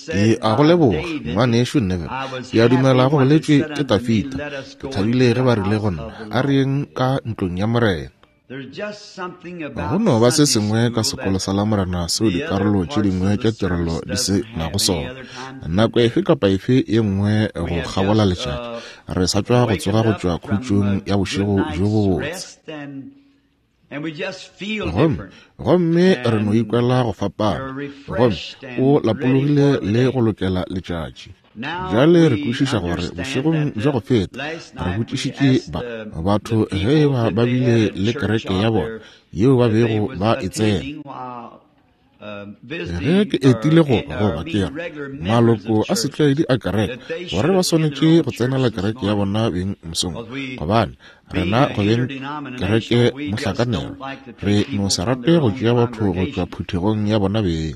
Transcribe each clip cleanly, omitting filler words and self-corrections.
Ke a go leboga, Ngwanešu Neville. Ke a dumela go boletšwe ke Tafita. Ke thabile ge ba rile go nna, A re yeng ka ntlong ya Morena. Go no ba se sengwe ka sekolo sa Lamorena seo dikarolo tše dingwe tša tirelo di se nago sona. Nako efe kapa efe ye nngwe go kgabola letšatši, re sa tšwa go tsoga go tšwa khutšong ya bošego bjo bobotse. Gomme, gomme re no ikwela go fapana, gomme o lapologile le go lokela letšatši. Bjale re kwešiša gore bošegong bja go feta re botšišitše ba, batho ge e ba ba bile le kereke ya bona yeo ba bego ba e tsena. Ge ke etile go, goba ke re, maloko a setlwaedi a kereke, gore ba swanetše go tsenela kereke ya bona beng mosong, gobane rena go beng kereke mohlakanelwa, re no se rate go tšea batho go tšwa phuthegong ya bona beng.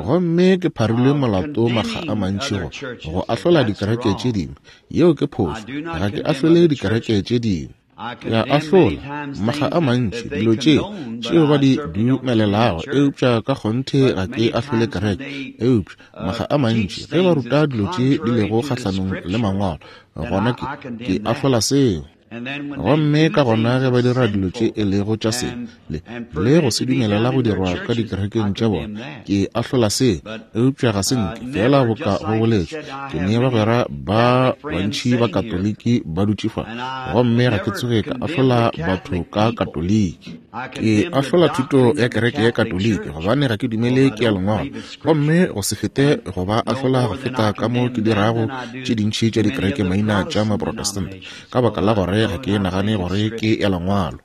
Gomme ke pharilwe molato makga a mantši go, go ahlola dikereke tše dingwe. Yeo ke phošo. Ga ke ahlole dikereke tše dingwe. Ke a ahlola, makga a mantši, dilo tše, tšeo ba di dumelelago, eupša ka kgonthe ga ke ahlole kereke. Eupša, makga a mantši, ge ba ruta dilo tše di lego kgahlanong le Mangwalo, gona ke, ke ahlola seo. Gomme ka gona ge ba dira dilo tše e lego tša sebe, le, le go se dumelela go dirwa ka dikerekeng tša bona, ke ahlola seo. Eupša ga se nke, feela boka go boletšwe, ke ne bagwera ba bantši ba Katoliki ba dutše fa, gomme ga ke tsoge ka ahlola batho ka Katoliki. Ke ahlola thuto ya kereke ya Katoliki gobane ga ke dumele ke ya Lengwalo, gomme go se fete go ba ahlola go feta ka mo ke dirago tše dintši tša dikereke maina tša Maprotestant, ka baka la gore ga ke nagane gore ke ya Lengwalo.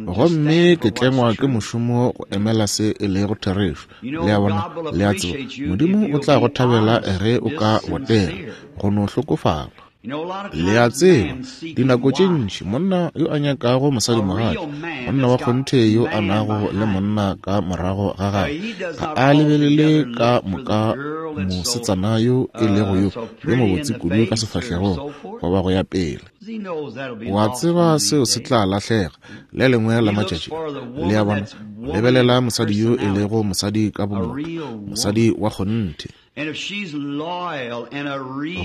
Gomme ke tlengwa ke mošomo go emela se e lego therešo. Le a bona? Le a tseba, Modimo o tla go thabela ge o ka botega, go no hlokofala. Le a tseba, dinako tše ntši monna yo a nyakago mosadimogatša, monna wa kgonthe yo a nago le monna ka morago ga gagwe, ga a lebelele ka moka mosetsana yo e lego yo yo mobotse kudu ka sefahlegong goba go ya pele. O a tseba seo se tla lahlega le lengwe la matšatši. Le a bona, lebelela mosadi yo e lego mosadi ka bomotho, mosadi wa kgonthe.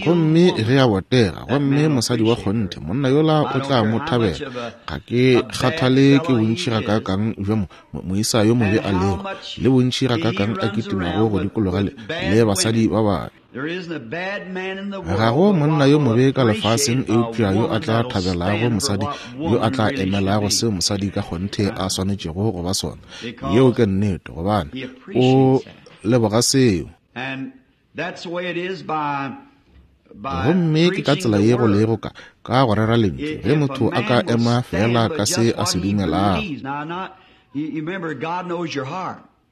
Gomme ge a botega, gomme mosadi wa kgonthe, monna yola o tla mo thabela. Ga ke kgathale ke bontši gakaakang bja mo, moisa yo mobe a lego, le bontši gakaakang a kitimago go dikologa le, le basadi ba babe. Ga go monna yo mobe ka lefaseng eupša yo a tla thabelago mosadi yo a tla emelago seo mosadi ka kgonthe a swanetšego go ba sona. Yeo ke nnete, gobane o leboga seo. Gomme ke ka tsela ye go lego ka, ka go rera Lentšu, ge motho a ka ema feela ka se a se dumelago.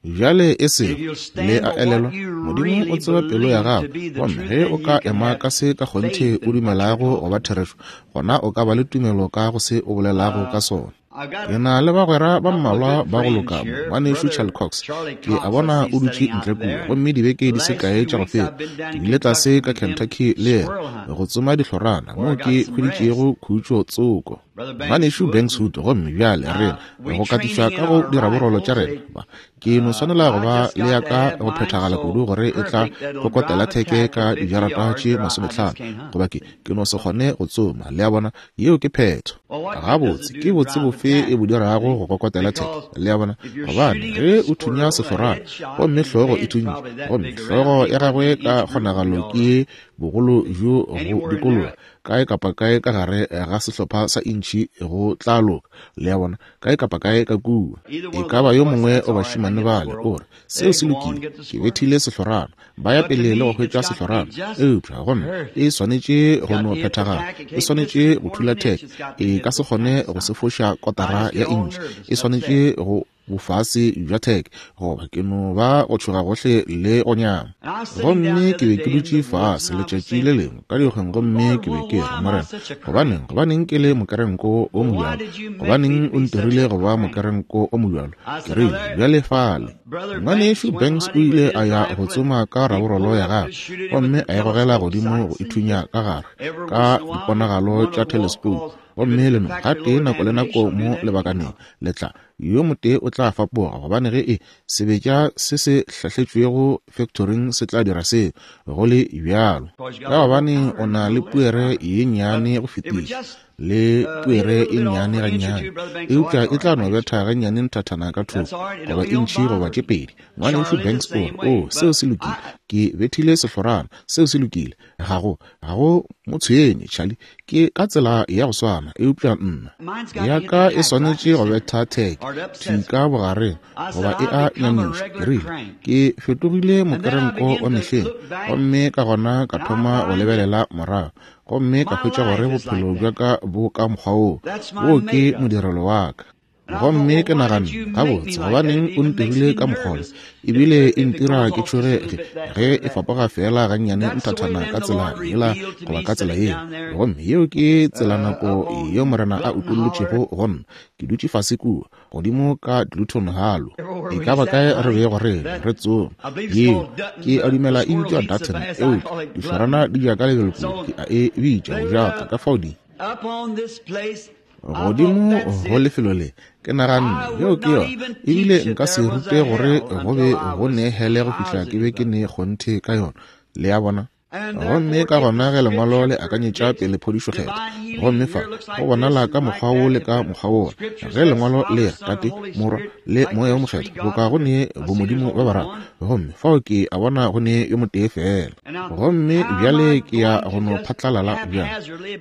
Bjale e sego, le a elelwa, Modimo o tseba pelo ya gago, gomme ge o ka ema ka se ka kgonthe o dumelago go ba therešo, gona o ka ba le tumelo ka go se o bolelago ka sona. Ke na le bagwera ba mmalwa ba go loka mo. Ngwanešu Charlie Cox, ke a bona o dutše ntle kua. Gomme dibeke di se kae tša go feta, ke ile tlase ka Kentucky le yena, go tsoma dihlorana, moo ke hweditšego khutšo tsoko. Ngwanešu Banks Wood, gomme bjale rena, go katišwa ka go diraborolo tša rena, ba, Ke no swanela go ba le ya ka go phethagala kudu gore e tla kokotela theke ka dijarata tše masometlhano, goba ke, ke no se kgone go tsoma. Le a bona? Yeo ke phetho. Gabotse, ke botse bofe e bo dirago go kokotela theke? Le a bona? Gobane ge o thunya sehlorana, gomme hlogo e thuntše, gomme hlogo ya gagwe ka kgonagalo ke ye bogolo bjo go dikologa, kae kapa kae ka gare ga sehlopha sa intšhi go tla loka, le a bona, kae kapa kae ka kua. E ka ba yo mongwe wa bašemane bale o re, Seo se lokile, ke bethile sehlorana. Ba ya pele le go hwetša sehlorana. Eupša go nna e swanetše go no phethagala, e swanetše go thula theke, e ka se kgone go se foša kotara ya intšhi, e swanetše go. bofase bja theke, goba ke no ba go tšhoga gohle le go nyama. Gomme ke be ke dutše fase letšatši le lengwe ka dikgweng, gomme ke be ke re, Morena, gobaneng, gobaneng ke le mokerenko o mobjalo? Gobaneng o ntirile go ba mokerenko o mobjalo? Ke rile, Bjale fale. Ngwanešu Banks o ile a ya go tsoma ka raborolo ya gagwe gomme a e gogela godimo go ithunya ka gare ka diponagalo tša theleskoupu, gomme le no gatee nako le nako mo lebakaneng le tla yo motee o tla fapoga, gobane ge e sebetša se se hlahletšwego factoring se tla dira seo go le bjalo, ka gobane o na le puere ye nnyane go fetiša le puere e nnyane gannyane, eupša e tla no betha gannyane nthathana ka thoko, goba intšhi goba tše pedi. Ngwanešu Banks o re, Oo, seo se lokile. Ke bethile sehlorana. Seo se lokile. Ga go, ga go mo tshwenye, Charlie. Ke ka tsela ya go swana, eupša nna. Ya ka e swanetše go betha theke, thwi ka bogareng, goba e a nyamiša. Ke rile, Ke fetogile mokerenko wa mehleng, gomme ka gona ka thoma go lebelela morago. Gomme ka hwetša gore bophelo bja ka bo ka mokgwa woo. Woo ke modirelo wa ka. Gomme ke naganne, Gabotse, gobaneng o ntirile ka mokgwa wo? Ebile e ntira ke tšhoge ge, ge e fapoga feela gannyane nthathana ka tsela yela goba ka tsela yeo. Gomme yeo ke tsela nako yeo Morena a utollotšego go nna. Ke dutše fase kua, godimo ka Glutton Halo, e ka ba kae re bego re re tsoma yeo, ke a dumela e bitšwa Dutton, eupša dihlorana di ja ka lebelo kudu, ke a e bitša go jaka, ka fao di. Godimo go lefelo le, ke naganne, yeo ke yona, ebile nka se rute gore go be go ne hele go fihla ke be ke ne kgonthe ka yona, le a bona. Gomme ka gona ge Lengwalo le akanyetša pele phodišo kgethwa, gomme fa go bonala ka mokgwa wo le ka mokgwa wola, ge Lengwalo le re, Tate, Morwa, le Moya wo Mokgethwa, boka go ne bomodimo ba bararo, gomme fao ke a bona go ne yo motee feela. Gomme bjale ke ya go no phatlalala bjang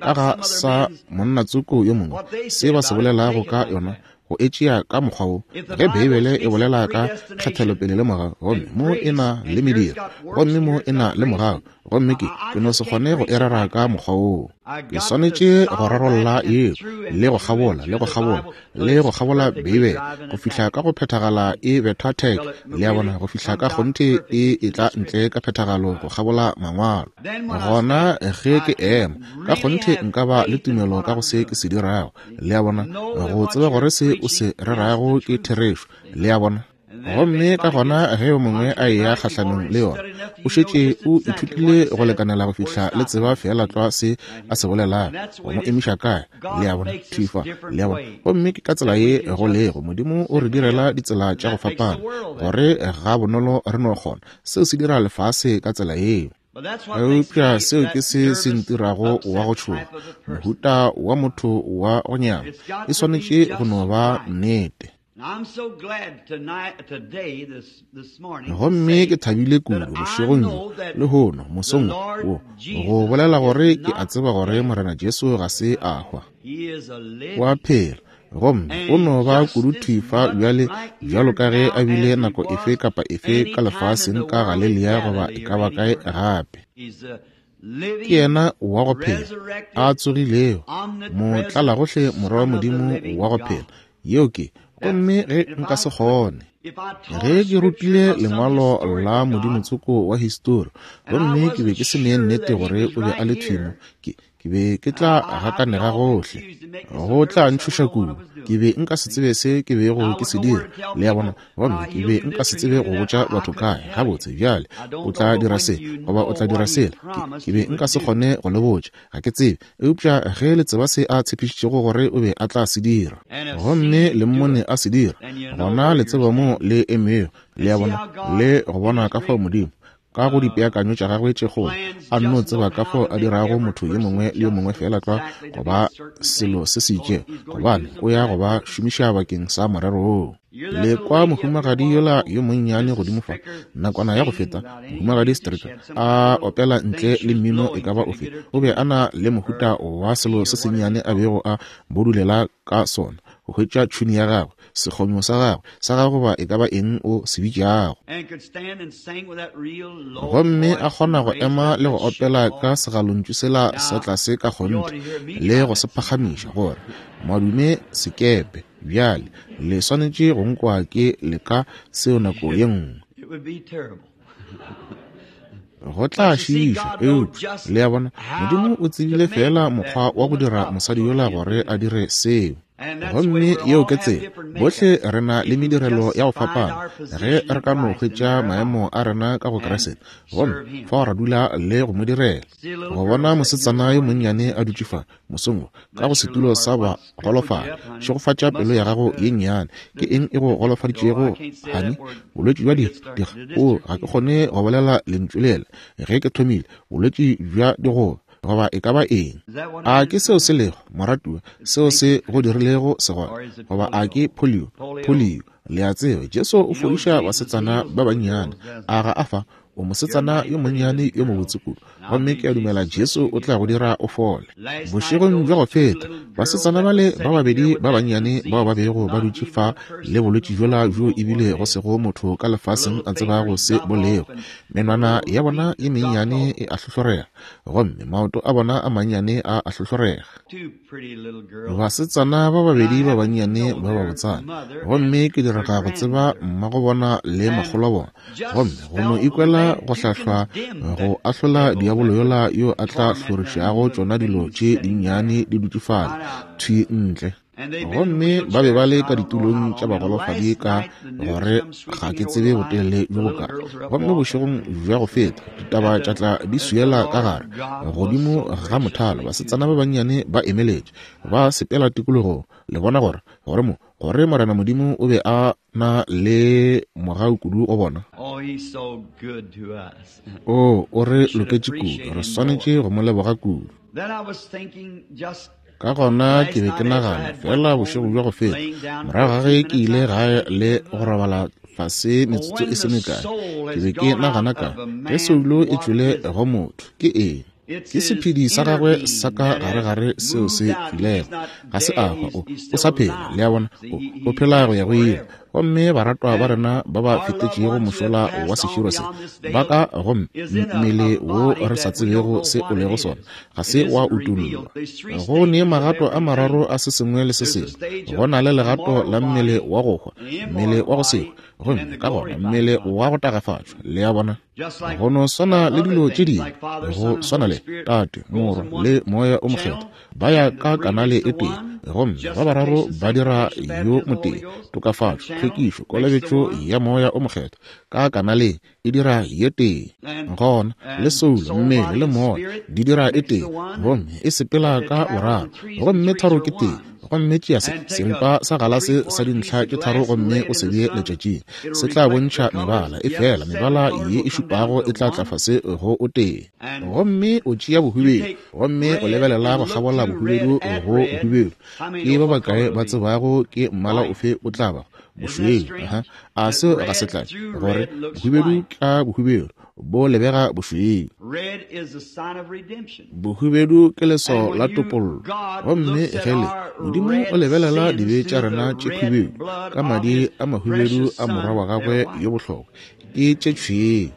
ka ga sa monna tsoko yo mongwe, se ba se bolelago ka yona, go e tšea ka mokgwa wo, ge Beibele e bolela ka kgethelopele le mogau, gomme mo e na le mediro, gomme mo e na le mogau, gomme ke, ke no se kgone go e rera ka mokgwa woo. Ke swanetše go rarolla yeo, le go kgabola, le go kgabola, le go kgabola Beibele, go fihla ka go phethagala e betha theke, le a bona, go fihla ka kgonthe e etla ntle ka phethagalo go kgabola Mangwalo. Gona ge ke ema, ka kgonthe nka ba le tumelo ka go se ke se dirago, le a bona, go tseba gore se o se rerago ke therešo, le a bona. Gomme ka gona ge yo mongwe a eya kgahlanong le yona, o šetše o ithutile go lekanela go fihla le tseba feela tlwa se a se bolelago, go mo emiša kae, le a bona, thwi fa, le a bona. Gomme ke ka tsela ye go lego, Modimo o re direla ditsela tša go fapana, gore ga bonolo re no kgona. Seo se dira lefase ka tsela yeo. Eupša seo ke se se ntirago wa go tšhoga, mohuta wa motho wa go nyama. E swanetše go no ba nnete. Gomme ke thabile kudu bošegong bjo, lehono, mosong wo, go bolela gore ke a tseba gore Morena Jesu ga se a hwa. O a phela. Gomme o no ba kudu thwi fa bjale bjalo ka ge a bile nako efe kapa efe ka lefaseng ka Galelia goba e ka ba kae gape. Ke yena wa go phela, a tsogilego, motlalagohle Morwa wa Modimo wa go phela. Yeo ke, gomme ge nka se kgone. Ge ke rutile lengwalo la modimotsoko wa histori, gomme ke be ke se ne nnete gore o be a le thwi mo, ke, Ke be ke tla gakanega gohle. Go tla ntšhoša kudu. Ke be nka se tsebe se ke bego ke se dira, le a bona, gomme ke be nka se tsebe go botša batho kae, Gabotse, bjale, o tla dira se, goba o tla dira sela. Ke, ke be nka se kgone go le botša. Ga ke tsebe. Eupša ge le tseba se A tshepišitšego gore O be a tla se dira, gomme le Mmone a se dira, gona le tseba moo le emego, le a bona, le go bona ka fao Modimo, ka go dipeakanyo tša gagwe tše kgolo, a nno tseba ka fao a dirago motho yo mongwe le yo mongwe feela tlwa go ba selo se se itšego, gobane o ya go ba šomiša bakeng sa morero woo. Le kwa mohumagadi yola yo monnyane godimo fa, nakwana ya go feta, Mohumagadi Stricker, a opela ntle le mmino e ka ba ofe. O be a na le mohuta wa selo se sennyane a bego a bodulela ka sona, go hwetša tšhuni ya gagwe, sekgonyo sa gagwe, sa gagwe goba e ka ba eng o se bitšago. Gomme a kgona go ema le go opela ka segalontšu sela sa tlase ka kgonthe, le go se phagamiša, gore, Madume sekepe. Bjale, le swanetše go nkwa ke leka seo nako ye nngwe. Go tla šiiša, eupša, le a bona, Modimo o tsebile feela mokgwa wa go dira mosadi yola gore a dire seo. Gomme yeo ke tsela. Bohle re na le medirelo ya go fapana. Ge re ka no hwetša maemo a rena ka go Kriste, gomme fao ra dula le go mo direla. Go bona mosetsana yo monnyane a dutše fa, mosong wo, ka go setulo sa bagolofadi, šegofatša pelo ya gago ye nnyane. Ke eng e go golofaditšego, honey? Bolwetši bja diga. Oo, ga ke kgone go bolela lentšu lela. Ge ke thomile, bolwetši bja digoba. Goba e ka ba eng. A ke seo se lego, moratuwa, seo se go dirilego segole? Goba a ke polio? Polio. Le a tseba, Jesu o fodiša basetsana ba bannyane. A ga a fa? O mosetsana yo monnyane yo mobotse kudu. Gomme ke a dumela Jesu o tla go dira o fole. Bošegong bja go feta, basetsana bale ba babedi ba bannyane bao ba bego ba dutše fa le bolwetši bjola bjo ebile go sego motho ka lefaseng a tsebago se bo lego, menwana ya bona ye mennyane e a hlohlorega, gomme maoto a bona a mannyane a a hlohlorega. Basetsana ba babedi ba bannyane ba babotsana, gomme ke direga go tseba mmago bona le makgolo a bona, gomme go no ikwela go hlahlwa go ahlola diabolo yola yo a tla hlorišago tšona dilo tše dinnyane di dutše fale thwi ntle. Gomme ba be ba le ka ditulong tša bagolofadi ka gore ga ke tsebe botelele bjo bokae. Gomme bošegong bja go feta, ditaba tša tla di swiela ka gare, godimo ga mothalo, basetsana ba bannyane ba emeletše, ba sepela tikologong, le bona gore, gore mo, gore Morena Modimo o be a na le mogau kudu go bona. Oo, o re loketše kudu, re swanetše go mo leboga kudu. Ka gona ke be ke nagana, feela bošego bja go feta, morago ga ge ke ile gae le go robala fase metsotso e se mekae, ke be ke nagana ka, ge soulo e tšwele go motho, ke eng? Ke sephedi sa gagwe sa ka gare-gare seo se tšwilego. Ga se a hwa, o, o sa phela, le a bona, o, o phela go ya go ile. Gomme baratwa ba rena ba ba fetetšego mošola wa seširo se, ba ka go mmele wo re sa tsebego se o lego sona, ga se wa utollwa. Go ne magato a mararo a se sengwe le se sengwe. Go na le legato la mmele wa go hwa, mmele wa go se hwe, gomme ka gona mmele wa go tagafatšwa. Le a bona? Go no swana le dilo tše dingwe, go swana le Tate, Morwa, le Moya o Mokgethwa, ba ya ka kanale e tee, gomme ba bararo ba dira yo motee. Tokafatšo, tlhwekišo, kolobetšo ya Moya o Mokgethwa ka kanaleng e dira ye tee. Gona le soulo, mmele le moya di dira e tee, gomme e sepela ka boraro, gomme tharo ke tee. Gomme tšea se, seripa sa galase sa dintlha tše tharo gomme o se bee letšatšing, se tla bontšha mebala, efela mebala ye e šupago e tla tla fase go o tee. Gomme o tšea bohubedu, gomme o lebelela go kgabola bohubedu go bohubedu. Ke ba bakae ba tsebago ke mmala ofe o tla bago? Bošweu. Aha. A seo ga se tlale? Gore bohubedu ka bohubedu bo lebega bošweu. Bohubedu ke leswao la topollo. Gomme ge le, Modimo o lebelela dibe tša rena tše khubedu ka madi a mahubedu a Morwa wa gagwe yo bohlokwa, ke tše tšhweu.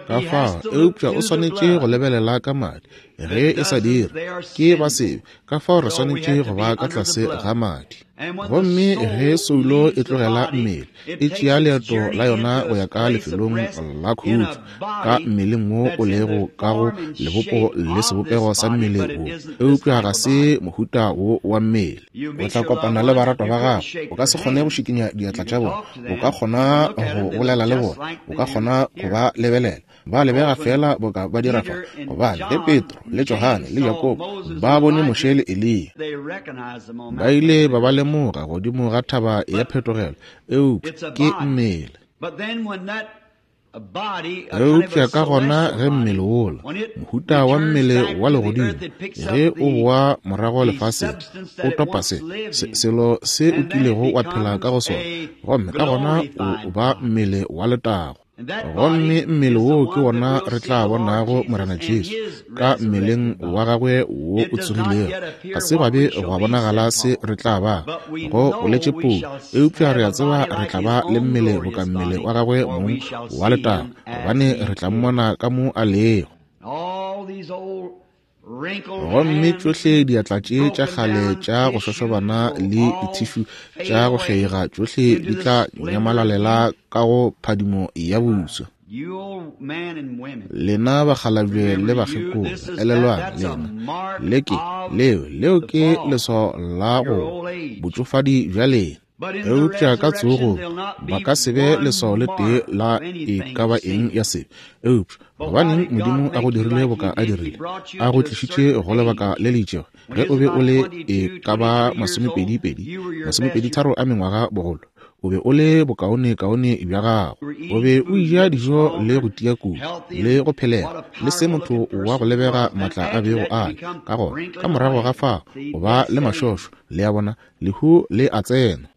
Ka fao, eupša o swanetše go lebelela ka madi. Ge e sa dire, ke ba sebe. Ka fao re swanetše go ba ka tlase ga madi. Gomme ge soulo e tlogela mmele, e tšea leeto la yona go ya ka lefelong la khutšo, ka mmeleng wo o lego ka go lebopo le sebopego sa mmele wo, eupša ga se mohuta wo wa mmele. O tla kopana le baratwa ba gago. O ka se kgone go šikinya diatla tša bona. O ka kgona go bolela le bona. O ka kgona go ba lebelela. Ba lebega feela boka ba dira fa, gobane ge Petro le Johane le Jakobo ba bone Moshe le Eliya, ba ile ba ba lemoga godimo ga thaba ya phetogelo, eupša ke mmele. Eupša ka gona ge mmele wola, mohuta wa mmele wa legodimo, ge o boa morago lefaseng, o topa se, se, selo se o kilego wa phela ka go sona, gomme ka gona o ba mmele wa letago. Gomme mmele woo ke wona re tla bonago Morena Jesu ka mmeleng wa gagwe wo o tsogilego. Ga se gwa be gwa bonagala se re tla ba, go boletše Paulo, eupša re a tseba re tla ba le mmele boka mmele wa gagwe mong wa letago, gobane re tla mmona ka mo a lego. Gomme tšohle diatla tše tša kgale tša go šošobana le dithišu tša go kgeiga tšohle di tla nyamalalela ka go phadimo ya boso. Lena bakgalabje le bakgekolo, elelwang, lena, le ke, leo, leo ke leswao la go botšofadi bja lena. Eupša ka tsogo ba ka se be leswao le tee la e ka ba eng ya sebe. Eupša gobaneng Modimo a go dirile boka a dirile, a go tlišitše go lebaka le le itšego, ge o be o le e ka ba masomepedi-pedi, masomepedi-tharo a mengwaga bogolo, o be o le bokaone-kaone bja gago, o be o eja dijo le go tia kudu, le go phelega, le se motho wa go lebega maatla a bego a le ka gona. Ka morago ga fao, o ba le mašošo, le a bona, lehu le a tsena.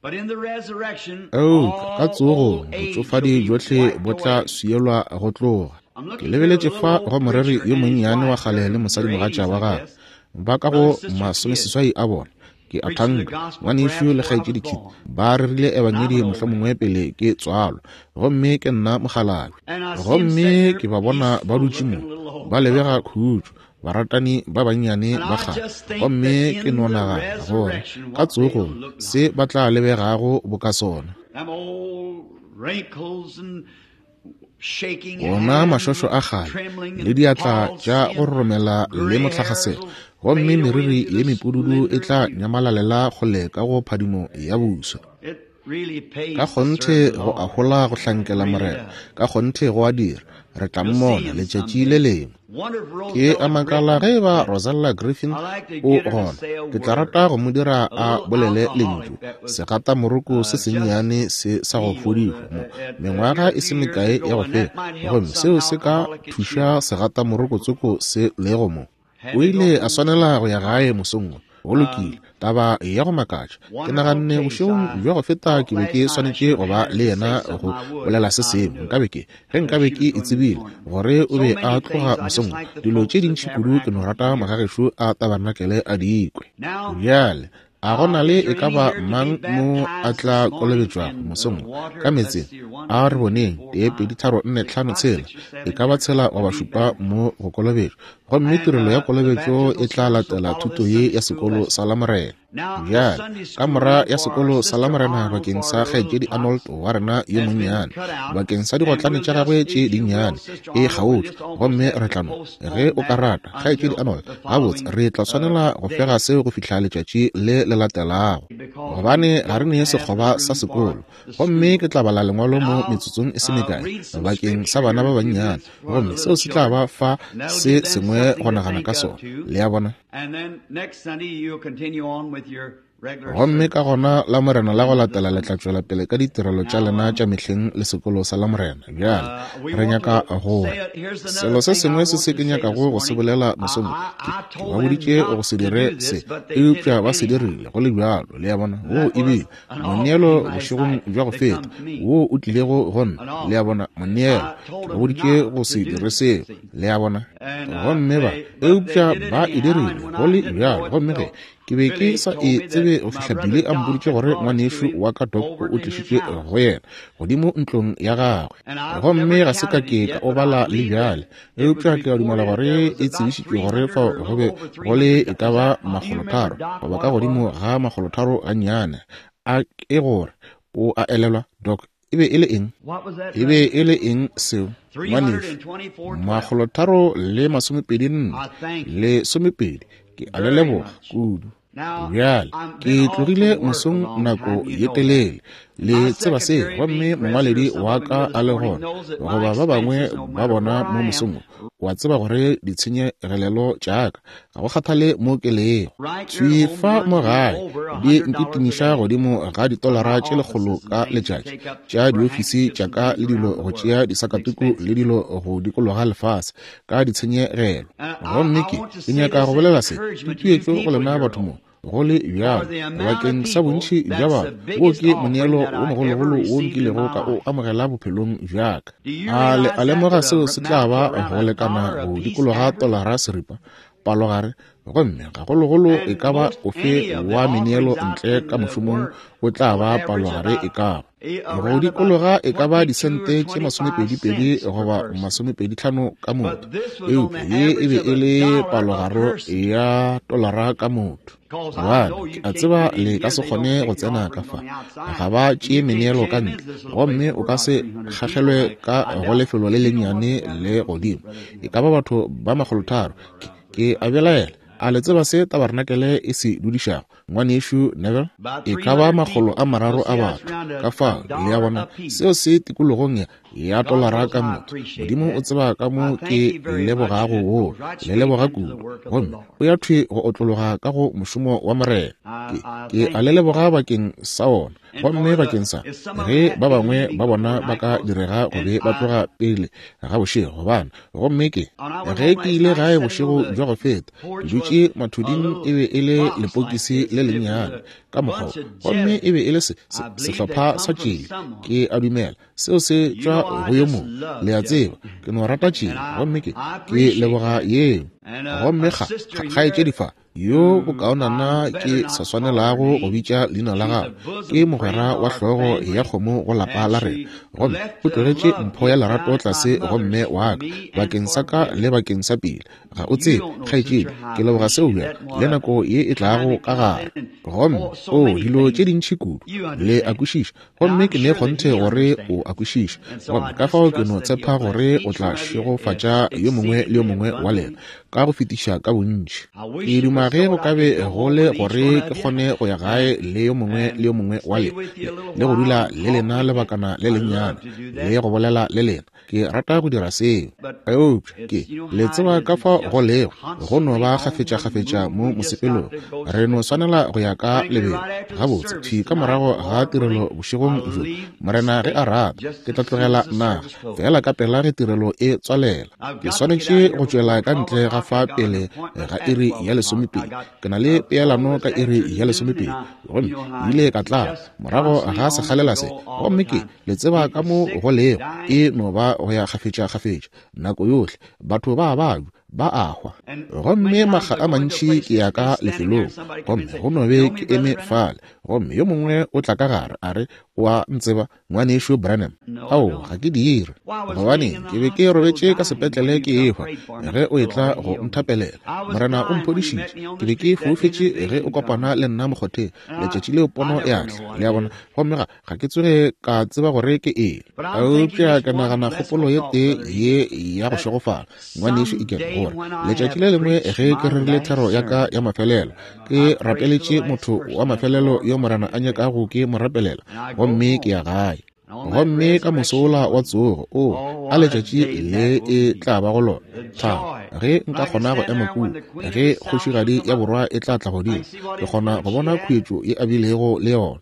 Eupša ka tsogong botšofadi bjohle bo tla swielwa go tloga. Ke lebeletše fa go moreri yo monnyane wa kgale le mosadimogatša wa gagwe, ba ka go masomeseswai a bona, ke a thanka, ngwanešu le kgaetšedi Kidd, ba rerile ebangedi mohlomongwe pele ke tswalwa, gomme ke nna mokgalabje. Gomme ke ba bona ba dutše mo, ba lebega khutšo, baratani ba bannyane ba kgale, gomme ke no nagana gore ka tsogong se ba tla lebegago boka sona. Ona mašošo a kgale le diatla tša go roromela le motlakgaselo, gomme meriri ye mepududu e tla nyamalalela kgole ka go phadimo ya buso. Ka kgonthe go a hola go hlankela Morena, ka kgonthe go a dira. Re tla mmona letšatši le lengwe. Ke a makala ge eba Rosella Griffin o gona. Ke tla rata go mo dira a bolele lentšu, segatamoroko se sennyane se sa go fodišwa mo, mengwaga e se mekae ya go feta, gomme seo se ka thuša segatamoroko tsoko se lego mo. O ile a swanela go ya gae mosong wo. Go lokile, taba ya go makatša. Ke naganne bošegong bja go feta ke be ke swanetše go ba le yena go bolela se sengwe. Nkabe ke, ge nkabe ke e tsebile gore o be a tloga mosong wo. Dilo tše dintši kudu ke no rata magagešo a tabarnakele a di kwe. Bjale, A go na le e ka ba mang mo a tla kolobetšwago mosong wo ka meetseng? A re boneng, tee, pedi, tharo, nne, tlhano, tshela, e ka ba tshela goba šupa mo go kolobetšwa. Gomme tirelo ya kolobetšo e tla latela thuto ye ya sekolo sa Lamorena. Bjale, kamora ya sekolo sa Lamorena bakeng sa Kgaetšedi Arnold wa rena yo monnyane, bakeng sa digotlane tša gagwe tše dinnyane, e kgaotšwe, gomme re tla no, ge o ka rata, Kgaetšedi Arnold, gabotse, re tla swanela go fega seo go fihla letšatši le le latelago, gobane ga re ne sekgoba sa sekolo. Gomme ke tla bala lengwalo mo metsotsong e se mekae bakeng sa bana ba bannyane, gomme seo se tla ba fa se sengwe go nagana ka sona, le a bona. Gomme ka gona Lamorena la go latela le tla tšwela pele ka ditirelo tša lena tša mehleng le sekolo sa Lamorena. Bjale, re nyaka go Selo se sengwe se se ke nyakago go se bolela mosong wo, ke, ke ba boditše go se dire se, eupša ba se dirile go le bjalo, le a bona. Woo e bile moneelo bošegong bja go feta, woo o tlilego go nna, le a bona, moneelo. Ke ba boditše go se dire seo, le a bona. Gomme ba, eupša ba e dirile go le bjalo. Gomme ge Ke be ke sa e tsebe go fihla Billy a mpoditše gore ngwanešu wa ka Doc o tlišitšwe go yena godimo ntlong ya gagwe. Gomme ga se ka ke ka o bala le bjale, eupša ke a dumela gore e tsebišitšwe gore fao go be go le e ka ba makgolotharo goba ka godimo ga makgolotharo gannyane. A ke gore o a elelwa, Doc? E be e le eng? E be e le eng seo, ngwanešu? Makgolotharo le masomepedi nne lesomepedi. Ke a le leboga kudu. Bjale, ke tlogile mosong nako ye telele, le tseba seo, gomme mongwaledi wa ka a le gona, goba ba bangwe ba bona mo mosong wo, o a tseba gore ditshenyegelelo tša ka, ga go kgathale mo ke lego, thwi fa mo gae, di nkitimiša godimo ga ditolara tše lekgolo ka letšatši, tša diofisi tša ka le dilo go tšea disakatuku le dilo go dikologa lefase, ka ditshenyegelo. Gomme ke, ke nyaka go bolela se, tutuetšo go lena batho mo, go le bjalo, bakeng sa bontši bja batho, wo ke moneelo wo mogologolo wo nkilego ka o amogela bophelong bja ka. A le a lemoga seo se tla ba go lekana go dikologa tolara seripa, palogare? Gomme gagologolo e ka ba ofe wa meneelo ntle ka mošomong o tla ba palogare e ka ba go dikologa e ka ba disente tše 22 goba 25 ka motho, eupša ye e be e le palogaro ya tolara ka motho. Gobane ke a tseba le ka se kgone go tsena ka fa, ga ba tšee meneelo ka ntle, gomme o ka se kgagelwe ka go lefelo le lennyane le godimo. E ka ba batho ba 300. Ke a belaela, a le tseba se tabarenakele e se dudišago, Ngwanešu Neville? E ka ba 300 a batho. Ka fao, le a bona, seo se tikologong ya, ya tolara ka motho. Modimo o tseba ka mo ke lebogago woo, le leboga kudu. Gomme o ya thwi go otlologa ka go mošomo wa Morena. Ke, ke a le leboga bakeng sa wona. Gomme bakeng sa ge ba bangwe ba bona ba ka direga go be ba tloga pele ga bošego, gobane gomme ke ge ke ile gae bošego bja go feta, ke dutše mathuding, e be e le lepokisi le lennyane ka mokgwa, gomme e be e le se, se, sehlopha sa tšeli, ke a dumela seo se tšwa go yo mongwe, le a tseba, ke no rata tšeli, gomme ke, ke leboga yeo. Gomme ga, kgaetšedi fa, yo bokaonana ke sa swanelago go bitša leina la gagwe, ke mogwera wa hlogo ya kgomo go lapa la rena, gomme o tlogetše mpho ya lerato tlase go mme wa ka bakeng sa ka le bakeng sa pele. Ga o tsebe, kgaetšedi, ke leboga seo bjang, le nako ye e tlago ka gare. Gomme, oo, dilo tše dintši kudu, le a kwešiša, gomme ke ne kgonthe gore o a kwešiša. Gomme ka fao ke no tshepa gore o tla šegofatša yo mongwe le yo mongwe wa lena ka go fetiša ka bontši. Ke duma ge go ka be go le gore ke kgone go ya gae le yo mongwe le yo mongwe wa lena, le go dula le lena lebakana le lennyane, le go bolela le lena. Ke rata go dira seo. Eupša ke, le tseba ka fao go lego, go no ba kgafetšakgafetša mo mosepelong. Re no swanela go ya ka lebelo. Gabotse, thwi ka morago ga tirelo bošegong bjo, Morena ge a rata, ke tla tlogela naga, feela ka pela ge tirelo e tswalela. Ke swanetše go tšwela ka ntle ga fa pele ga iri ya 12. Ke na le peelano ka iri ya 12. Gomme ke ile ka tla morago ga sekgalela se. Gomme ke, le tseba ka mo go lego, e no ba go ya kgafetšakgafetša nako yohle. Batho ba a babja, ba a hwa. Gomme makga a mantši ke ya ka lefelong, gomme go no be ke eme fale, gomme yo mongwe o tla ka gare, a re, O a ntseba, Ngwanešu Branham? Ao, ga ke dire. Gobaneng, ke be ke robetše ka sepetlele ke ehwa ge o etla go nthapelela. Morena o mphodišitše. Ke be ke foufetše ge o kopana le nna mokgotheng letšatši leo pono ya tla. Le a bona? Gomme ga, ga ke tsoge ka tseba gore ke eng. Eupša ke nagana kgopolo ye tee ye ya go šegofala, Ngwanešu Egan, gore letšatši le lengwe ge ke rerile thero ya ka ya mafelelo, ke rapeletše motho wa mafelelo yo Morena a nyakago ke mo rapelela, gomme ke ya gae. Gomme ka mosola wa tsogo, o a letšatši le e tla ba go lona, thabo, ge nka kgona go ema kua, ge kgošigadi ya borwa e tla tla godimo, ke kgona go bona khuetšo ye a bilego le yona.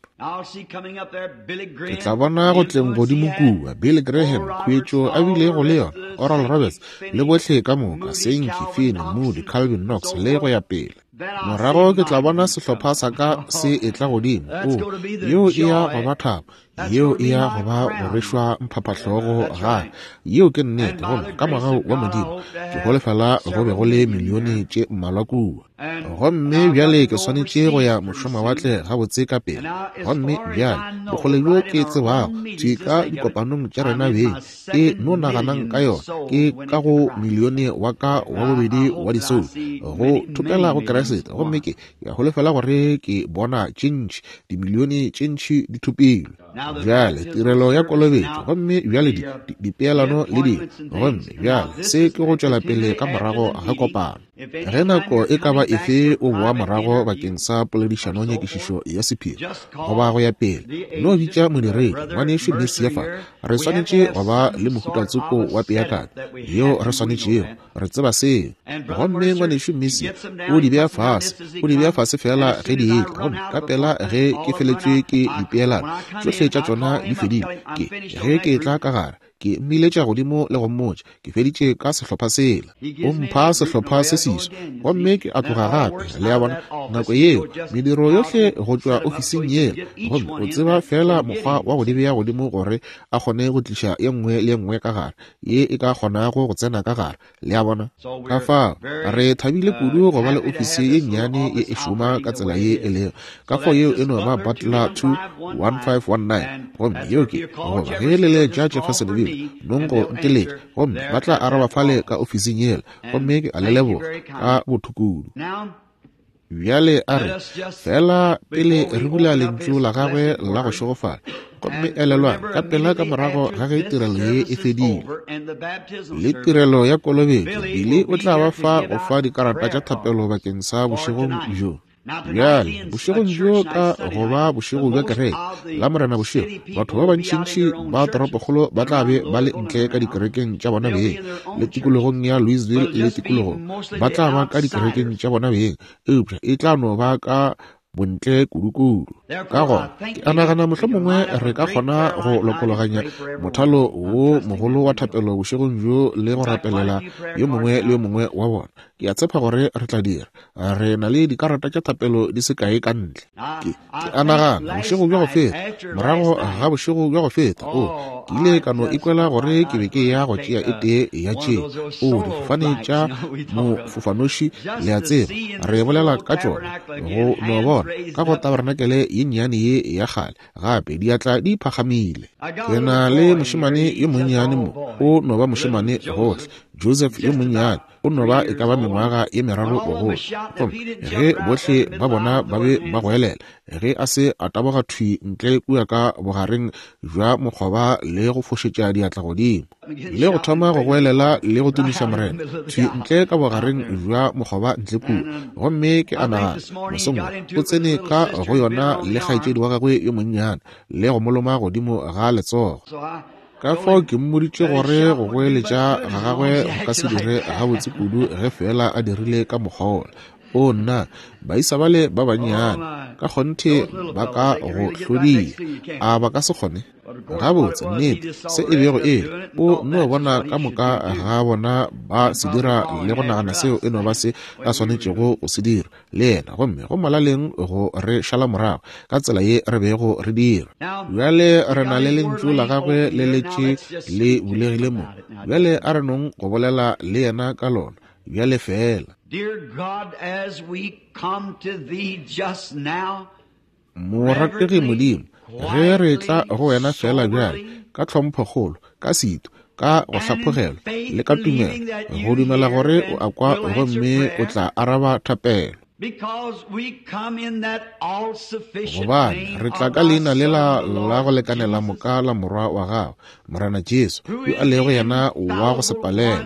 Ke tla bona go tleng godimo kua, Billy Graham, khuetšo a bilego le yona, Oral Roberts, le bohle ka moka, Sankey, Finney, Moody, Calvin, Knox, le go ya pele. Morago ke tla bona sehlopha sa ka se etla godimo. O, yeo e ya go ba thabo, yeo e ya go ba go rwešwa mphaphahlogo gape. Yeo ke nnete. Gomme ka mogau wa Modimo, ke holofela go be go le milione tše mmalwa kua. Gomme bjale ke swanetše go ya mošomawatle gabotse ka pele. Gomme bjale, bokgole bjo ke tsebago, thwi ka dikopanong tša rena beng, ke no naganang ka yona, ke ka go milione wa ka wa bobedi wa disoulo go thopela go Kriste. Gomme ke a holofela gore ke bona tše ntši, dimilione tše ntši di thopilwe. Bjale tirelo ya kolobetšo, gomme bjale di, di, dipeelano le dilo, gomme bjale se ke go tšwela pele ka morago ga kopano. Ge nako e ka ba efe o boa morago bakeng sa poledišano nyakišišo ya sephiri goba go ya pele, no bitša modiredi, Ngwanešu Mercier fa. Re swanetše go ba le mohuta tsoko wa peakanyo yeo re swanetšego, re tseba seo. Gomme Ngwanešu Mercier o di bea fase, o di bea fase feela ge di etla, gomme ka pela ge ke feletšwe ke dipeelano, tšohle tša tšona di fedile, ke ge ke etla ka gare. Ke mmiletša godimo le go mmotša, Ke feditše ka sehlopha sela. O mpha sehlopha se seswa, gomme ke a tloga gape. Le a bona? Nako yeo, mediro yohle go tšwa ofising yela, gomme o tseba feela mokgwa wa go di bea godimo gore a kgone go tliša ye nngwe le ye nngwe ka gare, ye e ka kgonago go tsena ka gare. Le a bona? Ka fao, re thabile kudu go ba le ofisi ye nnyane ye e šoma ka tsela ye e lego. Ka fao yeo e no ba Butler 2 1519. Gomme yeo ke, goba ge le le tša Jeffersonville, nong go nteletša, gomme ba tla araba fale ka ofising yela. Gomme ke a le leboga ka botho kudu. Bjale a re, feela pele re bula Lentšu la Gagwe la go šegofala, gomme elelwang, ka pela ka morago ga ge tirelo ye e fedile, le tirelo ya kolobetšo, Billy o tla ba fa go fa dikarata tša thapelo bakeng sa bošegong bjo. Bjale, bošegong bjo ka go ba bošego bja kereke, Lamorena bošego, batho ba bantšintši ba toropokgolo ba tla be ba le ntle ka dikerekeng tša bona beng, le tikologong ya Louisville le tikologong. Ba tla ba ka dikerekeng tša bona beng, eupša e tla no ba ka bontle kudukudu. Ka gona, ke a nagana mohlomongwe re ka kgona go lokologanya mothalo wo mogolo wa thapelo bošegong bjo le go rapelela yo mongwe le yo mongwe wa bona. Ke a tshepa gore re tla dira. Re na le dikarata tša thapelo di se kae ka ntle. Ke, ke a nagana bošego bja go feta, morago ga bošego bja go feta, o, ke ile ka no ikwela gore ke be ke ya go tšea e tee ya tše, o, difofane tša mofofanoši, le a tseba, re bolela ka tšona, go no bona ka go tabarenakele ye nnyane ye ya kgale gape, diatla di phagamile. Ke na le mošemane yo monnyane mo, o no ba mošemane gohle, Joseph yo monnyane. O no ba e ka ba mengwaga ye meraro bogolo. Gomme ge bohle ba bona ba be ba goelela, ge a se a taboga thwi ntle kua ka bogareng bja mokgoba le go fošetša diatla godimo, le go thoma go goelela le go tumiša Morena, thwi ntle ka bogareng bja mokgoba ntle kua. Gomme ke a nagana, mosong wo, o tsene ka go yona le kgaetšedi wa gagwe yo monnyane, le go mo loma godimo ga letsogo. Ka fao ke mmoditše gore go goeletša ga gagwe go ka se dire gabotse kudu ge feela a dirile ka mokgwa wola. Oo, nna, baisa bale ba bannyane, ka kgonthe ba ka go hlodia. A ba ka se kgone? Gabotse, nnete, se e bego e le, o no bona ka moka ga bona ba se dira le go nagana seo e no ba se a swanetšego go se dira. le yena, gomme go molaleng go re šala morago ka tsela ye re bego re dira. Bjale re na le Lentšu la Gagwe le letše le bulegile mo. Bjale a re nong go bolela le yena ka lona bjale feela. Morategi Modimo, ge re tla go wena feela bjale, ka tlhomphokgolo, ka setu, ka go hlaphogelwa, le ka tumelo, go dumela gore o a kwa gomme o tla araba thapelo. Gobane re tla ka leina lela la go lekanela moka la Morwa wa Gago, Morena Jesu, yo a lego yena wa go se palelwe.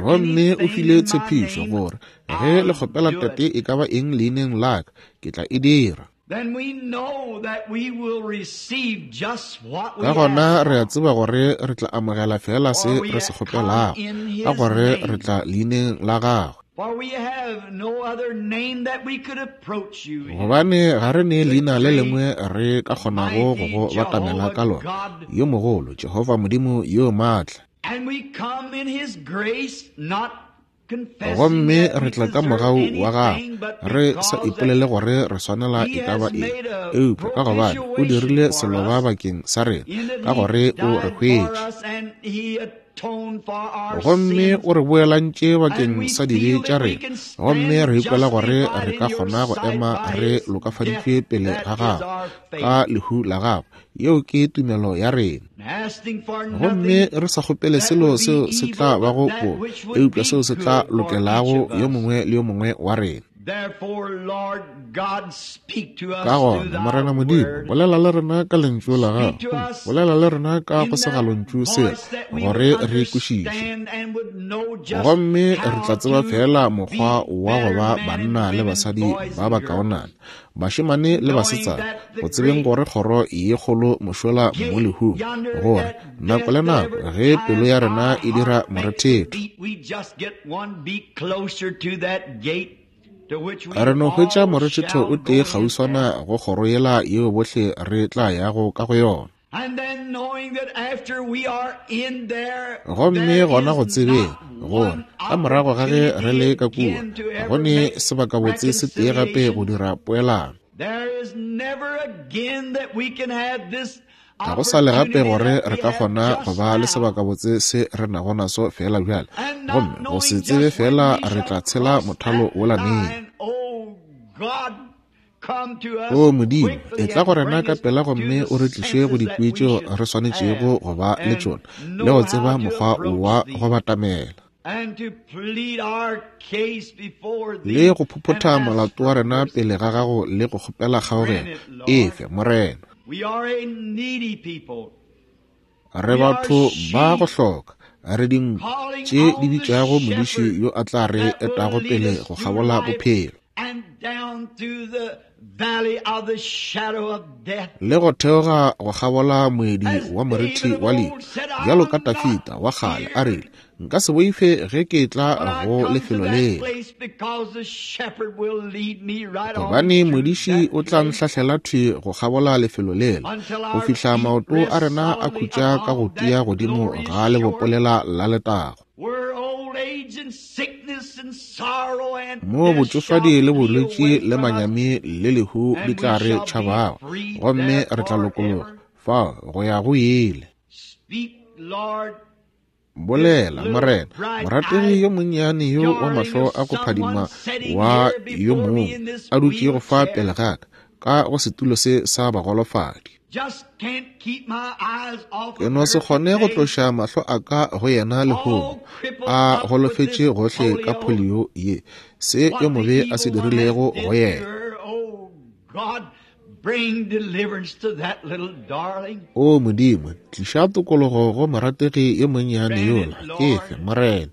Gomme o file tshepišo gore ge le kgopela Tate e ka ba eng leineng la ka, ke tla e dira. Ka gona re a tseba gore re tla amogela feela se re se kgopelago, ka gore re tla leineng la gagwe. Gobane ga re ne leina le lengwe re ka kgonago go go batamela ka lona, yo mogolo, Jehofa Modimo yo maatla. Gomme re tla ka mogau wa gagwe, re sa ipolele gore re swanela e ka ba eng, eupša ka gobane o dirile seloba bakeng sa rena, ka gore o re hwetše. Gomme o re boelantše bakeng sa dibe tša rena, gomme re ikwela gore re ka kgona go ema re lokafaditšwe pele ga Gagwe ka lehu la Gagwe. Yeo ke tumelo ya rena. Gomme re sa kgopele selo seo se tla bago bobe, eupša seo se tla lokelago yo mongwe le yo mongwe wa rena. Ka gona, Morena Modimo, bolela le rena ka Lentšu la Gago, gomme bolela le rena ka go segalontšu sela, gore re kwešiše. Gomme re tla tseba feela mokgwa wa go ba banna le basadi ba bakaonana, bašemane le basetsana, go tsebeng gore kgoro ye kgolo mošola mo lehung, gore nako le nako ge pelo ya rena e dira morethetho, Re no hwetša morethetho o tee kgauswana go kgoro yela yeo bohle re tla yago ka go yona. Gomme gona go tsebeng gore ka morago ga ge re le ka kua, ga go ne sebakabotse se tee gape go dira poelano. Ga go sa le gape gore re ka kgona go ba le sebakabotse se re nago naso feela bjale, gomme go se tsebe feela re tla tshela mothalo wola neng. O Modimo, etla go rena ka pela gomme o re tliše go dikwi tšeo re swanetšego go ba le tšona le go tseba mokgwa wa go batamela le go phophotha molato wa rena pele ga gago le go kgopela kgaogelo. Efe, Morena. Re batho ba go hloka, re dinku tše di bitšago modiši yo a tla re etago pele go kgabola bophelo le go theoga go kgabola moedi wa morithi wa lehu, bjalo ka Tafita wa kgale a rile, Nka se boife ge ke tla go lefelo lela, gobane modiši o tla nhlahlela thwi go kgabola lefelo lela, go fihla maoto a rena a khutša ka go tia godimo ga lebopolela la letago. Moo botšofadi le bolwetši le manyami le lehu di tla re tšhabago, gomme re tla lokologa fao go ya go ile. Bolela, Morena, morategi yo monnyane yo wa mahlo a go phadima wa yo mongwe a dutšego fa pele ga ka, ka go setulo se sa bagolofadi. Ke no se kgone go tloša mahlo a ka go yena lehono, a golofetše gohle ka polio ye, se yo mobe a se dirilego go yena. O Modimo, tliša tokologo go morategi yo monnyane yola, efe, Morena.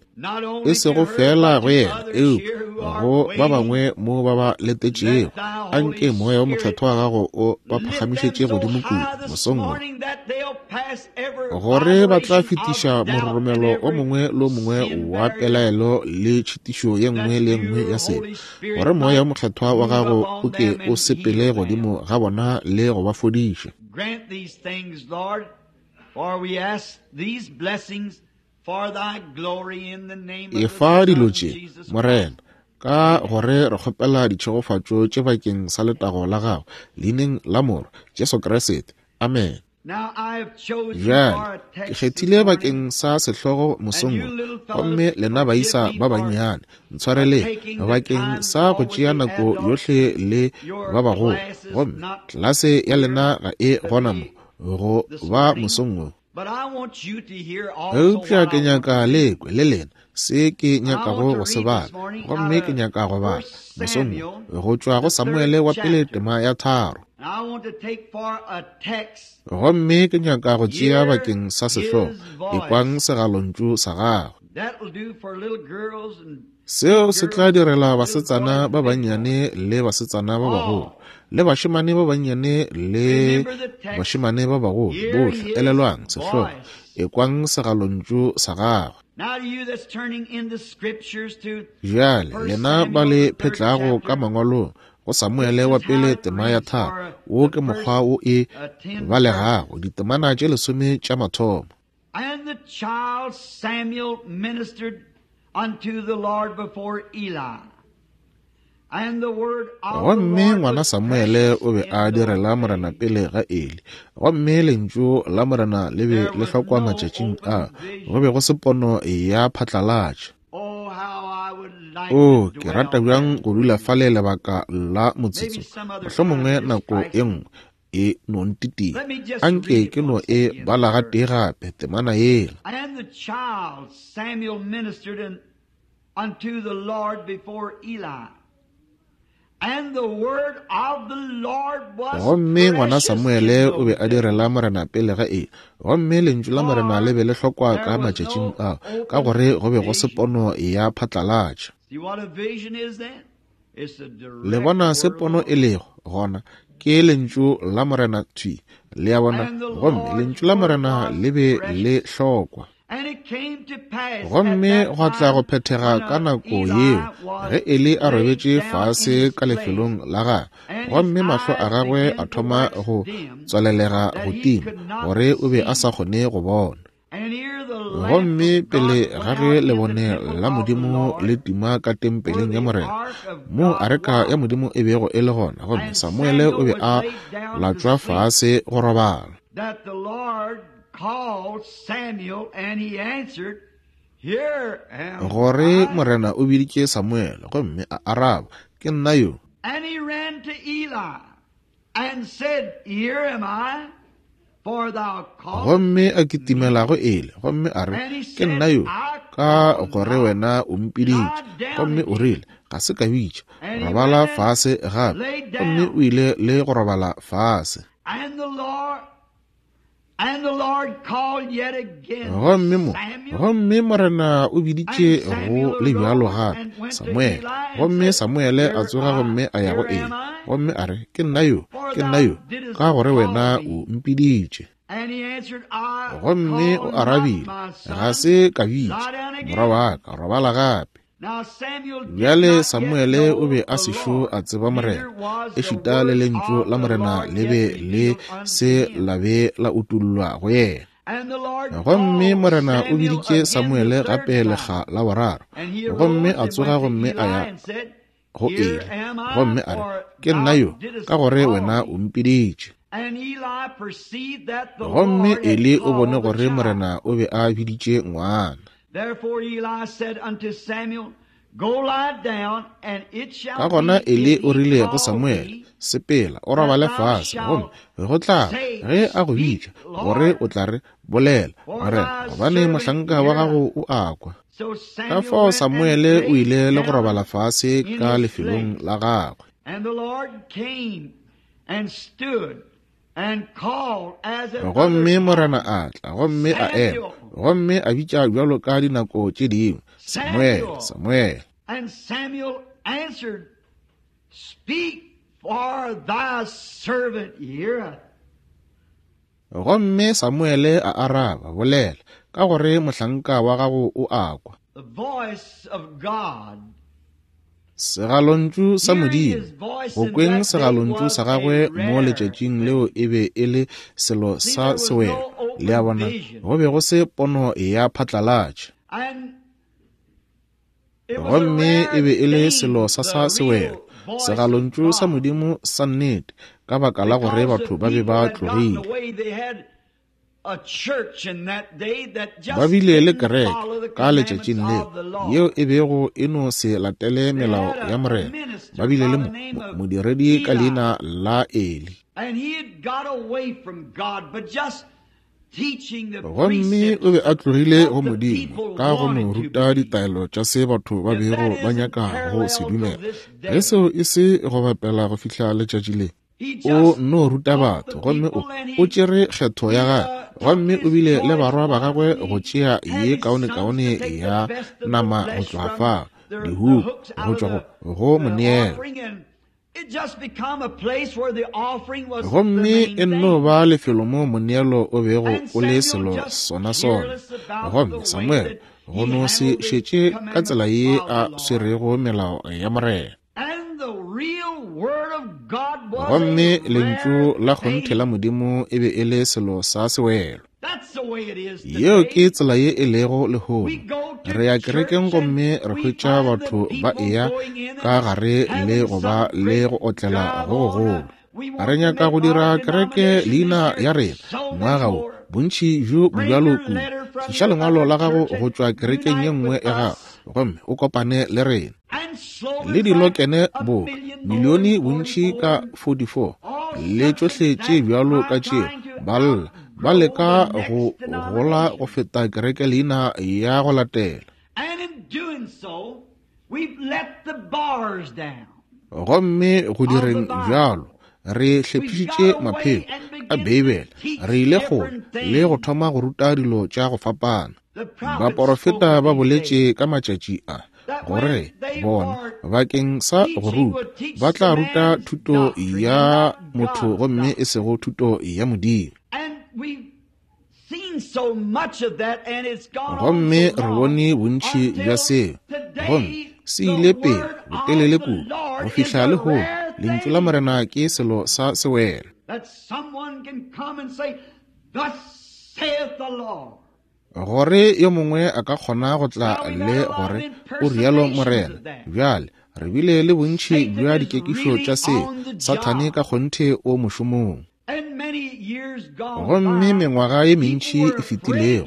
E sego feela go yena, eupša go ba bangwe mo ba ba letetšego. Anke Moya wo Mokgethwa wa gago o ba phagamišetše godimo kudu mosong wo, gore ba tla fetiša mororomelo o mongwe le o mongwe wa pelaelo le tšhitišo ye nngwe le ye nngwe ya sebe, gore Moya wo Mokgethwa wa gago o ke o sepele godimo ga bona le go ba fodiša. Efa dilo tše, Morena, ka gore re kgopela ditšhegofatšo tše bakeng sa letago la gago, leineng la Morwa, Jesu Kriste. Amen. Bjale, ke kgethile bakeng sa sehlogo mosong wo, gomme lena baisa ba bannyane, ntshwareleng bakeng sa go tšea nako yohle le ba bagolo, gomme tlelase ya lena ga e gona mo go ba mosong wo. Eupša ke nyaka le kwe le lena se ke nyakago go se bala, gomme ke nyaka go bala mosong wo go tšwa go Samuele wa pele tema ya 3. Gomme ke nyaka go tšea bakeng sa sehlogo, Ekwang segalontšu sa gagwe. Seo se tla direla basetsana ba bannyane le basetsana ba bagolo, le bašemane ba bannyane le bašemane ba bagolo, bohle. Elelwang sehlogo, Ekwang segalontšu sa gagwe. Bjale lena ba le phetlago ka mangwalong go Samuele wa pele tema ya 3, wo ke mokgwa wo e balegago, ditemana tše 10 tša mathomo. And the child Samuel ministered unto the Lord before Eli. Gomme ngwana Samuele o be a direla Morena pele ga Eli, gomme lentšu la Morena le be le hlokwa matšatšing a, go be go se pono ya phatlalatša. O, ke rata bjang go dula fale lebaka la motsotso, mohlomongwe nako e nngwe e no ntitia. Anke ke no e bala gatee gape temana yela. And the child Samuel ministered unto the Lord before Eli. And the word of the Lord was Gomme ngwana precious in Samuele o be those a days. direla Morena pele ga Eli, gomme lentšu la Morena le be le hlokwa For ka there was matšatšing no ao, ka open gore go be go se vision. pono ya phatlalatša. See what a vision is then? It's the Le direct bona se word of the pono Lord. e lego gona, ke lentšu la Morena thwi, le a bona, And the gomme Lord's lentšu la word Morena was le be le precious. hlokwa. And it Gomme gwa tla go phethega ka nako yeo ge Eli a robetše fase ka lefelong la gagwe, gomme mahlo a gagwe a thoma go tswalelega go tima, gore o be a sa kgone go bona. Gomme pele ga ge lebone la Modimo le tima ka tempeleng ya Morena, moo areka ya Modimo e bego e le gona, gomme Samuele o be a latšwa fase go robala. Gore Morena o biditše Samuele, gomme a araba, Ke nna yo. And he ran to Eli and said, Here am I, for thou callest Gomme a kitimela go Eli, gomme a re, Ke nna yo, ka gore wena o mpiditše. Gomme o rile, Ga se ka bitša, robala fase gape. Gomme o ile le go robala fase. And the Lord And the Lord called yet again, Gomme mo, Samuel. gomme Morena o biditše go le bjalo gape, Samuele. Gomme Samuele a tsoga gomme a ya go Eli, gomme a re, Ke nna yo, ke nna yo, ka gore wena o mpiditše. And he answered, I Gomme o called not arabile, my son. Ga se ka bitša, Lie down again. morwa wa ka, robala gape. Now Samuel did Bjale not yet Samuele o know be a the sešo Lord, a tseba Morena, neither was the ešita le word lentšu of la the Morena Lord le yet be le revealed unto se him. la be la utollwa go yena. And the Lord Gomme called Morena o Samuel biditše again the Samuele third gape time. lekga la boraro, And he gomme arose a and tsoga went to gomme a Eli ya and said, go Here Eli, am I, gomme a re, for Ke nna thou yo, didst ka gore call wena me. o mpiditše. And Eli perceived that the Gomme Lord had Eli o bone called the gore child. Morena o be a biditše ngwana. Therefore Eli said unto Samuel, Go lie down, and it Ka shall gona be Eli if o he rile go call Samuele, thee, Sepela, o that robale thou fase, gomme shalt go tla say, ge a go Speak, bitša, gore Lord, o tla re, Bolela, for Morena, thy gobane servant mohlanka wa heareth. gago o a kwa. So Ka Samuel fao went and Samuele o laid ile le go down robala fase in ka his lefelong place. la gagwe. And the Lord came and stood and called as at other Gomme Morena times, a tla, gomme a ema, Samuel, gomme a bitša bjalo ka dinako tše dingwe, Samuele, Samuel. Samuele. And Samuel answered, Speak, for thy servant heareth. Gomme Samuele a araba, Bolela, ka gore mohlanka wa gago o a kwa. The voice of God. Segalontšu sa Hearing Modimo, his voice go in kweng that day segalontšu was sa a gagwe mo rare letšatšing thing. leo e be e le selo See, sa there was sewelo. no Le a open bona, vision. go be go se pono ya phatlalatša. And it was a Gomme e rare be e le selo thing, sa sa the sewelo, real voice of segalontšu sa God. Modimo sa nnete, ka baka la gore Because the batho ba be people ba had gotten tlogile. away, they had a church in that day that Ba just bile le didn't kereke follow the ka commandments letšatšing leo of the yeo Lord. e bego e no se latele They melao had ya a Morena. Ba minister bile by le the name of modiredi ka Eli, leina la Eli. and he had got away from God, but just teaching the Gomme o precepts be a tlogile go what the Modimo people ka go no wanted to ruta believe. ditaelo tša se batho ba If bego that ba isn't nyaka go se parallel till dumela. this Ge day, seo e se go bapela go fihla letšatši le, he o just no ruta taught the batho, gomme people and o he tšere kgetho ya he gagwe, took gomme o his bile le choice barwa ba one. gagwe go He tšea had ye his sons to kaonekaone take the ya best of the nama go flesh tloga from fao, the dihuku hooks go out of tšwa the go the moneelo. offering, and it just become a place where the offering was the Gomme main e nno thing. ba lefelo mo moneelo o bego And o le Samuel selo just sona sona. careless about the Gomme way Samuele that go he no se handled the šetše ka commandments tsela ye of the a Lord. swerego melao ya Morena. And the real word of God was a Gomme lentšu rare la kgonthe la thing. Modimo e be e le selo sa sewelo. That's the way it is Yeo today. ke tsela ye e lego We lehono. go to Re ya kerekeng church and gomme re we hwetša find the batho ba people eya going in ka and gare le having go ba some le great go otlela drive go on. gogolo. We Re want to nyaka make go our dira kereke denomination this leina year ya rena so many ngwaga wo, more. bontši bjo Bring bjalo your kudu. letter from Tliša your lengwalo other la gago church go and tšwa kerekeng ye unite nngwe with ya gago us. gomme o kopane le rena. And Le slogans like dilokene a boka million more milione than bontši 44 ka and 44 all le such tšohle as tše that bjalo ka are tšeo trying to ba lla ba outgrow leka the go next gola go denomination. feta kereke leina ya go latela. And in doing so, we've let the bars down Gomme go of the direng Bible. bjalo re We've hlephišitše got away mapheko and a begun to Beibele, teach re ile kgole different le go things. thoma go ruta dilo tša go fapana. The prophets spoke Baporofeta of ba these boletše days ka matšatši a that gore when they bona were bakeng sa go teaching ruta would teach ba the tla ruta man's thuto doctrine and ya not motho God's gomme e doctrine. sego thuto ya Modimo. And we've seen Gomme re bone bontši bja seo, gomme se ile pele botelele kudu go fihla lehono. Lentšu la Morena ke selo sa sewelo. Gore yo mongwe a ka kgona go tla le gore o rialo Morena. Bjale, re bile le bontši bja dikekišo tša seo. Sathane ka kgonthe o mošomong. Gomme mengwaga ye mentši e fetilego,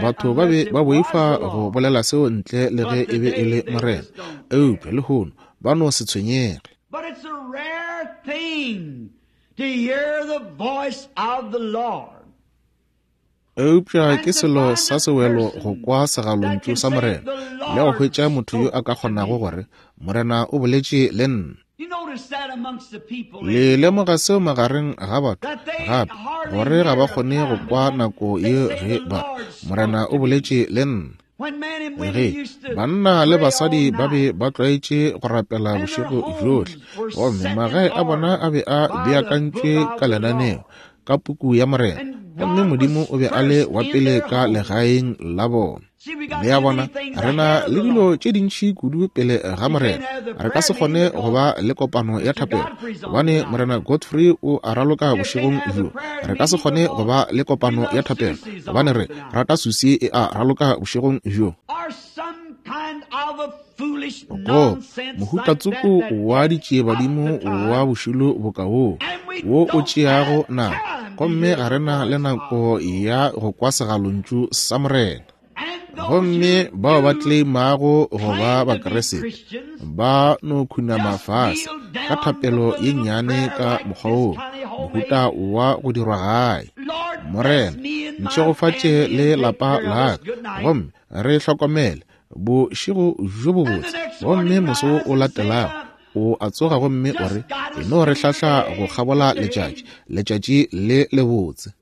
batho ba be ba boifa go bolela seo ntle le ge e be e le Morena. Eupša lehono ba no se tshwenyege. Eupša ke selo sa sewelo go kwa segalontšu sa Morena le go hwetša motho yo a ka kgonago gore, Morena o boletše le nna. Le lemoga seo magareng ga batho gape, gore ga ba kgone go kwa nako ye ge ba Morena o boletše le nna. Ge banna le basadi ba be ba tlwaetše go rapela bošego bjohle, gomme magae a bona a be a beakantšwe ka lenaneo ka puku ya Morena, gomme Modimo o be a le wa pele ka legaeng la bona. Le a bona, re na le dilo tše dintši kudu pele ga Morena. Re ka se kgone go ba le kopano ya thapelo gobane Morena Godfrey o a raloka bošegong bjo. Re ka se kgone go ba le kopano ya thapelo gobane re rata Susie e a raloka bošegong bjo. Go mohutatsoko wa ditšiebadimo wa bošilo boka woo, wo o tšeago nako, gomme ga re na le nako ya go kwa segalontšu sa Morena. Gomme bao ba tleimago go ba Bakriste ba no khunama fase ka thapelo ye nnyane ka mokgwa wo, mohuta wa go dirwa gae. Morena, ntšhegofatše le lapa la ka, gomme re hlokomele bošego bjo bobotse. Gomme moso wo o latelago o a tsoga gomme o re, e no re hlahla go kgabola letšatši, letšatši le lebotse.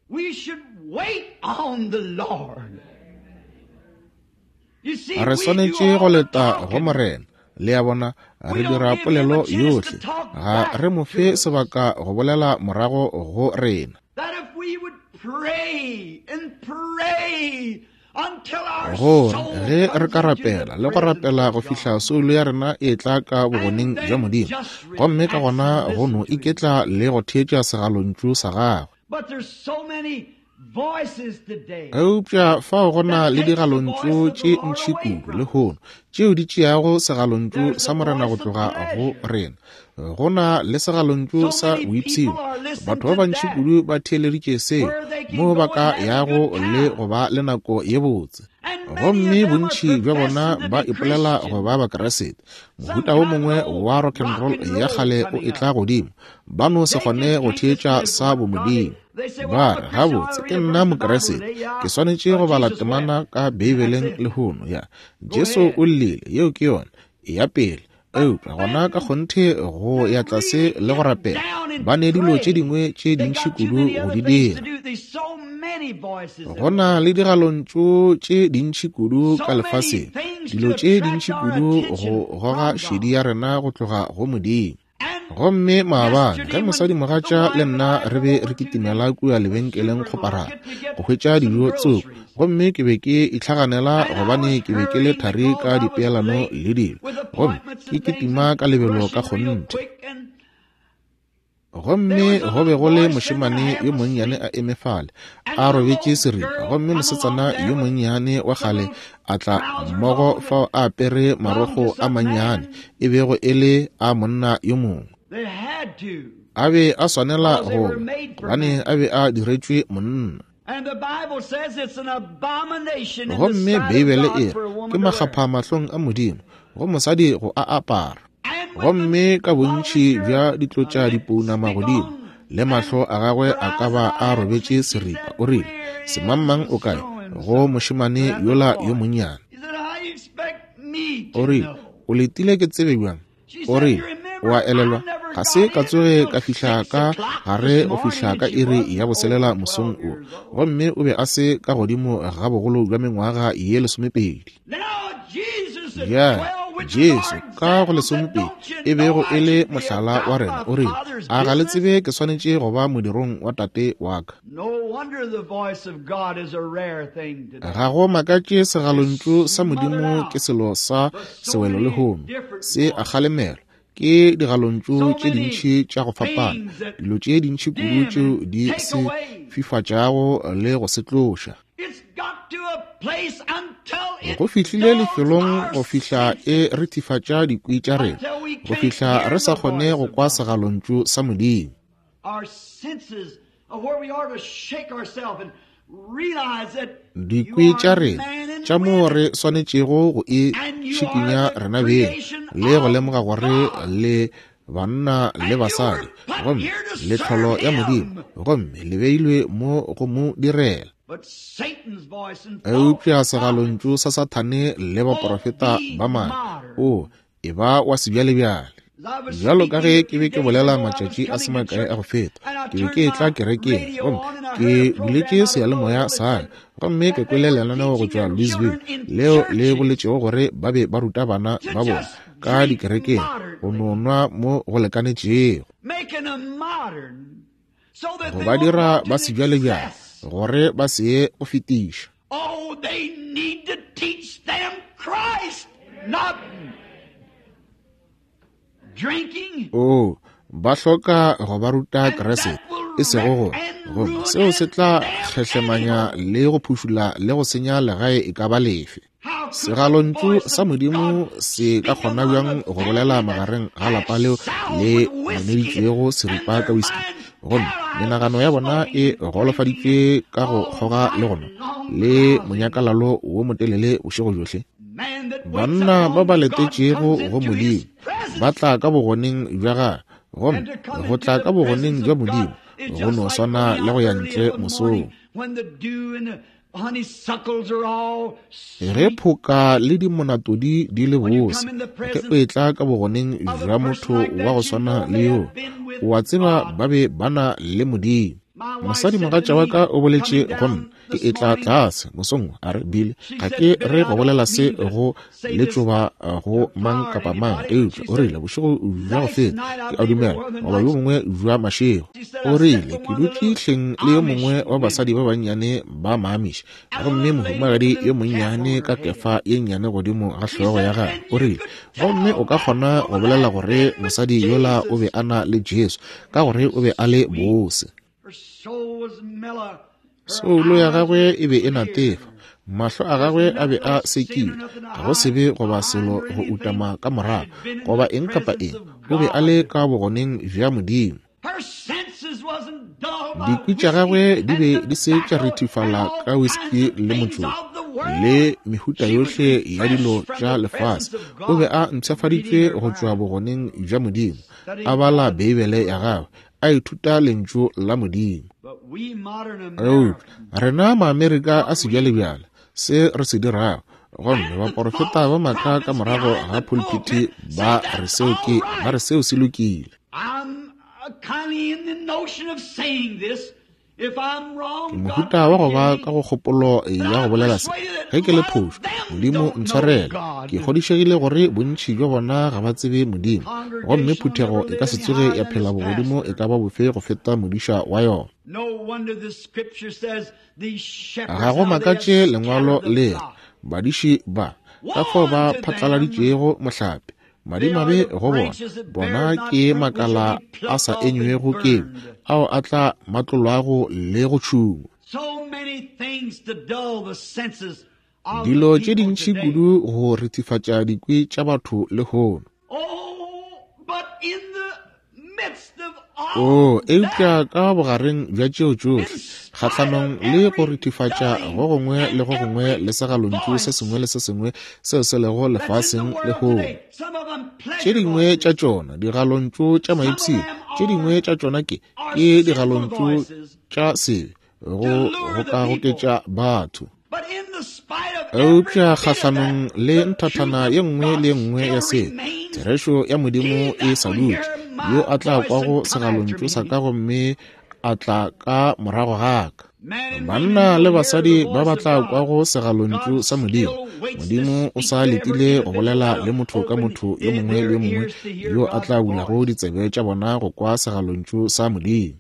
Re swanetše go leta go Morena. Le a bona, re dira polelo yohle, ga re mo fe sebaka go bolela morago go rena. Gore ge re ka rapela le go rapela go fihla soulo ya rena e tla ka bogoneng bja Modimo, gomme ka gona go no iketla le go theetša segalontšu sa gagwe. Eupša fao go na le digalontšu tše ntši kudu lehono tšeo di tšeago segalontšu sa Morena go tloga go rena. Go na le segalontšu sa boipshino. Batho ba bantši kudu ba theeleditše seo, moo ba ka yago le go ba le nako ye botse. Gomme bontši bja bona ba ipolela go ba Bakriste. Mohuta wo mongwe wa rock and roll ya kgale o etla godimo. Ba no se kgone go theetša sa bomodimo. Ba re, gabotse, ke nna Mokriste. Ke swanetše go bala temana ka Beibeleng lehono. Ya, Jesu o llile, yeo ke yona. Eya pele. Eupša gona ka kgonthe go ya tlase le go rapela, ba ne dilo tše dingwe tše dintši kudu go di dira. Go na le digalontšu tše dintši kudu ka lefaseng, dilo tše dintši kudu go goga šedi ya rena go tloga go Modimo. Gomme maabane ge mosadimogatša le nna re be re kitimela kua lebenkeleng kgoparara go hwetša dijo tsoko, gomme ke be ke itlhaganela gobane ke be ke le thari ka dipeelano le dilo, gomme ke kitima ka lebelo ka kgonthe. Gomme go be go le mošemane yo monnyane a eme fale a robetše seripa, gomme mosetsana yo monnyane wa kgale a tla mmogo fao a apere marokgo a mannyane e bego e le a monna yo mongwe. A be a swanela go gobane a be a diretšwe monna. Gomme Beibele e re ke makgapha mahlong a Modimo go mosadi go a apara. Gomme ka bontši bja ditlotša dipounama godimo, le mahlo a gagwe a ka ba a robetše seripa, o rile, Semangmang o kae go mošemane yola yo monnyane? O rile, O letile ke tsebe bjang? O rile, O a elelwa, ga se ka tsoge ka fihla ka gare go fihla ka iri ya boselela mosong wo, gomme o be a se ka godimo ga bogolo bja mengwaga ye 12. Bjale, Jesu ka go lesomepedi e bego e le mohlala wa rena, o rile, A ga le tsebe ke swanetše go ba modirong wa Tate wa ka? Ga go makatše segalontšu sa Modimo ke selo sa sewelo lehono, se a kgalemelwa ke digalontšu tše dintši tša go fapana, dilo tše dintši kudu tšeo di se fifatšago le go se tloša. Go fihlile lefelong go fihla e rethifatša dikwi tša rena, go fihla re sa kgone go kwa segalontšu sa Modimo. Dikwi tša rena tša moo re swanetšego go e šikinya rena beng le go lemoga gore le banna le basadi, gomme le tlholo ya Modimo, gomme le beilwe mo go mo direla. Eupša segalontšu sa Sathane le baprofeta ba maaka, o e ba wa sebjalebjale. Bjalo ka ge ke be ke bolela matšatši a se makae a go feta, ke be ke etla kerekeng gomme ke buletše seyalemoya sa ka, gomme ke kwele lenaneo go tšwa Louisville leo le boletšego gore ba be ba ruta bana ba bona ka dikerekeng go no nwa mo go lekanetšego, go ba dira ba sebjalebjale gore ba se ye go fetiša. Oh, they need to teach them Christ, not drinking. Oh, ba hloka go ba ruta Kriste, e sego go gomme seo se tla kgehlemanya le go phušula le go senya legae e ka ba lefe. Segalontšu sa Modimo se ka kgona bjang go bolela magareng ga lapa leo le noneditšwego seripa ka whisky, gomme menagano ya bona e golofaditšwe ka go kgoga le go nwa le monyakalalo wo motelele bošego bjohle? Banna ba ba letetšego go Modimo ba tla ka bogoneng bja gagwe, gomme go tla ka bogoneng bja Modimo go no swana le go ya ntle mosong. Ge phoka le dimonatodi di le bose, ge o etla ka bogoneng bja motho wa go swana le yo, o a tseba ba be ba na le Modimo. Mosadimogatša wa ka o boletše go nna ke etla tlase mosong, a re, Bill, ga ke re go bolela se go letšoba go mang kapa mang, eupša o rile bošego bja go feta, ke a dumela, goba yo mongwe bja mašego, o rile ke dutše hleng le yo mongwe wa basadi ba bannyane ba maamiši, gomme mohumagadi yo monnyane ka kefa ye nnyane godimo ga hlogo ya gagwe, o rile, gomme o ka kgona go bolela gore mosadi yola o be a na le Jesu, ka gore o be a le bose. Soulo ya gagwe e be e natefa, mahlo a gagwe a be a sekile, ga go sebe goba selo go utama ka morago, goba eng kapa eng, o be a le ka bogoneng bja Modimo. Dikwi tša gagwe di be di se tša rithifala ka whisky le motšoko le mehuta yohle ya dilo tša lefase. O be a mpshafaditšwe go tšwa bogoneng bja Modimo, a bala Beibele ya gagwe, a ithuta lentšu la Modimo. Eupša rena Maamerika a sebjalebjale, se re se dirago, gomme baporofeta ba maaka ka morago ga pulpiti ba re seo ke, ba re seo se lokile. Ke mohuta wa go ba ka go kgopolo ya go bolela se, ge ke le phošo, Modimo ntshwarele. Ke kgodišegile gore bontši bja bona ga ba tsebe Modimo, gomme phuthego e ka se tsoge ya phela bogodimo e ka ba bofe go feta modiša wa yona. Ga go makatše lengwalo le re, badiši ba ka fao ba phatlaladitšego mohlape, madimabe go bona, bona ke makala a sa enywego ke ao a tla matlolwago le go tšhungwa. Dilo tše dintši kudu go rethifatša dikwi tša batho lehono. O, eupša ka bogareng bja tšeo tšohle, kgahlanong le go rethifatša go gongwe le go gongwe le segalontšu se sengwe le se sengwe seo se lego lefaseng lehono. Tše dingwe tša tšona digalontšu tša maipshino, tše dingwe tša tšona ke ke digalontšu tša sebe go gokagoketša batho. Eupša kgahlanong le nthathana ye nngwe le ye nngwe ya sebe, therešo ya Modimo e sa dutše, yo a tla kwago segalontšu sa ka gomme a tla ka morago ga ka. Banna le basadi ba ba tla kwago segalontšu sa Modimo, Modimo o sa letile go bolela le motho ka motho yo mongwe le yo mongwe yo a tla bulago ditsebe tša bona go kwa segalontšu sa Modimo.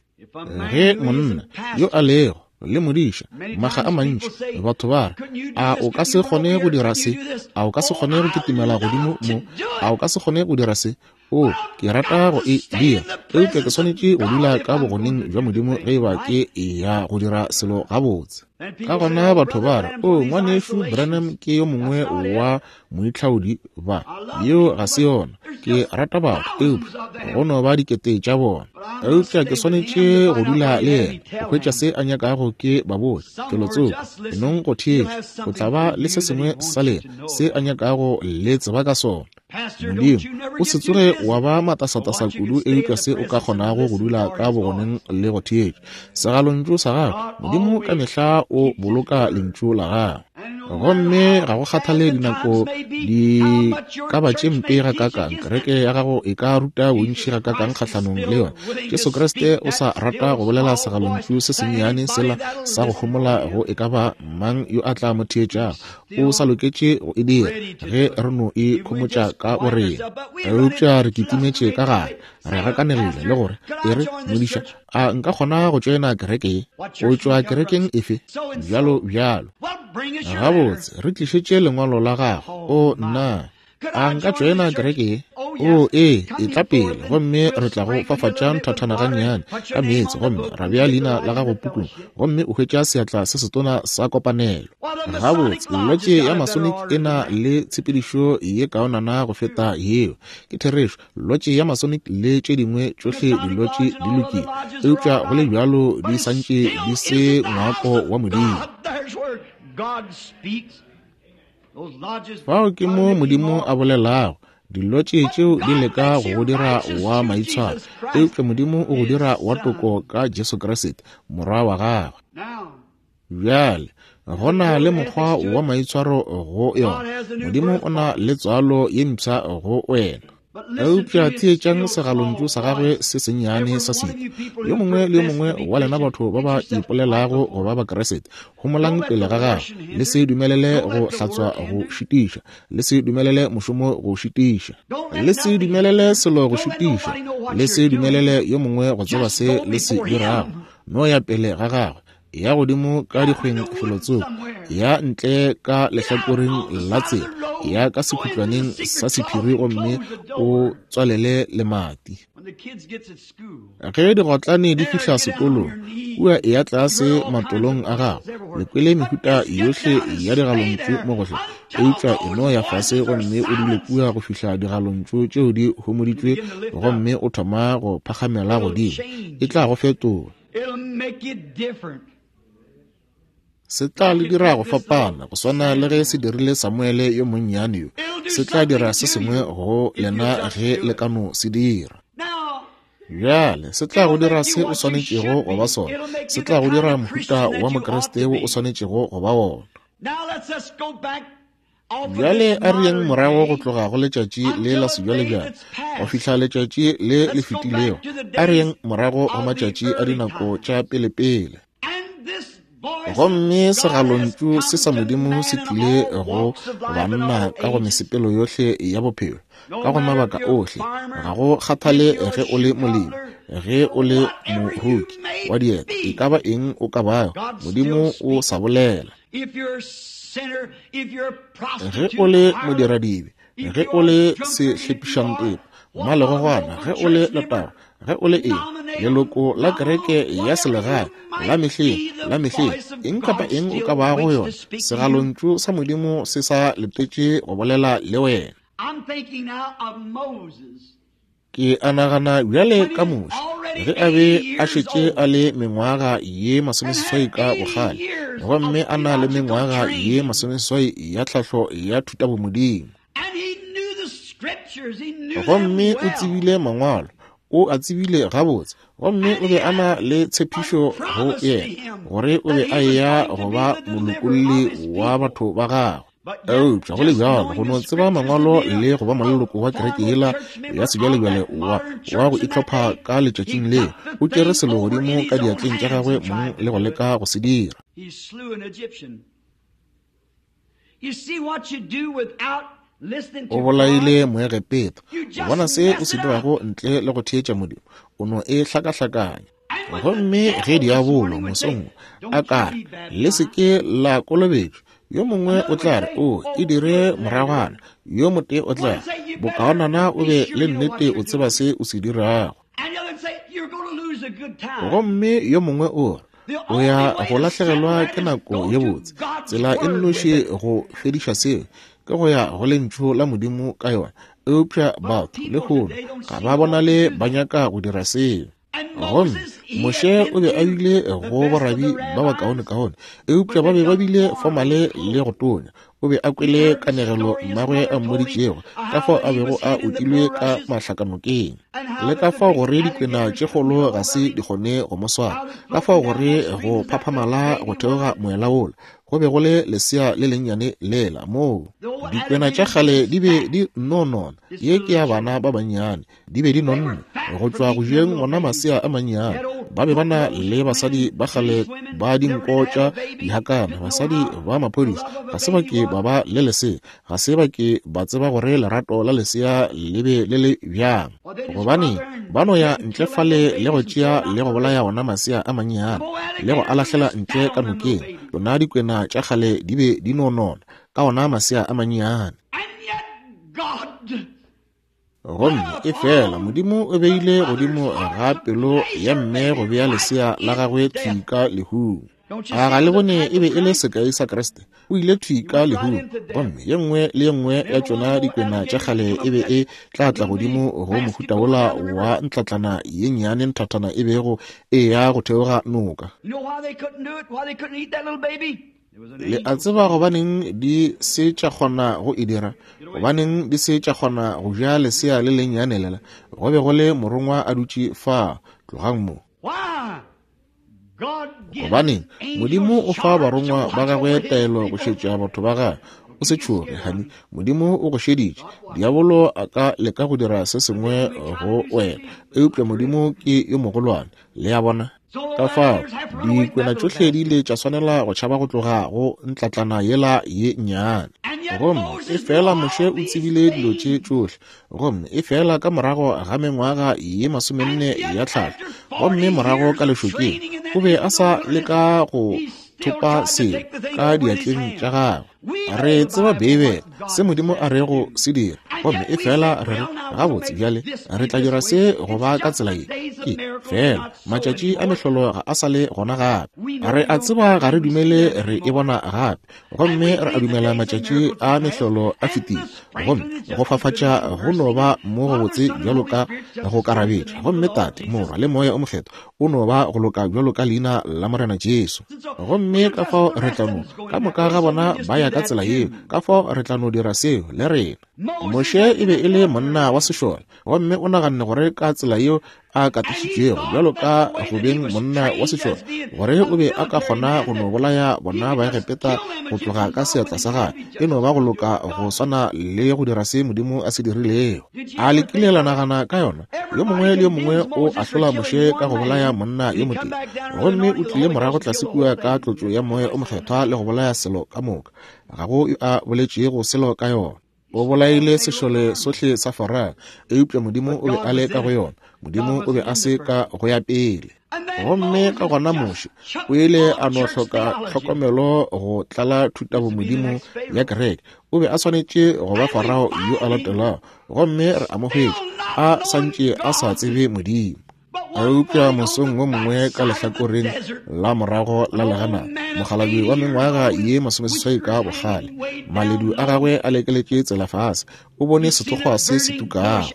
Ge monna yo a lego le modiša, makga a mantši batho ba re, A o ka se kgone go dira se? A o ka se kgone go kitimela godimo mo? A o ka se kgone go dira se? O, ke rata go e dira, eupša ke swanetše go dula ka bogoneng bja Modimo ge e ba ke eya go dira selo gabotse. Ka gona batho ba re, O, Ngwanešu Branham ke yo mongwe wa moitlhaodi ba. Yeo ga se yona. Ke rata batho, eupša go no ba dikete tša bona. Eupša ke swanetše go dula le yena, go hwetša se a nyakago ke ba botša, felotsoko. Enong go theetša, o tla ba le se sengwe sa lena, se a nyakago le tseba ka sona. Modimo, o se tsoge wa ba matasatasa kudu eupša se o ka kgonago go dula ka bogoneng le go theetša segalontšu sa gago. Modimo ka mehla o boloka lentšu la gagwe. Gomme ga go kgathale dinako di ka ba tše mpe gakaakang, kereke ya gago e ka ruta bontši gakaakang kgahlanong le yona, Jesu Kriste o sa rata go bolela segalontšu se sennyane sela sa go homola go e ka ba mang yo a tla mo theetšago. O sa loketše go e dira ge re no e khomotša ka borena. Eupša re kitimetše ka gare, re gakanegile le gore, E re, modiša, a nka kgona go tšoena kereke ye? O tšwa kerekeng efe? Bjalo bjalo. Gabotse, re tlišetše lengwalo la gago. O, nna! A nka tšoena kereke ye? O, ee, etla pele, gomme re tla go fafatša nthathana gannyane ka meetse, gomme ra bea leina la gago pukung, gomme o hwetša seatla se setona sa kopanelo. Gabotse, lotše ya Masonic e na le tshepedišo ye kaonana go feta yeo. Ke therešo, lotše ya Masonic le tše dingwe tšohle dilotše di lokile, eupša go le bjalo di santše di se ngwako wa Modimo. Fao ke mo Modimo a bolelago. Dilotše tšeo di leka go go dira wa maitshwaro, eupša Modimo o go dira wa toko ka Jesu Kriste, Morwa wa gagwe. Bjale, go na le mokgwa wa maitshwaro go yona. Modimo o na le tswalo ye mpsha go wena. Eupša theetšang segalontšu sa gagwe se sennyane sa setu. Yo mongwe le yo mongwe wa lena batho ba ba ipolelago go ba Bakriste, homolang pele ga gagwe. Le se dumelele go hlatswa go šitiša. Le se dumelele mošomo go šitiša. Le se dumelele selo go šitiša. Le se dumelele yo mongwe go tseba se le se dirago. No ya pele ga gagwe. Ya godimo ka dikgweng felotsoko, ya ntle ka lehlakoreng la tsela, ya ka sekhutlwaneng sa sephiri gomme o tswalele lemati. Ge digotlane di fihla sekolong, kua eya tlase matolong a gago, le kwele mehuta yohle ya digalontšu mo gohle, eupša e no ya fase gomme o dule kua go fihla digalontšu tšeo di homoditšwe gomme o thoma go phagamela godimo. E tla go fetola. Se tla le dira go fapana, go swana le ge se dirile Samuele yo monnyane yo. Se tla dira se sengwe go lena ge le ka no se dira. Bjale, se tla go dira se o swanetšego go ba sona. Se tla go dira mohuta wa Mokriste wo o swanetšego go ba wona. Bjale a re yeng morago go tloga go letšatši le la sebjalebjale go fihla letšatši le le fetilego. A re yeng morago go matšatši a dinako tša pelepele. Gomme segalontšu se sa Modimo se tlile go banna ka go mesepelo yohle ya bophelo, ka go mabaka ohle, ga go kgathale ge o le molemi, ge o le moroki wa dieta, e ka ba eng o ka bago, Modimo o sa bolela. Ge o le modiradibe, ge o le sehlepišantepa, mmalegogwana, ge o le letago, ge o le eng, leloko la kereke ya selegae la mehleng, la mehleng, eng kapa eng o ka bago yona, segalontšu sa Modimo se sa letetše go bolela le wena. Ke a nagana bjale ka Moshe, ge a be a šetše a le mengwaga ye masomeseswai ka bokgale, gomme a na le mengwaga ye masomeseswai ya tlhahlo ya thutabomodimo. Gomme o tsebile Mangwalo, o a tsebile gabotse, gomme o be a na le tshepišo go yena, gore o be a eya go ba molokolli wa batho ba gagwe. Eupša go le bjalo, go no tseba Mangwalo le go ba moleloko wa kereke yela ya sebjalebjale wa, wa go itlhopha ka letšatšing leo, o tšere selo godimo ka diatleng tša gagwe mong le go leka go se dira. O bolaile Moegepeta. O bona se o se dirago ntle le go theetša Modimo, o no e hlakahlakanya. Gomme ge diabolo mosong wo a ka re, Le se ke la kolobetšwa, yo mongwe o tla re, O e dire moragwana. Yo motee o tla re, Bokaonana o be le nnete o tseba se o se dirago. Gomme yo mongwe o re, O ya go lahlegelwa ke nako ye botse. Tsela e nnoši go fediša seo ke go ya go Lentšu la Modimo ka yona. Eupša batho lehono ga ba bonale ba nyaka go dira seo. Gomme Moshe o be a bile go borabi ba bakaonekaone, eupša ba be ba bile fomale le go tonya. O be a kwele kanegelo mmagwe a mmoditšego ka fao a bego a otilwe ka mahlakanokeng, le ka fao gore dikwena tše kgolo ga se di kgone go mo swara, ka fao gore go phaphamala go theoga moela wola go be go le lesea le lennyane lela moo dikwena tša kgale di be di nno nona. Ye ke ya bana ba bannyane. Di be di nonne go tšwa go jeng ona masea a mannyane. Ba be ba na le basadi ba kgale ba dinko tša dihakana, basadi ba maphodisa. Ga se ba ke ba ba le lesea, ga se ba ke ba tseba gore lerato la lesea le be le le bjang. Gobaneng, ba no ya ntle fale le go tšea le go bolaya ona masea a mannyane, le go a lahlela ntle ka nokeng. Tšona dikwena tša kgale di be di no nona ka ona masea a mannyane. Gomme efela Modimo o beile godimo ga pelo ya mme go bea lesea la gagwe thwi ka lehung. A ga le bone e be e le sekai sa Kriste? O ile thwi ka lehung, gomme ye nngwe le ye nngwe ya tšona dikwena tša kgale e be e tla tla godimo go mohuta wola wa ntlatlana ye nnyane nthathana e bego e ya go theoga noka. Le a tseba gobaneng di se tša kgona go e dira? Gobaneng di se tša kgona go ja lesea le lennyane lela? Go be go le Morongwa a dutše fa. Tlogang mo. Gobaneng? Modimo o fa barongwa ba gagwe taelo go šetša batho ba gagwe. O se tšhoge, hani. Modimo o go šeditše. Diabolo a ka leka go dira se sengwe go wena, eupša Modimo ke yo mogolwane. Le a bona? Ka fao, dikwena tšohle di ile tša swanela go tšhaba go tloga go ntlatlana yela ye nnyane. Gomme efela Moshe o tsebile dilo tše tšohle, gomme efela ka morago ga mengwaga ye masomenne ya tlhahlo, gomme morago ka lešokeng, o be a sa leka go thopa selo ka diatleng tša gagwe. Re tseba Beibele, se Modimo a rego se dira, gomme efela re re, Gabotse, bjale re tla dira se go ba ka tsela ye. Ke, feela, matšatši a mehlolo ga a sa le gona gape. Re a tseba ga re dumele re e bona gape, gomme re a dumela matšatši a mehlolo a fetile, gomme go fafatša go no ba mo gobotse bjalo ka go karabetša, gomme Tate, Morwa, le Moya o Mokgethwa o no ba go loka bjalo ka Leina la Morena Jesu. Gomme ka fao re tla no, ka moka ga bona ba ya ka tsela yeo, ka fao re tla no dira seo le rena. Moshe e be e le monna wa sešole, gomme o naganne gore ka tsela yeo a katišitšwego bjalo ka go beng monna wa sešole, gore o be a ka kgona go no bolaya bona Baegepeta go tloga ka seatla sa gagwe. E no ba go loka go swana le go dira se Modimo a se dirilego. A le kile la nagana ka yona? Yo mongwe le yo mongwe o ahlola Moshe ka go bolaya monna yo motee, gomme o tlile morago tlase kua ka tlotšo ya Moya o Mokgethwa le go bolaya selo ka moka. Ga go yo a boletšego selo ka yona. O bolaile sešole sohle sa Farao, eupša Modimo o be a le ka go yona. Modimo o be a se ka go ya pele. Gomme ka gona Moshe o ile a no hloka tlhokomelo go tlala thutabomodimo ya kereke. O be a swanetše go ba Farao yo a latelago, gomme re a mo hwetša a sa ntše a sa tsebe Modimo. Eupša mosong wo mongwe ka lehlakoreng la morago la legana, mokgalabje wa mengwaga ye masomeseswai ka bokgale, maledu a gagwe a lekeletše tsela fase, o bone sethokgwa se se tukago.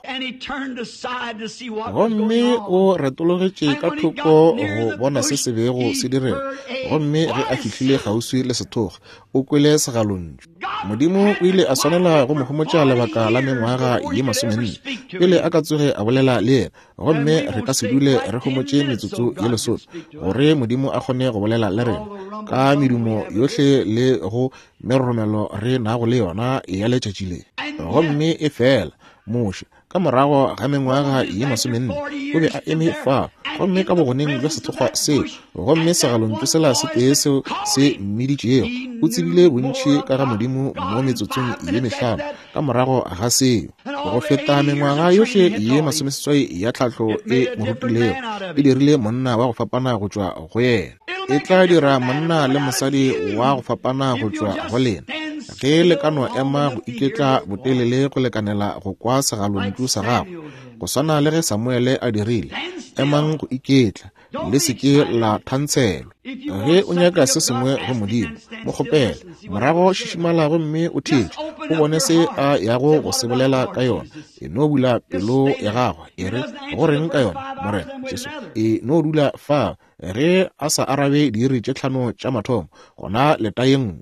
Gomme o retologetše ka thoko go bona se se bego se direga. Gomme ge a fihlile kgauswi le sethokgwa, o kwele segalontšu. Modimo o ile a swanela go mo homotša lebaka la mengwaga ye masomenne pele a ka tsoge a bolela le yena. Gomme re ka se dule re homotše metsotso ye lesome gore Modimo a kgone go bolela le rena. Ka medumo yohle le go meroromelo re nago le yona ya letšatši le. Gomme efela Moshe, ka morago ga mengwaga ye 40, o be a eme fa, gomme ka bogoneng bja sethokgwa seo, gomme segalontšu sela se tee seo se mmiditšego, o tsebile bontši ka ga Modimo mo metsotsong ye 5 ka morago ga seo, go feta mengwaga yohle ye 80 ya tlhahlo e mo rutilego. E dirile monna wa go fapana go tšwa go yena. E tla dira monna le mosadi wa go fapana go tšwa go lena, ge le ka no ema go iketla botelele go lekanela go kwa segalontšu sa gago, go swana le ge Samuele a dirile. Emang go iketla, le se ke la thantshelwa. Ge o nyaka se sengwe go Modimo, mo kgopele, morago šišimala gomme o theetše, o bone se a yago go se bolela ka yona. E no bula pelo ya gago, e re, go reng ka yona, Morena Jesu? E no dula fa. Ge a sa arabe diiri tše 5 tša mathomo, gona leta ye nngwe.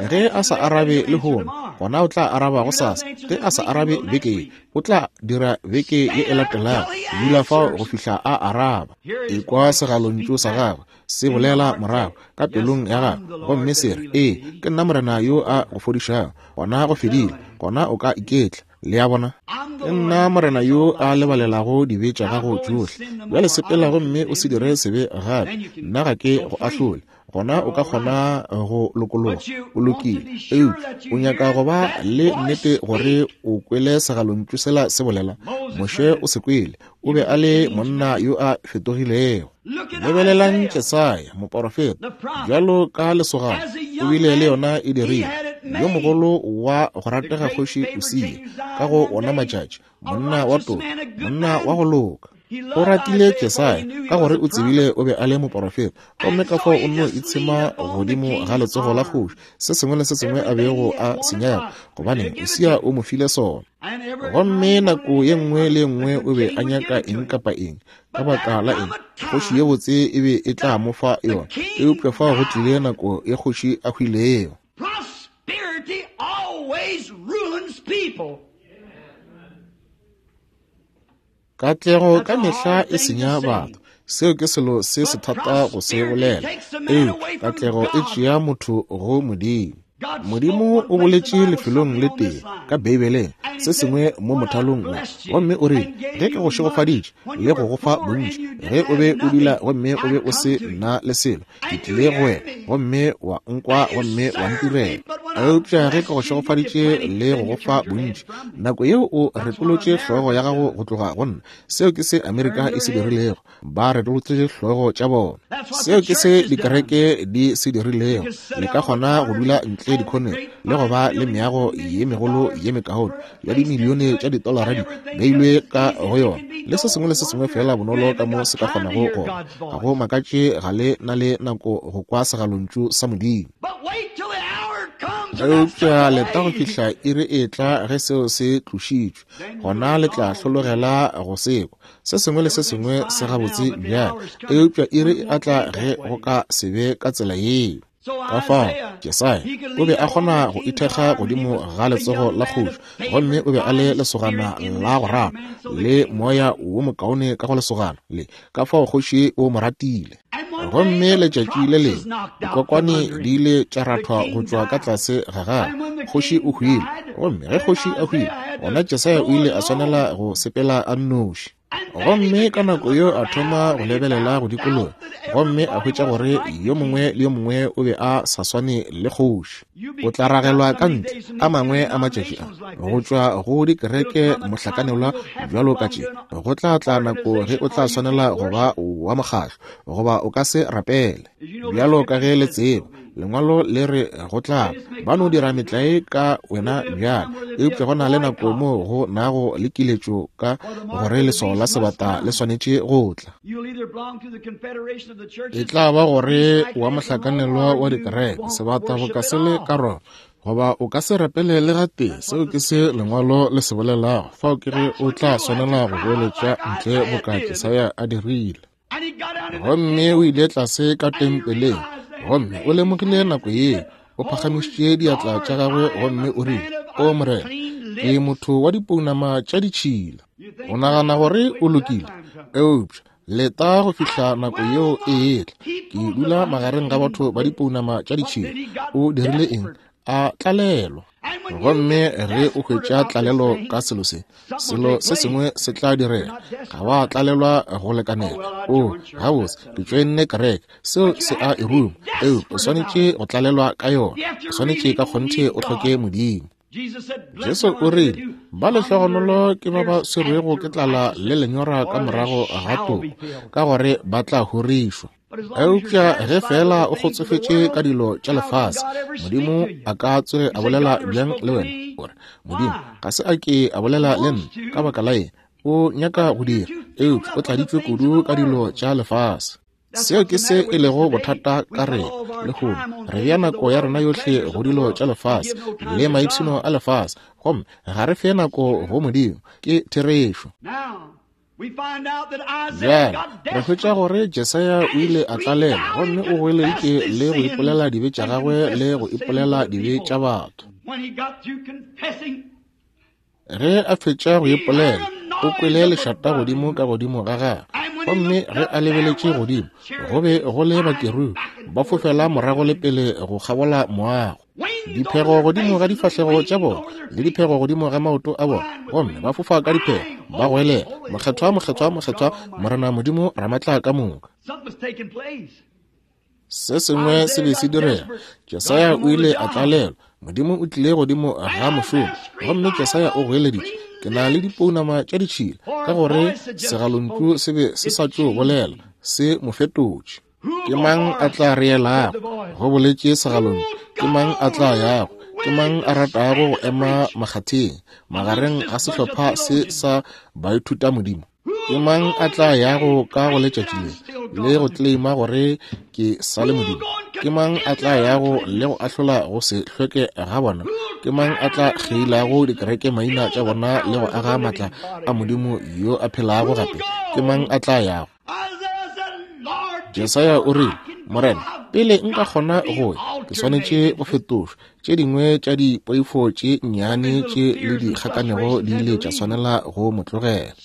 Ge a sa arabe lehono, gona o tla araba gosasa. Ge a sa arabe beke ye, o tla dira beke ye e latelago. Dula fao go fihla a araba. Ekwa segalontšu sa gagwe se bolela morago ka pelong ya gago, gomme se re, Ee, ke nna Morena yo a go fodišago. Gona go fedile, gona o ka iketla. Le a bona? Ke nna Morena yo a lebalelago dibe tša gago tšohle. Bjale sepela gomme o se dire sebe gape. Nna ga ke go ahlole. Gona o ka kgona go lokologa. O lokile. Eupša o nyaka go ba le nnete gore o kwele segalontšu sela se bolela. Moshe o se kwele. O be a le monna yo a fetogilego. Lebelelang Jesaya, moporofeta, bjalo ka lesogana, o bile le yona e dirile yo mogolo wa go ratega kgoši Usia ka go ona matšatši, monna wa toka, monna wa go loka. O ratile Jesaya ka gore o tsebile o be a le moporofeta, gomme ka fao o nno itshema godimo ga letsogo la kgoši, se sengwe le se sengwe a bego a se nyaka, gobane Usia o mo file sona. Gomme nako ye nngwe le ye nngwe o be a nyaka eng kapa eng, ka baka la eng, kgoši ye botse e be e tla mo fa yona. Eupša fao go tlile nako ye kgoši a hwilego. Prosperity always ruins people. Katlego ka mehla e senya batho. Seo ke selo se se thata go se bolela. Eupša katlego e tšea motho go Modimo. Modimo o boletše lefelong le tee ka Beibeleng, se sengwe mo mothalong wo, gomme o rile, Ge ke go šegofaditše le go go fa bontši, ge o be o dula gomme o be o se na le selo, ke tlile go wena gomme wa nkwa gomme wa ntirela. Eupša ge ke go šegofaditše le go go fa bontši, nako yeo o retolotše hlogo ya gago go tloga go nna. Seo ke se Amerika e se dirilego. Ba retolotše hlogo tša bona. Seo ke se dikereke di se dirilego. Le ka kgona go dula ntle dikhoneng le go ba le meago ye megolo ye mekaone ya dimilione tša ditolara di beilwe ka go yona, le se sengwe le se sengwe feela bonolo ka mo se ka kgonago gona. Ga go makatše ga le na le nako go kwa segalontšu sa Modimo. Eupša leta go fihla iri e tla ge seo se tlošitšwe, gona le tla hlologela go se kwa. Se sengwe le se sengwe se gabotse bjale, eupša iri e a tla ge go ka se be ka tsela yeo. Ka fao Jesaya o be a kgona go ithekga godimo ga letsogo la kgoši, gomme o be a le lesogana la go rata le moya wo mokaone ka go lesogana le, ka fao kgoši o mo ratile. Gomme letšatši le lengwe dikokwane di ile tša rathwa go tšwa ka tlase ga gagwe, kgoši o hwile. Gomme ge kgoši a hwile, gona Jesaya o ile a swanela go sepela a nnoši. Gomme ka nako yeo a thoma go lebelela go dikologa, gomme a hwetša gore yo mongwe le yo mongwe o be a sa swane le kgoši. O tla ragelwa ka ntle a mangwe a matšatši a, go tšwa go dikereke mohlakanelwa bjalo ka tše. Go tla tla nako ge o tla swanela go ba wa mokgahlo, goba o ka se rapele. Bjalo ka ge le tseba, Lengwalo le re go tla ba no dira metlae ka wena bjale, eupša go na le nako moo go nago le kiletšo ka gore leswao la sebata le swanetše go tla. E tla ba gore wa mohlakanelwa wa dikereke, sebata go ka se le ka Roma, goba o ka se rapele le gatee. Seo ke se Lengwalo le se bolelago. Fao ke ge o tla swanela go boeletša ntle boka Jesaya a dirile. Gomme o ile tlase ka tempeleng, gomme o lemogile nako yeo, o phagamišitše diatla tša gagwe gomme o rile, O Morena, ke motho wa dipounama tša ditšhila. O nagana gore o lokile, eupša Leta go fihla nako yeo e etla. Ke dula magareng ga batho ba dipounama tša ditšhila. O dirile eng? A tlalelwa. Gomme ge o hwetša tlalelo ka selo se, selo se sengwe se tla direga. Ga wa tlalelwa go lekanela. O, gabotse, ke tšoenne kereke. Seo se a e ruma. Eupša o swanetše go tlalelwa ka yona. O swanetše ka kgonthe o hloke Modimo. Jesu o rile, Ba lehlogonolo ke ba ba swerwego ke tlala le lenyora ka morago ga toko, ka gore ba tla horišwa. Eupša ge feela o kgotsofetše ka dilo tša lefase, Modimo a ka tsoge a bolela bjang le wena? O re, Modimo ga se a ke a bolela le nna. Ka baka la eng? O nyaka go dira, eupša o tladitšwe kudu ka dilo tša lefase. Seo ke se e lego bothata ka rena lehono. Re bea nako ya rena yohle go dilo tša lefase le maipshino a lefase, gomme ga re fe nako go Modimo. Ke therešo. Bjale re hwetša gore Jesaya o ile a tlalelwa gomme o goeleditše le go ipolela dibe tša gagwe le go ipolela dibe tša batho. Ge a fetša go ipolela, o kwele lešata godimo ka godimo ga gagwe, gomme ge a lebeletše godimo, go be go le bakerubi ba fofela morago le pele go kgabola moago, diphego godimo ga difahlego tša bona le diphego godimo ga maoto a bona, gomme ba fofa ka diphego, ba goelela, Mokgethwa, mokgethwa, mokgethwa, Morena Modimo Ramatlakamoka. Se sengwe se be se direga. Jesaya o ile a tlalelwa. Modimo o tlile godimo ga mošomo, gomme Jesaya o goeleditše, Ke na le dipounama tša ditšhila, ka gore segalontšu se be se sa tšo bolela, se mo fetotše. Ke mang a tla re elago? Go boletše segalontšu. Ke mang a tla yago? Ke mang a ratago go ema makgatheng, magareng ga sehlopha se sa baithutamodimo? Ke mang a tla yago ka go letšatši le le go tleleima gore ke sa le Modimo? Ke mang a tla yago le go ahlola go se hlweke ga bona? Ke mang a tla kgeilago dikereke maina tša bona le go aga matla a Modimo yo a phelago gape? Ke mang a tla yago? Jesaya o rile, Morena, pele nka kgona go ya, ke swanetše go fetošwa. Tše dingwe tša dipoifo tše nnyane tše le dikgakanego di ile tša swanela go mo tlogela.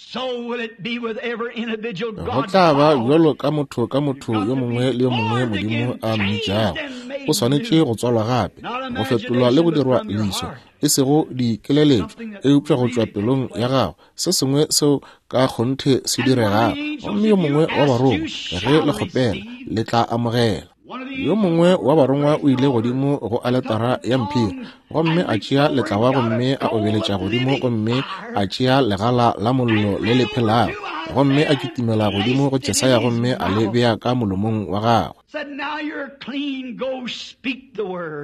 Go tla ba bjalo ka motho ka motho yo mongwe le yo mongwe Modimo a mmitšago. O swanetše go tswalwa gape, go fetolwa le go dirwa leswa, e sego dikeleletšo, eupša go tšwa pelong ya gago, se sengwe seo ka kgonthe se diregago. Gomme yo mongwe wa barongwa, ge le kgopela, le tla amogela. Yo mongwe wa barongwa o ile godimo go aletara ya mphiri gomme a tšea letlawa gomme a obeletša godimo gomme a tšea legala la mollo le le phelago gomme a kitimela godimo go Jesaya gomme a le bea ka molomong wa gagwe.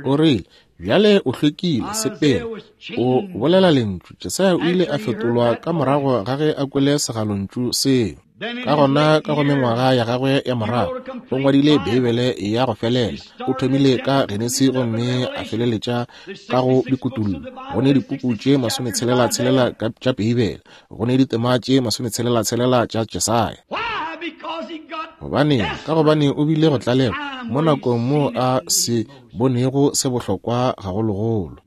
O rile, Bjale o hlwekile, sepela, o bolela lentšu. Jesaya o ile a fetolwa ka morago ga ge a kwele segalontšu seo. Ka gona, ka go mengwaga ya gagwe ya morago, o ngwadile Beibele ya go felela. O thomile ka Genesi gomme a feleletša ka go Dikutullo. Go ne dipuku tše masometshela-tshelela tša Beibele. Go ne ditema tše masometshela-tshelela tša Jesaya. Gobaneng? Ka gobane o bile go tlalelwa mo nakong moo a se bonego se bohlokwa gagologolo.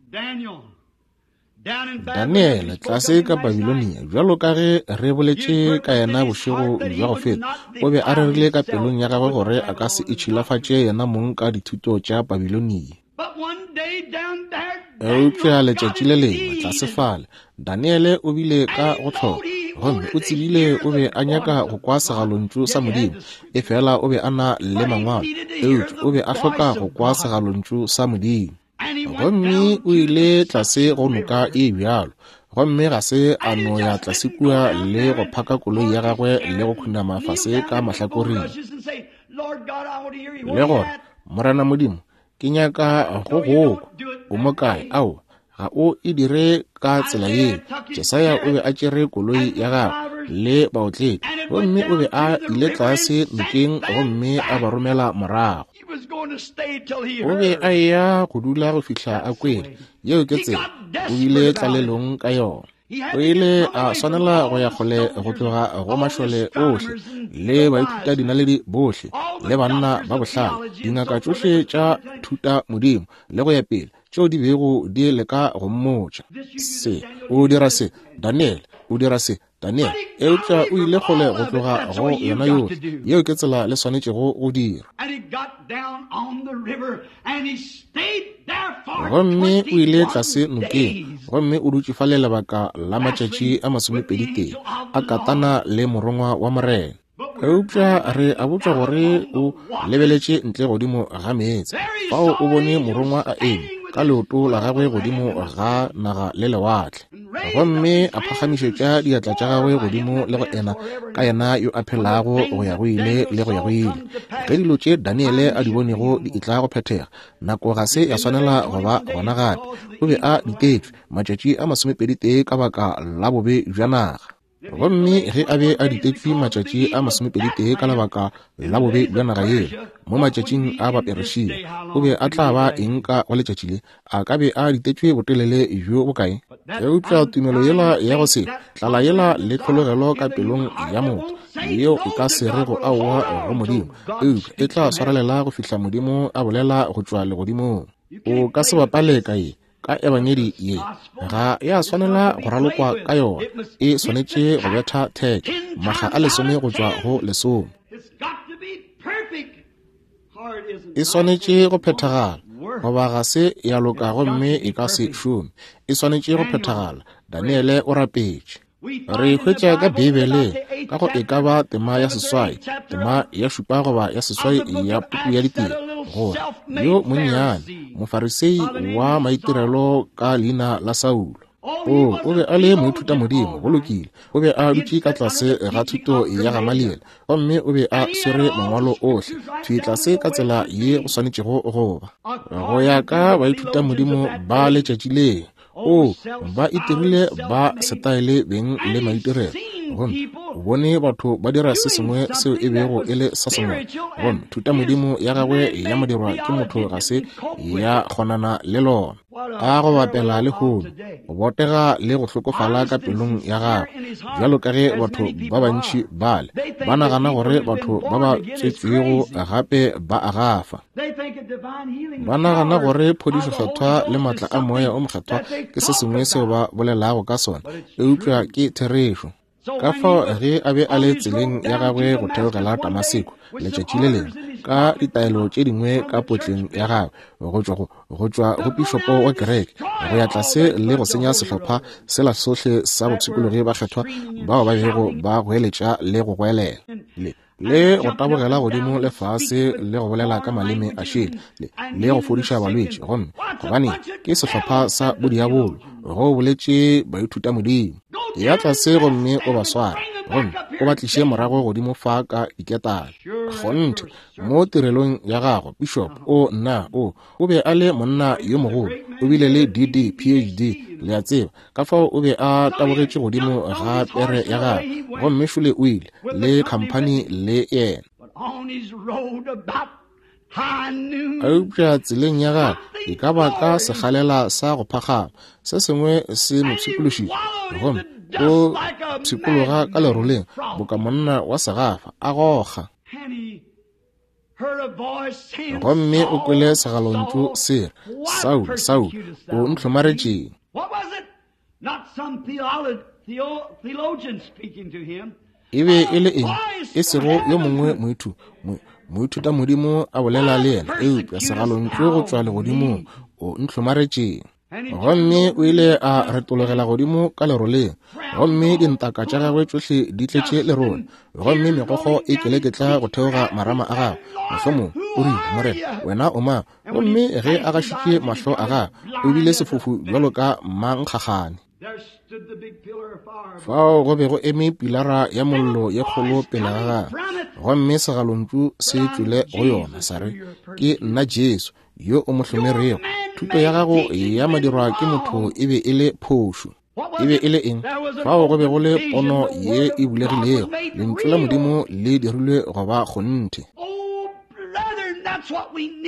Daniele tlase ka Babilonia, bjalo ka ge re boletše ka yena bošego bja go feta, o be a rerile ka pelong ya gagwe gore a ka se itšhilafatše yena mong ka dithuto tša Babilonia. Eupša letšatši le lengwe tlase fale, Daniele o bile ka go hloka, gomme o tsebile o be a nyaka go kwa segalontšu sa Modimo, efela o be a na le mangwalo, eupša o be a hloka go kwa segalontšu sa Modimo. Gomme o ile tlase go noka e bjalo, gomme ga se a no ya tlase kua le go phaka koloi ya gagwe le go khunama fase ka mahlakoreng le gore, Morena Modimo, ke nyaka go go kwa. O mo kae? Aowa, ga o e dire ka tsela yeo. Jesaya o be a tšere koloi ya gagwe le baotledi, gomme o be a ile tlase nokeng gomme a ba romela morago. O be a eya go dula go fihla a kwele. Yeo ke tsela. O bile tlalelong ka yona. O ile a swanela go ya kgole go tloga go mašole ohle le baithuta-dinaledi bohle le banna ba bohlale, dingaka tšohle tša thuta modimo le go ya pele, tšeo di bego di leka go mmotša se. O dira se, Daniele, o dira se. Daniel, eupša o ile kgole go tloga go yona yohle. Yeo ke tsela le swanetšego go dira. Gomme o ile tlase nokeng, gomme o dutše fale lebaka la matšatši a 21, a katana le morongwa wa Morena. Eupša re a botšwa gore o lebeletše ntle godimo ga meetse. Fao o bone morongwa a eme ka leoto la gagwe godimo ga naga le lewatle, gomme a phagamišetša diatla tša gagwe godimo le go ena ka yena yo a phelago go ya go ile le go ya go ile. Ge dilo tše Daniele a di bonego di etla go phethega, nako ga se ya swanela go ba gona gape. O be a ditetšwe matšatši a 21 ka baka la bobe bja naga. Gomme ge a be a ditetšwe matšatši a 21 ka lebaka la bobe bja naga yela, mo matšatšing a Baperesia, o be a tla ba eng ka go letšatši le? A ka be a ditetšwe botelele bjo bokae? Eupša tumelo yela ya go se tlala yela le tlhologelo ka pelong ya motho, yeo e ka se rego aowa go Modimo, eupša e tla swarelela go fihla Modimo a bolela go tšwa legodimong. O ka se bapale ka ye. Ka ebangedi ye ga ya swanela go ralokwa ka yona, e swanetše go betha theke makga a 10 go tšwa go 10. E swanetše go phethagala, goba ga se ya loka gomme e ka se šome. E swanetše go phethagala. Daniele o rapetše. Re hwetša ka Beibeleng, ka go e ka ba tema ya 8, tema ya 7 goba ya 8 ya puku ya Ditiro, gore yo monnyane Mofarisei wa maitirelo ka leina la Saulo, o be a le moithutamodimo, go lokile, o be a dutše ka tlase ga thuto ya Gamaliele, gomme o be a swere mangwalo ohle thwi tlase ka tsela ye go swanetšego go ba, go ya ka baithutamodimo ba letšatši leo. O, ba itirile ba setaele beng le maitirelo, gomme o bone batho ba dira se sengwe seo e bego e le sa semoya, gomme thutamodimo ya gagwe ya modirwa ke motho ga se ya kgonana le lona. A go bapela lehono, go botega le go hlokofala ka pelong ya gagwe, bjalo ka ge batho ba bantši bale ba nagana gore batho ba ba tswetšwego gape ba a gafa. Ba nagana gore phodišo kgethwa le maatla a Moya o Mokgethwa ke se sengwe seo ba bolelago ka sona, eupša ke therešo. Ka fao ge a be a le tseleng ya gagwe go theogela Damaseko letšatši le lengwe, ka ditaelo tše dingwe ka potleng ya gagwe go tšwa go pišopo wa kereke go ya tlase le go senya sehlopha sela sohle sa bopshikologi bakgethwa bao ba bego ba goeletša le go goelela le go tabogela godimo le fase le go bolela ka maleme a šele le go fodiša balwetši, gomme gobane ke sehlopha sa bodiabolo, go boletše baithutamodimo. Ya tlase gomme o ba sware, gomme o ba tliše morago godimo fa ka diketane. Kgonthe, mo tirelong ya gago, bishop, o nna, o be a le monna yo mogolo, o bile le DD, PhD, le a tseba. Ka fao o be a tabogetše godimo ga pere ya gagwe, gomme šole o ile le khamphani le yena. Eupša tseleng ya gagwe e ka ba ka sekgalela sa go phagama, se sengwe se mo pshikološitše, gomme o pshikologa ka leroleng boka monna wa segafa a goga. Gomme o kwele segalontšu se re, Saulo, Saulo, o ntlhomaretšeng? E be e le eng? E sego yo mongwe moithutamodimo a bolela le yena, eupša segalontšu go tšwa legodimong, o ntlhomaretšeng? Gomme o ile a retologela godimo ka leroleng, gomme dintaka tša gagwe tšohle di tletše lerole, gomme megokgo e keleketla go theoga marama a gagwe. Mohlomong o rile, Morena, wena o mang? Gomme ge a gašitše mahlo a gagwe, o bile sefofu bjalo ka mankgagane. Fao go be go eme pilara ya mollo ye kgolo pele ga gagwe, gomme segalontšu se tšwele go yona sa re, Ke nna Jesu, yo o mo hlomerego. Thuto ya gago ya madirwa ke motho e be e le phošo. E be e le eng? Fao go be go le pono ye e bulegilego, lentšu la Modimo le dirilwe go ba kgonthe.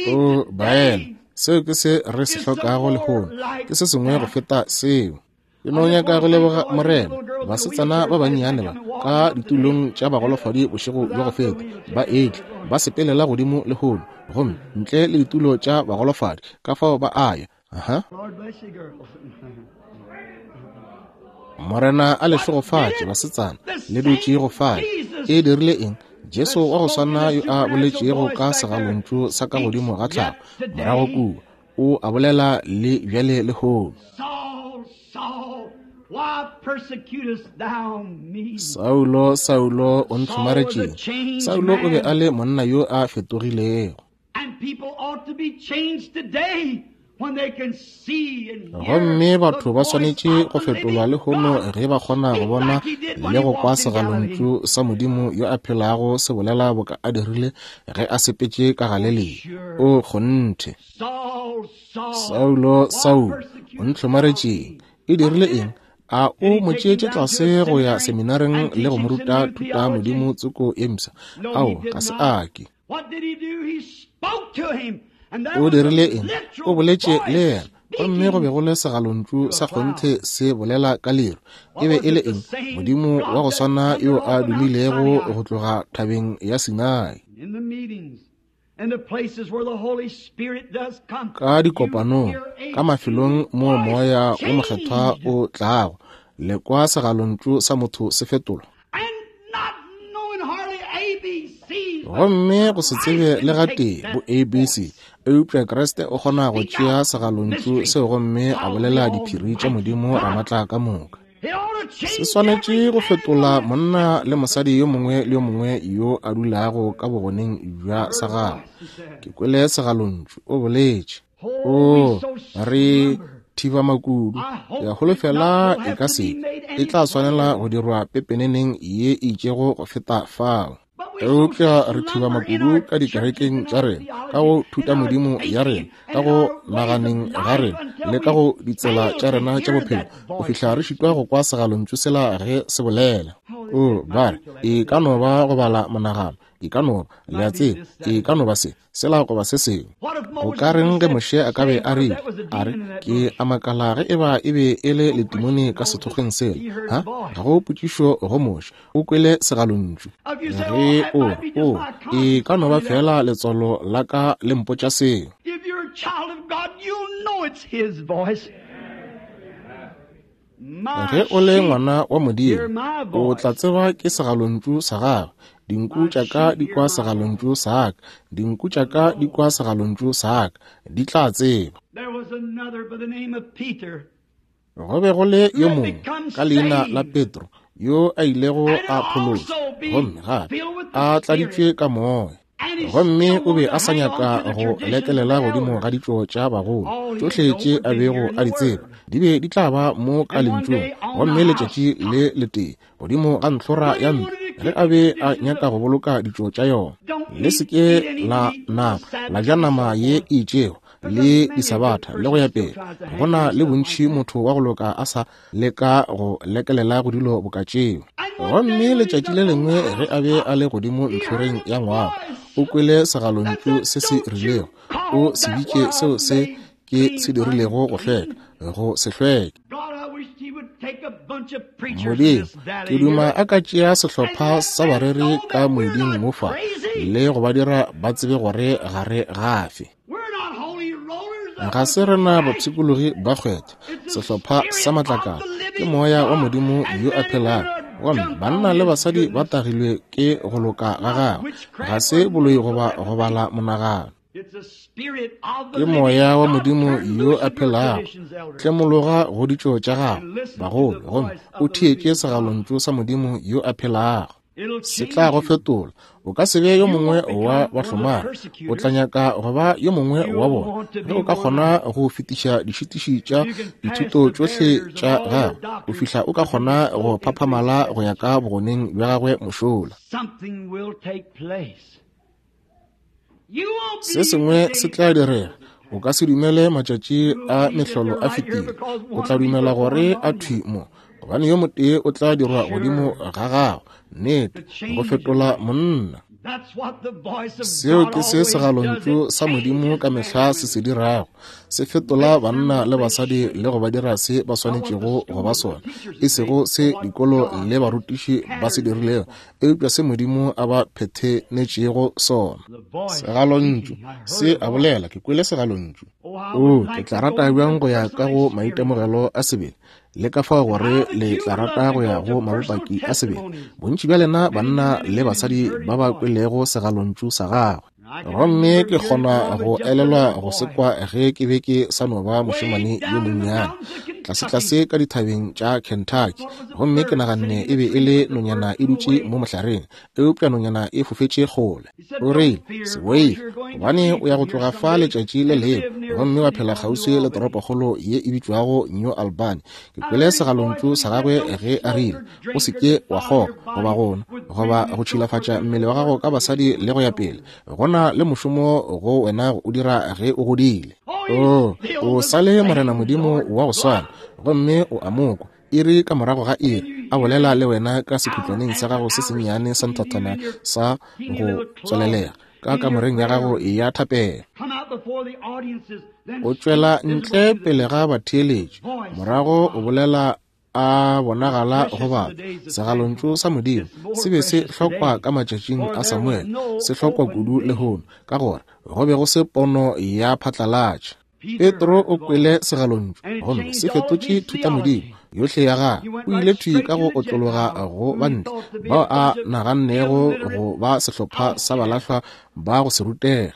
O baena, seo ke se re se hlokago lehono, ke se sengwe go feta seo. Ke no nyaka go leboga Morena, basetsana ba bannyane ba ka ditulong tša bagolofadi bošego bjo go feta, ba etla ba sepelela godimo lehono, gomme ntle le ditulo tša bagolofadi, ka fao ba a ya. Aha. Morena a le šegofatše, basetsana, le dutše go fale. E dirile eng? Jesu wa go swana yo a boletšego ka segalontšu sa ka godimo ga tlhago morago kua, o a bolela le bjale lehono. Saulo, Saulo, o ntlhomaretšeng? Saulo o be a le monna yo a fetogilego. Gomme batho ba swanetše go fetolwa lehono ge ba kgona go bona le go kwa segalontšu sa Modimo yo a phelago se bolela boka a dirile ge a sepetše ka Galelia. O kgonthe. Saulo, Saulo, o ntlhomaretšeng? E dirile eng? A o mo tšeetše tlase go ya seminareng le go mo ruta thuta Modimo tsoko ye mpsha? Ao, ga se a ke. O dirile eng? O boletše le yena, gomme go be go le segalontšu sa kgonthe se bolela ka leru. E be e le eng? Modimo wa go swana yo a dumilego go tloga thabeng ya Sinai. Ka dikopanong, ka mafelong moo Moya wo Mokgethwa o tlago, le kwa segalontšu sa motho se fetolwa. Gomme go se tsebe le gatee bo ABC, eupša Kriste o kgona go tšea segalontšu seo gomme a bolela diphiri tša Modimo Ramatla ka moka. Se swanetše go fetola monna le mosadi yo mongwe le yo mongwe yo a dulago ka bogoneng bja sa gagwe. Ke kwele segalontšu, o boletše. O re thiba makudu. Ke a holofela e ka se e tla swanela go dirwa pepeneneng ye e itšego go feta fao. Eupša re thiba makudu ka dikerekeng tša rena, ka go thutamodimo ya rena, ka go naganeng ga rena, le ka go ditsela tša rena tša bophelo, go fihla re šitwa go kwa segalontšu sela ge se bolela. O ba re, e ka no ba go bala monagano, e ka no ba, le a tseba, e ka no ba se, sela goba se sengwe. Go ka reng ge Moshe a ka be a rile, a re, ke a makala ge eba e be e le letimone ka sethokgweng sela? Ha? Ga go potšišo go Moshe. O kwele segalontšu. Ge o, o, e ka no ba feela letswalo la ka le mpotša seo. Ge o le ngwana wa Modimo, o tla tseba ke segalontšu sa gagwe. Dinku tša ka di kwa segalontšu sa ka. Dinku tša ka di kwa segalontšu sa ka. Di tla tseba. Go be go le yo mongwe ka leina la Petro yo a ilego a phološwa gomme gape a tladitšwe ka moya. Gomme o be a sa nyaka go lekelela godimo ga ditšo tša bagolo. Tšohle tše a bego a di tseba di be di tla ba mo ka lentšung. Gomme letšatši le letee godimo ga ntlhora ya ntlo, ge a be a nyaka go boloka ditšo tša yona, le se ke la nama la ja nama ye e itšego le disabatha le go ya pele. Go na le bontši motho wa go loka a sa leka go lekelela go dilo boka tšeo. Gomme letšatši le lengwe ge a be a le godimo ntlhoreng ya ngwako, o kwele segalontšu se se rilego, o se bitše seo se ke se dirilego go hlweka, go se hlweke. Modimo, ke duma a ka tšea sehlopha sa bareri ka moeding mo fa le go ba dira ba tsebe gore ga re gafe. Ga se rena bapshikologi ba kgwetha, sehlopha sa matlakala, ke moya wa Modimo yo a phelago. Gomme banna le basadi ba tagilwe ke go loka ga gagwe, ga se boloi goba go bala monagano. Ke moya wa Modimo yo a phelago. Tlemologa go ditšo tša gago, bagolo, gomme o theetše segalontšu sa Modimo yo a phelago. Se tla go fetola. O ka se be yo mongwe wa bahlomari. O tla nyaka go ba yo mongwe wa bona. Ge o ka kgona go fetiša dišitiši tša dithuto tšohle tša gagwe, go fihla o ka kgona go phaphamala go ya ka bogoneng bja gagwe mošola. Se sengwe se tla direga. O ka se dumele matšatši a mehlolo a fetile. O tla dumela gore a thwi mo, gobane yo motee o tla dirwa godimo ga gago. Nnete, go fetola monna. Seo ke se segalontšu sa Modimo ka mehla se se dirago. Se fetola banna le basadi le go ba dira se ba swanetšego go ba sona, e sego se dikolo le barutiši ba se dirilego, eupša se Modimo a ba phethenetšego sona. Segalontšu se a bolela, ke kwele segalontšu. Oo, ke tla rata bjang go ya ka go maitemogelo a sebele. Le ka fao gore le tla rata go ya go mabopaki a sebele, bontši bja lena banna le basadi ba ba kwelego segalontšu sa gagwe. Gomme ke kgona go elelwa go se kwa ge ke be ke sa no ba mošemane yo monnyane, tlasetlase ka dithabeng tša Kentucky, gomme ke naganne e be e le nonyana e dutše mo mohlareng, eupša nonyana e fofetše kgole. O rile, Se boife, gobane o ya go tloga fa letšatši le lengwe gomme wa phela kgauswi le toropokgolo ye e bitšwago New Albany. Ke kwele segalontšu sa gagwe ge a rile, O se ke wa kgoga, goba go nwa, goba go tšhilafatša mmele wa gago ka basadi le go ya pele. Go na le mošomo go wena go o dira ge o godile. Oo, o sa le Morena Modimo wa go swana, gomme o a mo kwa iri ka morago ga iri a bolela le wena ka sekhutlwaneng sa gago se sennyane sa nthathana sa go tswalelega ka kamoreng ya gago ya thapelo. O tšwela ntle pele ga batheeletši, morago o bolela a bonagala go batho. Segalontšu sa Modimo se be se hlokwa ka matšatšing a Samuele, se hlokwa kudu lehono, ka gore go be go se pono ya phatlalatša. Petro o kwele segalontšu gomme se fetotše thutamodimo yohle ya gagwe. O ile thwi ka go otlologa go bantle bao a nagannego go ba sehlopha sa balahlwa ba go se rutege.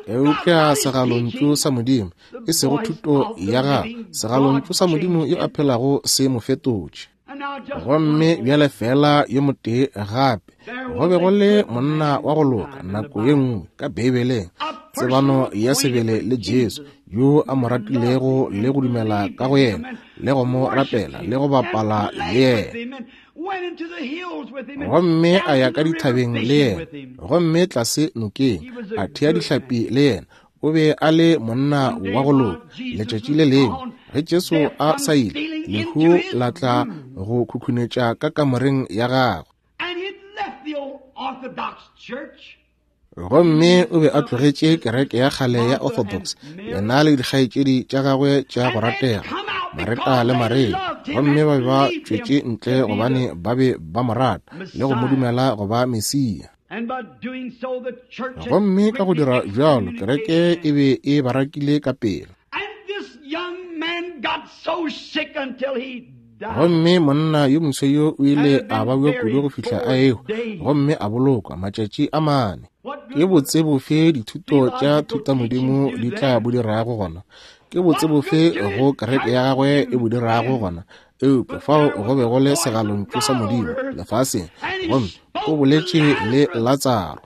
Eupša segalontšu sa Modimo, e sego thuto ya gagwe, segalontšu sa Modimo yo a phelago se mo fetotše. Gomme bjale feela yo motee gape, go be go le monna wa go loka nako ye nngwe ka Beibeleng, tsebano ya sebele le Jesu, yo a mo ratilego le go dumela ka go yena, le go mo rapela le go bapala le yena. Gomme a ya ka dithabeng le yena, gomme tlase nokeng, a thea dihlapi le yena. O be a le monna wa go loka. Letšatši le lengwe ge Jesu a sa ile, lehu la tla go khukhunetša ka kamoreng ya gagwe. Gomme o be a tlogetše kereke ya kgale ya Orthodox, yena le dikgaetšedi tša gagwe tša go ratega, Mareta le Maria, gomme ba be ba tšwetše ntle gobane ba be ba mo rata le go mo dumela go ba Mesia. Gomme ka go dira bjalo, kereke e be e ba rakile ka pela. Gomme monna yo moswa yo o ile a babja kudu go fihla a ehwa, gomme a bolokwa matšatši a mane. Ke botse bofe dithuto tša thutamodimo di tla bo dirago gona? Ke botse bofe go kereke ya gagwe e bo dirago gona? Eupša fao go be go le segalontšu sa Modimo lefaseng, gomme o boletše le Latsaro.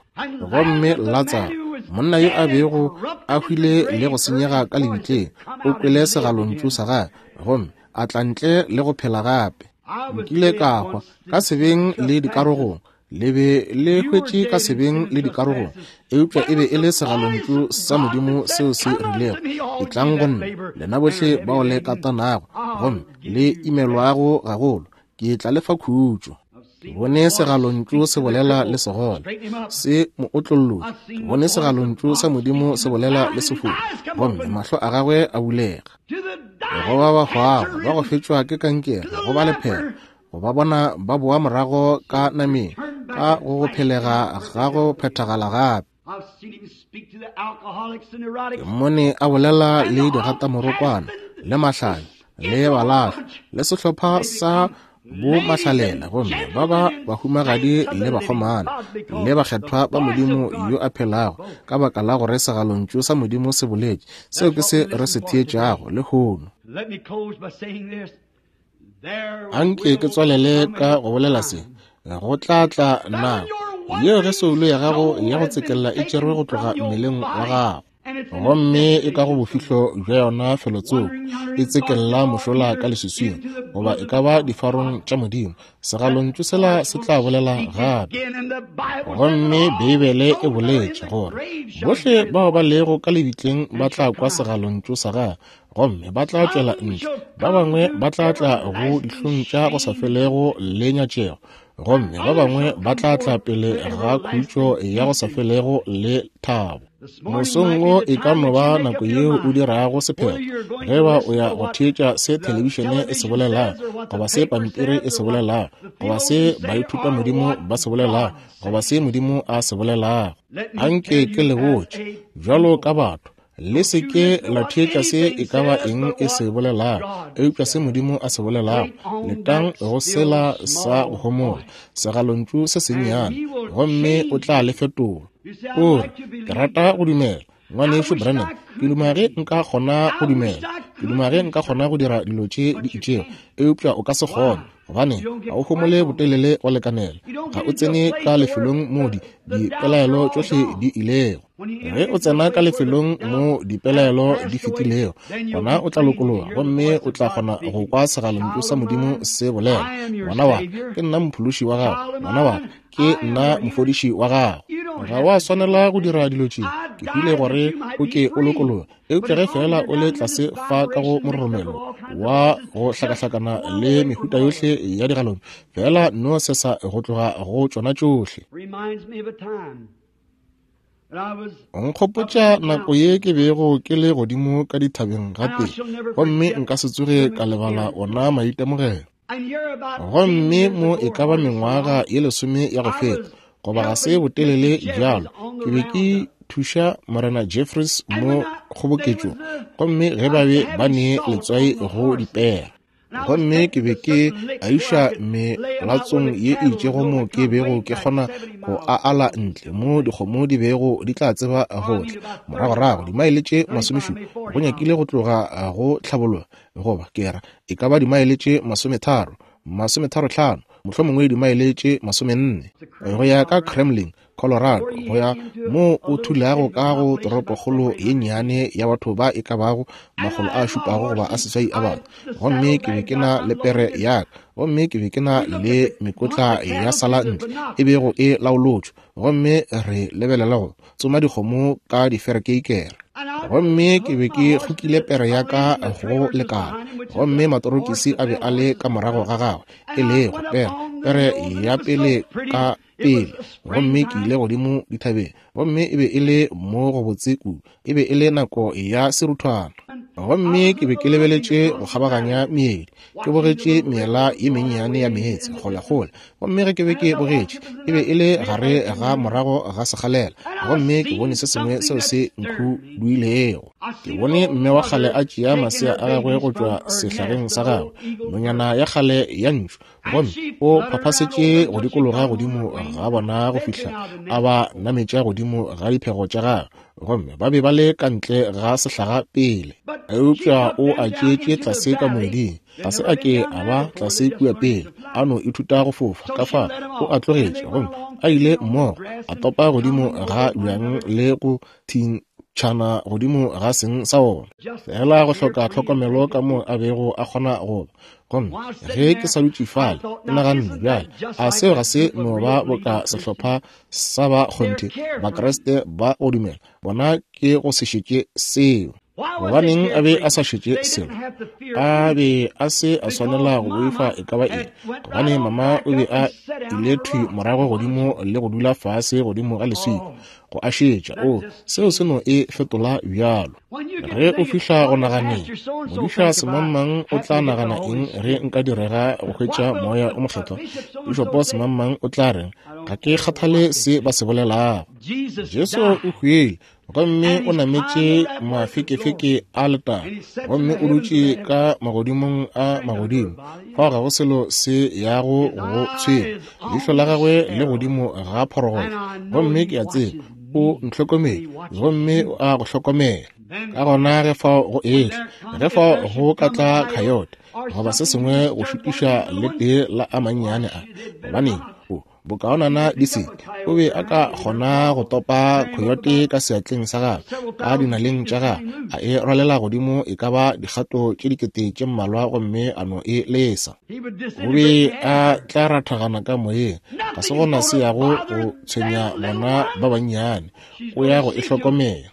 Gomme Latsaro, monna yo a bego a hwile le go senyega ka lebitleng, o kwele segalontšu sa gagwe, gomme a tla ntle le go phela gape. Nkile ka hwa ka sebeng le dikarogong, le be le hwetše ka sebeng le dikarogong, eupša e be e le segalontšu sa Modimo seo se rilego, Etlang go nna, lena bohle bao le katanago gomme le imelwago gagolo, ke tla le fa khutšo. Ke bone segalontšu se bolela le segole, se mo otlollotše. Ke bone segalontšu sa Modimo se bolela le sefofu, gomme mahlo a gagwe a bulega. Go ba ba hwago, ba go fetšwa ke kankere, go ba lephera, go ba bona ba boa morago ka nameng, ka go go phelega ga go phethagala gape. Ke mmone a bolela le digatamorokwana, le mahlanya, le balahlwa, le sehlopha sa bo mahlalela, gomme ba ba bahumagadi le bakgomana, le bakgethwa ba Modimo yo a phelago, ka baka la gore segalontšu sa Modimo se boletše. Seo ke se re se theetšago lehono. Anke ke tswalele ka go bolela se. Go tla tla nako yeo ge soulo ya gago ya go tsekella e tšerwe go tloga mmeleng wa gago, gomme e ka go bofihlo bja yona felotsoko, e tsekella mošola ka leswiswing, goba e ka ba difarong tša Modimo, segalontšu sela se tla bolela gape. Gomme Beibele e boletše gore bohle bao ba lego ka lebitleng ba tla kwa segalontšu sa gagwe, gomme ba tla tšwela ntle, ba bangwe ba tla tla go dihlong tša go sa felego le nyatšego, gomme ba bangwe ba tla tla pele ga khutšo ya go sa felego le thabo. Mosong wo e ka no ba nako yeo o dirago sephetho ge ba o ya go theetša se thelebišene e se bolelago, goba se pampiri e se bolelago, goba se baithutamodimo ba se bolelago, goba se Modimo a se bolelago. Anke ke le botše, bjalo ka batho, Le se ke la theetša se e ka ba eng e se bolelago, eupša se Modimo a se bolelago. Letang go sela sa go homola, segalontšu se sennyane, gomme o tla le fetola. O re, Ke rata go dumela. Ngwanešu Branham, ke duma ge nka kgona go dumela. Ke duma ge nka kgona go dira dilo tše di itšego, eupša o ka se kgone, gobane ga o homole botelele go lekanela. Ga o tsene ka lefelong moo di, dipelaelo tšohle di ilego. Ge o tsena ka lefelong moo dipelaelo di fetilego, gona o tla lokologa gomme o tla kgona go kwa segalontšu sa Modimo se bolela, Ngwana wa ka, ke nna Mophološi wa gago. Ngwana wa ka, Ke nna mofodiši wa gago. Ga wa swanela go dira dilo tše. Ke hwile gore o ke o lokologe. Eupša ge feela o le tlase fa ka go mororomelo wa go hlakahlakana le mehuta yohle ya digalone, feela no sesa go tloga go tšona tšohle. Nkgopotša nako ye ke bego ke le godimo ka dithabeng gape, gomme nka se tsoge ka lebala ona maitemogelo. Gomme mo e ka ba mengwaga ye lesome ya go feta, goba ga se botelele bjalo, ke be ke thuša Morena Jeffries mo kgoboketšong, gomme ge ba be ba ne letswai go dipere. Gomme ke be ke a iša melatsong ye e itšego mo ke bego ke kgona go a ala ntle mo dikgomo di bego di tla tseba go tla moragorago dimaele tše masomešupa go nyakile go tloga go hlabologa goba ke ra e ka ba dimaele tše masometharo, masometharohlano, mohlomongwe dimaele tše masomenne, go ya ka Kremlin, Colorado, go ya moo o thulago ka go toropokgolo ye nnyane ya batho ba e ka bago makgolo a šupago goba a seswai a batho. Gomme ke be ke na le pere ya ka, gomme ke be ke na le mekotla ya sala ntle e bego e laolotšwe, gomme re lebelela go tsoma dikgomo ka diferekeikere. Gomme ke be ke kgokile pere ya ka go lekala, gomme matorokisi a be a le ka morago ga gagwe, e lego pere, pere ya pele ka pele. Gomme ke ile godimo dithabeng, gomme e be e le mo go botse kudu. E be e le nako ya seruthwana. Gomme ke be ke lebeletše go kgabaganya meedi, ke bogetše meela ye mennyane ya meetse kgolekgole. Gomme ge ke be ke bogetše, e be e le gare ga morago ga sekgalela, gomme ke bone se sengwe seo se nkhuduilego. Ke bone mme wa kgale a tšea masea a gagwe go tšwa sehlageng sa gagwe, nonyana ya kgale ya ntšu, gomme o phaphasetše go dikologa godimo ga bona go fihla a ba nametša godimo ga diphego tša gagwe. Gomme ba be ba le ka ntle ga sehlaga pele, eupša o a tšeetše tlase ka moeding. Ga se a ke a ba tlase kua pele, a no ithuta go fofa. Ka fa o a tlogetše, gomme a ile mmogo, a topa godimo ga bjang le go thintšhana godimo ga seng sa ona, feela go hloka tlhokomelo ka moo a bego a kgona go ba. Gomme ge ke sa dutše fale, ke naganne, Bjale, a seo ga se no ba boka sehlopha sa ba kgonthe Bakriste ba go dumela? Bona ke go se šetše seo. Gobaneng a be a sa šetše selo? A be a se a swanela go boifa e ka ba eng, gobane mama o be a ile thwi morago godimo le go dula fase godimo ga leswika go a šetša. O, seo se no e fetola bjalo. Ge o fihla go naganeng, modiša semangmang o tla nagana eng ge nka direga go hwetša Moya o Mokgethwa? Pišopo semangmang o tla reng? Ga ke kgathale se ba se bolelago. Jesu o hwile gomme o nametše mafekefeke a letago gomme o dutše ka magodimong a magodimo. Fao ga go selo se yago go tshwenya. Leihlo la gagwe le godimo ga phorogolo, gomme ke a tseba o ntlhokomele gomme o a go hlokomela. Ka gona ge fao go etla, ge fao go ka tla coyote goba se sengwe go šutiša le tee la a mannyane a, gobaneng, o bokaonana di se ke. O be a ka kgona go topa coyote ka seatleng sa gagwe, ka dinaleng tša gagwe, a e rwalela godimo e ka ba dikgato tše dikete tše mmalwa gomme a no e lesa. O be a tla rathagana ka moyeng. Ga se gona se yago go tshwenya bona ba bannyane. O ya go e hlokomela.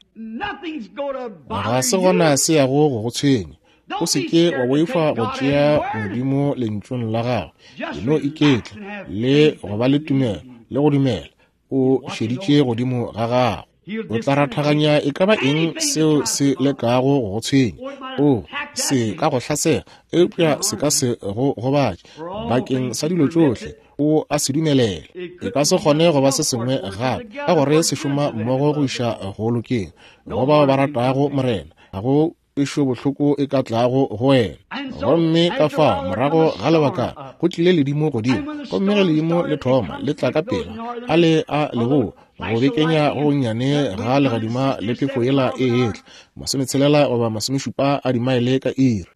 Ga se gona se yago go go tshwenya. O se ke wa boifa go tšea Modimo Lentšung la Gagwe. E no iketla le go ba le tumelo le go dumela. O šeditše godimo ga gago. O tla rathaganya e ka ba eng seo se lekago go go tshwenya. O se ka go hlasela, eupša se ka se go gobatše. Bakeng sa dilo tšohle, o a se dumelela. E ka se kgone go ba se sengwe gape, ka gore se šoma mmogo go iša go lokeng go bao ba ratago Morena. Ga go kwešo bohloko e ka tlago go wena. Gomme ka fao morago ga lebakana go tlile ledimo godimo, gomme ge ledimo le thoma le tla ka pela a le a leboa go bekenya go gonnyane ga legadima le phefo yela e etla 60 goba 70 a dimaele ka iri.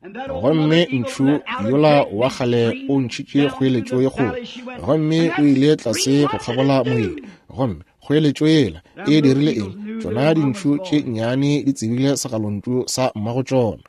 Gomme ntšhu yola wa kgale o ntšhitše kgoeletšo ye kgolo, gomme o ile tlase go kgabola moedi. Gomme kgoeletšo yela e dirile eng? Tšona dintšhu tše nnyane di tsebile segalontšu sa mmago tšona.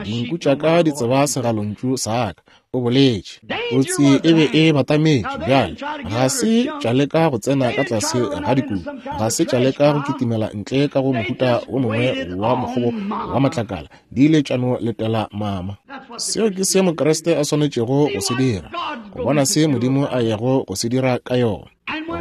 Dinku tša ka di tseba segalontšu sa ka, o boletše. Kotsi e be e batametše bjale. Ga se tša leka go tsena ka tlase ga dikubu, ga se tša leka go kitimela ntle ka go mohuta wo mongwe wa mokgobo wa matlakala, di ile tša no letela mama. Seo ke se Mokriste a swanetšego go se dira, go bona se Modimo a yago go se dira ka yona.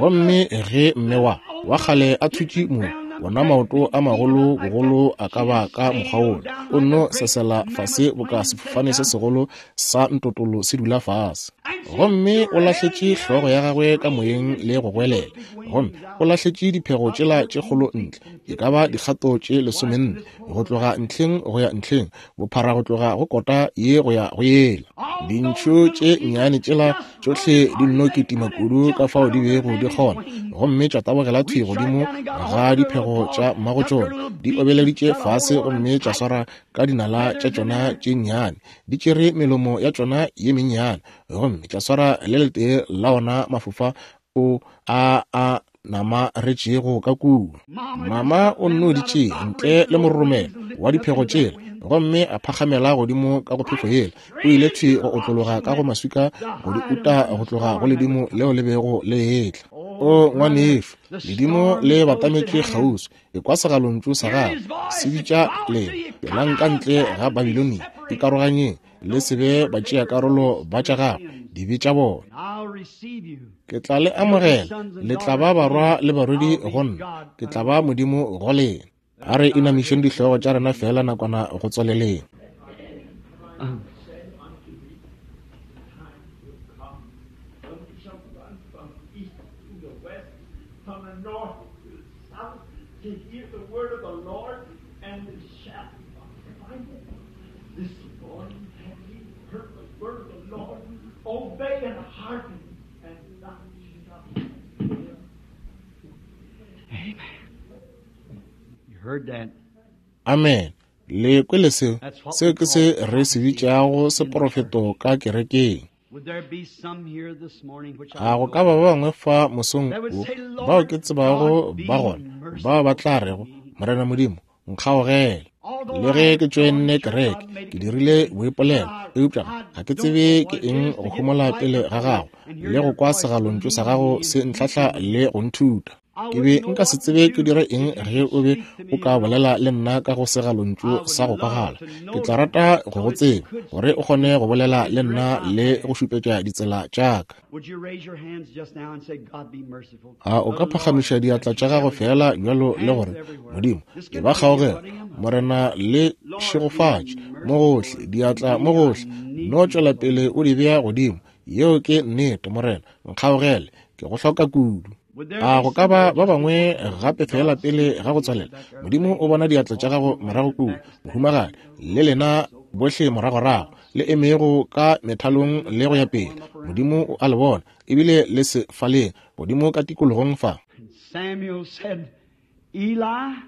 Gomme ge mme wa wa kgale a thutše mo, wona maoto a magolo bogolo a ka ba ka mokgwa wola, o nno sesela fase boka sefofane se segolo sa ntotolo se dula fase. Gomme o lahletše hlogo ya gagwe ka moyeng le go goelela, gomme o lahletše diphego tšela tše kgolo ntle, e ka ba dikgato tše 14 go tloga ntlheng go ya ntlheng, bophara go tloga go kota ye go ya go yela. Dintšhu tše nnyane tšela tšohle di nno kitima kudu ka fao di bego di kgona, gomme tša tabogela thwi godimo ga diphego tša mmago tšona, di obeleditše fase gomme tša swara ka dinala tša tšona tše nnyane, di tšere melomo ya tšona ye mennyane gomme tša swara le letee la ona mafofa o a a namaretšego ka kua. Mama o nno di tšea ntle le mororomelo wa diphego tšela, gomme a phakgamela godimo ka go phefo yela. O ile thwi go otlologa ka go maswika go di uta go tloga go ledimo leo le bego le etla. O ngwanešu, ledimo le batametše kgauswi. Ekwa segalontšu sa gagwe se bitša lena, Tšwelang ka ntle ga Babilonia, ikaroganyeng, le se be batšeakarolo ba tša gagwe, dibe tša bona. Ke tla le amogela, le tla ba barwa le barwedi go nna, ke tla ba Modimo go lena. A re inamišeng dihlogo tša rena feela nakwana go tswaleleng. Amen. Le kwele seo? Seo ke se re se bitšago seprofeto ka kerekeng. A go ka ba ba bangwe fa mosong wo bao ke tsebago ba gona bao ba tla rego, Morena Modimo, nkgaogele. Le ge ke tšoenne kereke, ke dirile boipolelo, eupša ga ke tsebe ke eng go homola pele ga gago le go kwa segalontšu sa gago se ntlhahla le go nthuta. Ke be nka se tsebe ke dire eng ge o be o ka bolela le nna ka go segalontšu sa go kwagala. Ke tla rata go go tseba, gore o kgone go bolela le nna le go šupetša ditsela tša ka. A o ka phagamiša diatla tša gago feela bjalo le gore, Modimo, ke ba kgaogela, Morena le šegofatše mo gohle, diatla mo gohle, no tšwela pele o di bea godimo. Yeo ke nnete, Morena, nkgaogele, ke go hloka kudu. A go ka ba ba bangwe gape feela pele ga go tswalela? Modimo o bona diatla tša gago morago kua, mohumagadi, le lena bohle moragorago le emego ka methalong le go ya pele. Modimo o a le bona, ebile le se faleng godimo ka tikologong fa. Samuel said, Eli,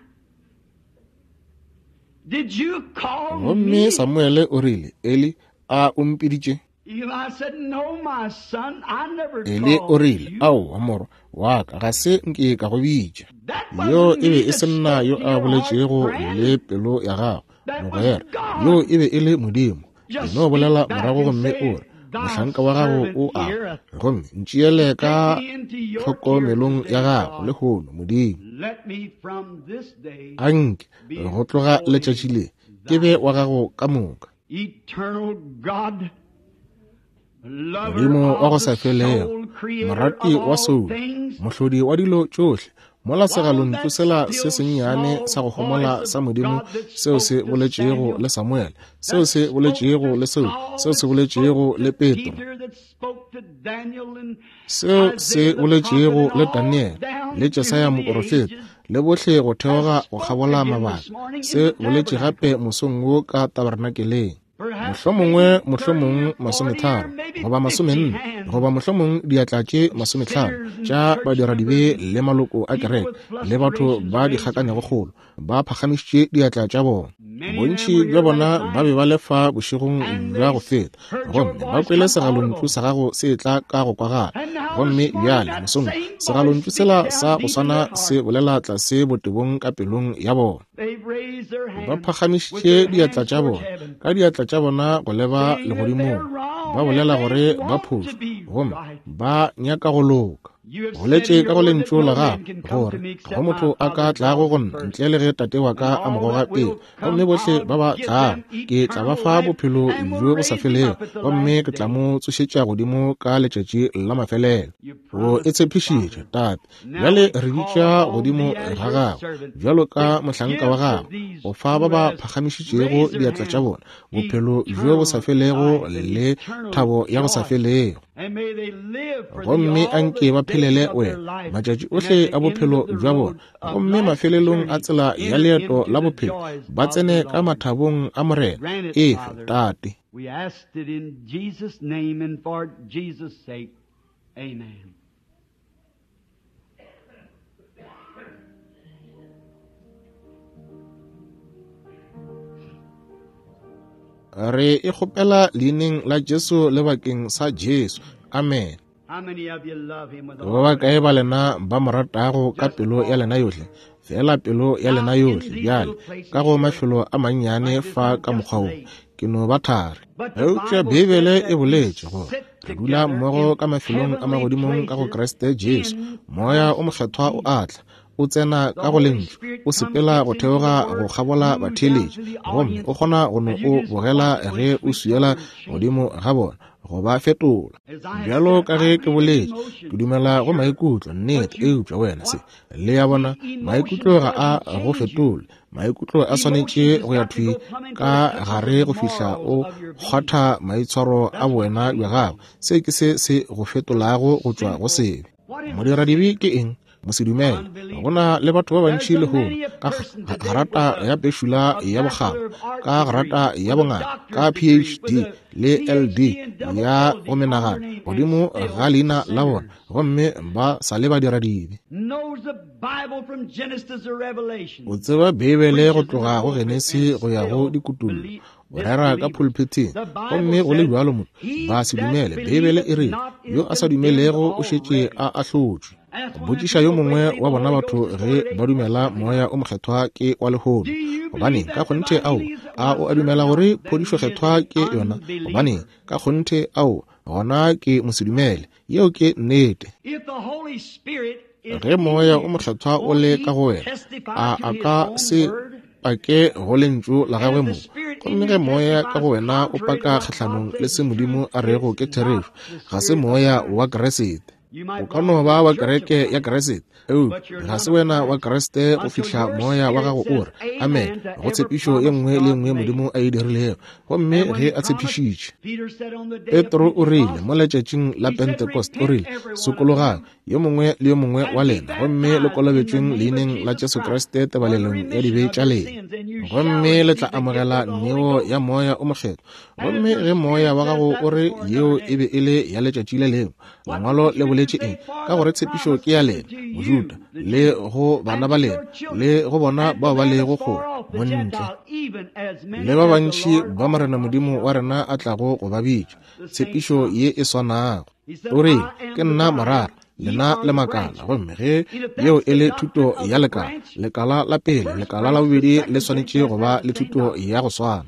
did you call Gomme me? Samuele o rile, Eli, a o mpiditše? Eli said, No, my son, I never Eli o called rile, you. Aowa, morwa wa ka, ga se nke ka go bitša. That Yo wasn't e be me e that se nna spoke yo to a your heart, boletšego friend. le pelo ya gago, That was mogwera. God. Yo e be e le Modimo. E Just no speak bolela back morago and gomme say, o re, Thy Mohlanka wa gago servant o a, heareth. gomme ntšeele ka Take me into your care tlhokomelong today, ya gago God. lehono, Modimo. Let me from this day A nke be go tloga wholly letšatši le ke be thine. wa gago ka moka. Eternal God, lover Modimo wa go of sa the felego, soul, creator morati of wa all soulo, things, mohlodi wa dilo tšohle, Mola segalontšu sela se sennyane sa go homola sa Modimo seo se boletšego le Samuele, seo se boletšego le Saul, seo se boletšego le Petro, seo se boletšego le Daniele, le Jesaya moporofeta, le bohle go theoga go kgabola mabaka, se boletše gape mosong wo ka tabernakeleng. Mohlomongwe, mohlomong 30 goba 40 goba mohlomong diatla tše 50 tša badiradibe le maloko a kereke le batho ba dikgakanego kgolo ba phagamišitše diatla tša bona. Bontši bja bona ba be ba le fa bošegong bja go feta gomme ba kwele segalontšu sa gago se etla ka go kwagala. Gomme bjale mosong segalontšu sela sa go swana se bolela tlase botebong ka pelong ya bona. Ba phagamišitše diatla tša bona, ka diatla tša bona go leba legodimong, ba bolela gore ba phošo gomme ba nyaka go loka. Boletše ka go lentšu la gago gore ga go motho a ka tlago go nna ntle le ge tate wa ka a mo goga pele, gomme bohle ba ba tlago ke tla ba fa bophelo bjo bo sa felego, gomme ke tla mo tsošetša godimo ka letšatši la mafelelo. O e tshepišitše, Tate. Bjale re bitša godimo ga gago bjalo ka mohlanka wa gago go fa ba ba phagamišitšego diatla tša bona bophelo bjo bo sa felego le thabo ya go sa felego, gomme anke ba phelele wena matšatši ohle a bophelo bja bona, gomme mafelelong a tsela ya leeto la bophelo ba tsene ka mathabong a Morena. Efe, Tate. We asked it in Jesus' name and for Jesus' sake. Amen. Re e kgopela leineng la Jesu le bakeng sa Jesu. Amen. Ba bakae ba lena ba mo ratago ka pelo ya lena yohle? Fela pelo ya lena yohle bjale, ka go mafelo a mannyane fa ka mokgwa wo, ke no ba thari. Eupša Beibele e boletše gore re dula mmogo ka mafelong a magodimong ka go Kriste Jesu. Moya o Mokgethwa o a tla, o tsena ka go lentšu, o sepela go theoga go kgabola batheeletši, gomme o kgona go no o bogela ge o swiela godimo ga bona, go ba fetola. Bjalo ka ge ke boletše, ke dumela go maikutlo, nnete, eupša wena se, le ya bona, maikutlo ga a go fetole. Maikutlo a swanetše go ya thwi ka gare go fihla o kgwatha maitshwaro a bowena bja gago. Se ke se se go fetolago go tšwa go sebe. Modiradibe ke eng? Mosedumele. Go na le batho ba bantši lehono ka grata ya pešula ya bokgabo, ka grata ya bongaka, ka PhD le LD ya go menagano godimo ga leina la bona, gomme ba sa le badiradibe. O tseba Beibele go tloga go Genesi go ya go Dikutullo, o rera ka pulpiteng, gomme go le bjalo motho ba se dumele. Beibele e re yo a sa dumelego o šetše a ahlotšwe. Botšiša yo mongwe wa bona batho ge ba dumela Moya o Mokgethwa ke wa lehono. Gobaneng, ka kgonthe ao, a o a dumela gore phodišo kgethwa ke yona? Gobaneng, ka kgonthe ao, gona ke mosedumele. Yeo ke nnete. Ge Moya o Mokgethwa o le ka go wena, a a ka se pake go lentšu la gagwe mong? Gomme ge Moya ka go wena o paka kgahlanong le se Modimo a rego ke therešo, ga se Moya wa Kriste. O ka no ba wa kereke ya Kriste, eupša ga se wena wa Kriste go fihla Moya wa gago o re amen go tshepišo ye nngwe le ye nngwe Modimo a e dirilego. Gomme ge a tshepišitše, Petro o rile mo letšatšing la Pentecost, o rile, sokologang yo mongwe le yo mongwe wa lena, gomme le kolobetšweng leineng la Jesu Kriste tebalelong ya dibe tša lena, gomme le tla amogela neo ya Moya o Mokgethwa. Gomme ge Moya wa gago o re yeo e be e le ya letšatši le lengwe, Lengwalo le boletše eng? Ka gore tshepišo ke ya lena, Mojuda, le go bana ba lena, le go bona bao ba lego kgole, montle, le ba bantši ba Morena Modimo wa rena a tlago go ba bitša. Tshepišo ye e swanago. O rile, Ke nna morara, lena le makala. Gomme ge yeo e le thuto ya lekala, lekala la pele, lekala la bobedi le swanetše go ba le thuto ya go swana.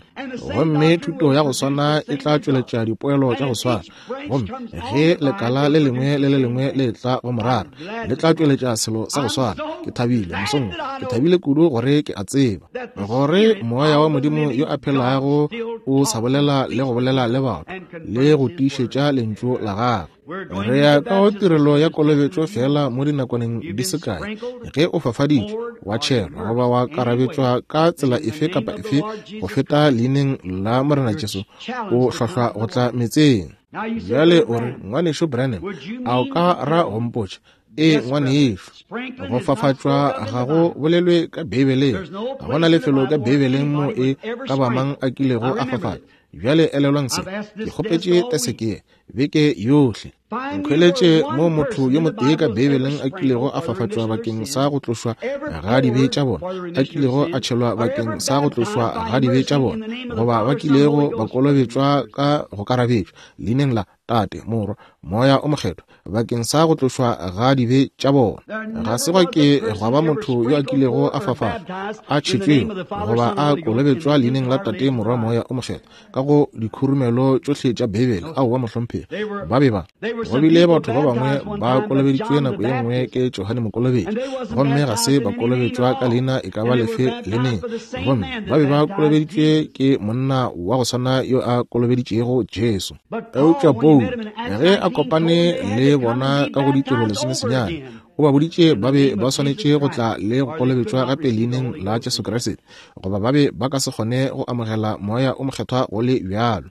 Gomme thuto ya go swana e tla tšweletša dipoelo tša go swana. Gomme ge lekala le lengwe le le lengwe le tla go morara, le tla tšweletša selo sa go swana. Ke thabile mosong, ke thabile kudu gore ke a tseba gore Moya wa Modimo yo a phelago o sa bolela le go bolela le batho le go tiišetša lentšu la gagwe. Re ya ka go tirelo ya kolobetšo feela mo dinakwaneng di se kae. Ge o fafaditšwe, wa tšhelwa, goba wa karabetšwa ka tsela efe kapa efe go feta leineng la Morena Jesu, o hlohlwa go tla meetseng. Bjale o re, Ngwanešu Branham, a o ka ra go mpotša? Ee, ngwanešu, go fafatšwa ga go bolelwe ka Beibeleng. Ga go na lefelo ka Beibeleng mo e ka ba mang a kilego a fafatšwa. Bjale elelwang se, ke kgopetše teseke beke yohle. Nkhweletše mo motho yo motee ka Beibeleng a kilego a fafatšwa bakeng sa go tlošwa ga dibe tša bona, a kilego a tšhelwa bakeng sa go tlošwa ga dibe tša bona, goba ba kilego ba kolobetšwa ka go karabetšwa leineng la Tate, Morwa, Moya o Mokgethwa, bakeng sa go tlošwa ga dibe tša bona. Ga se gwa ke gwa ba motho yo a kilego a fafatšwa, a tšhetšwego, goba a kolobetšwa leineng la Tate, Morwa, Moya o Mokgethwa, ka go dikhurumelo tšohle tša Beibele. Aowa, mohlomphegi. Ba be ba. Go bile batho ba bangwe ba kolobeditšwe nako ye nngwe ke Johane Mokolobetši, gomme ga se ba kolobetšwa ka leina e ka ba lefe le neng, gomme ba be ba kolobeditšwe ke monna wa go swana yo a kolobeditšego Jesu. Eupša Paulo, ge a kopane le bona ka go Ditiro 19, o ba boditše ba be ba swanetše go tla le go kolobetšwa gape leineng la Jesu Kriste, goba ba be ba ka se kgone go amogela Moya o Mokgethwa go le bjalo.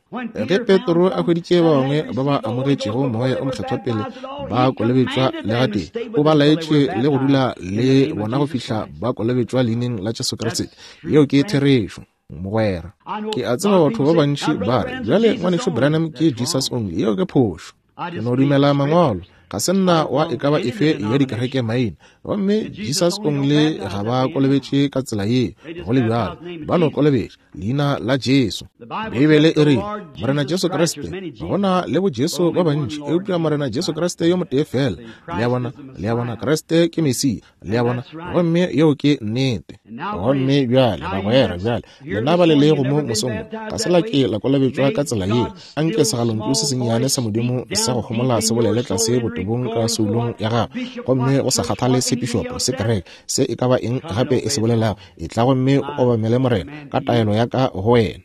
Ge Petro a hweditše ba bangwe ba ba amogetšego Moya o Mokgethwa pele ba kolobetšwa le gatee, o ba laetše le go dula le bona go fihla ba kolobetšwa leineng la Jesu Kriste. Yeo ke therešo. Mogwera, ke a tseba batho ba bantši ba re, bjale Ngwanešu Branham ke Jesus Only. Yeo ke phošo. Ke no dumela Mangwalo. Ga se nna wa e ka ba efe ya dikereke maina. Gomme Jesus Only ga ba kolobetše ka tsela ye, go le bjalo. Ba no kolobetša leina la Jesu. Beibele e rile, Morena Jesu Kriste, go na le bo Jesu ba bantši, eupša Morena Jesu Kriste yo motee feela. Le a bona? Le a bona, Kriste ke Mesia. Le a bona? Gomme yeo ke nnete. Gomme bjale, bagwera, bjale, lena ba le lego mo mosong wo, ga se la ke la kolobetšwa ka tsela ye. Anke segalontšu se sennyane sa Modimo sa go homola se bolele tlase botebong ka soulong ya gago. Gomme go sa kgathale se pišopo, se kereke, se e ka ba eng gape e se bolelago, etla gomme o obamele Morena ka taelo ya ka go wena.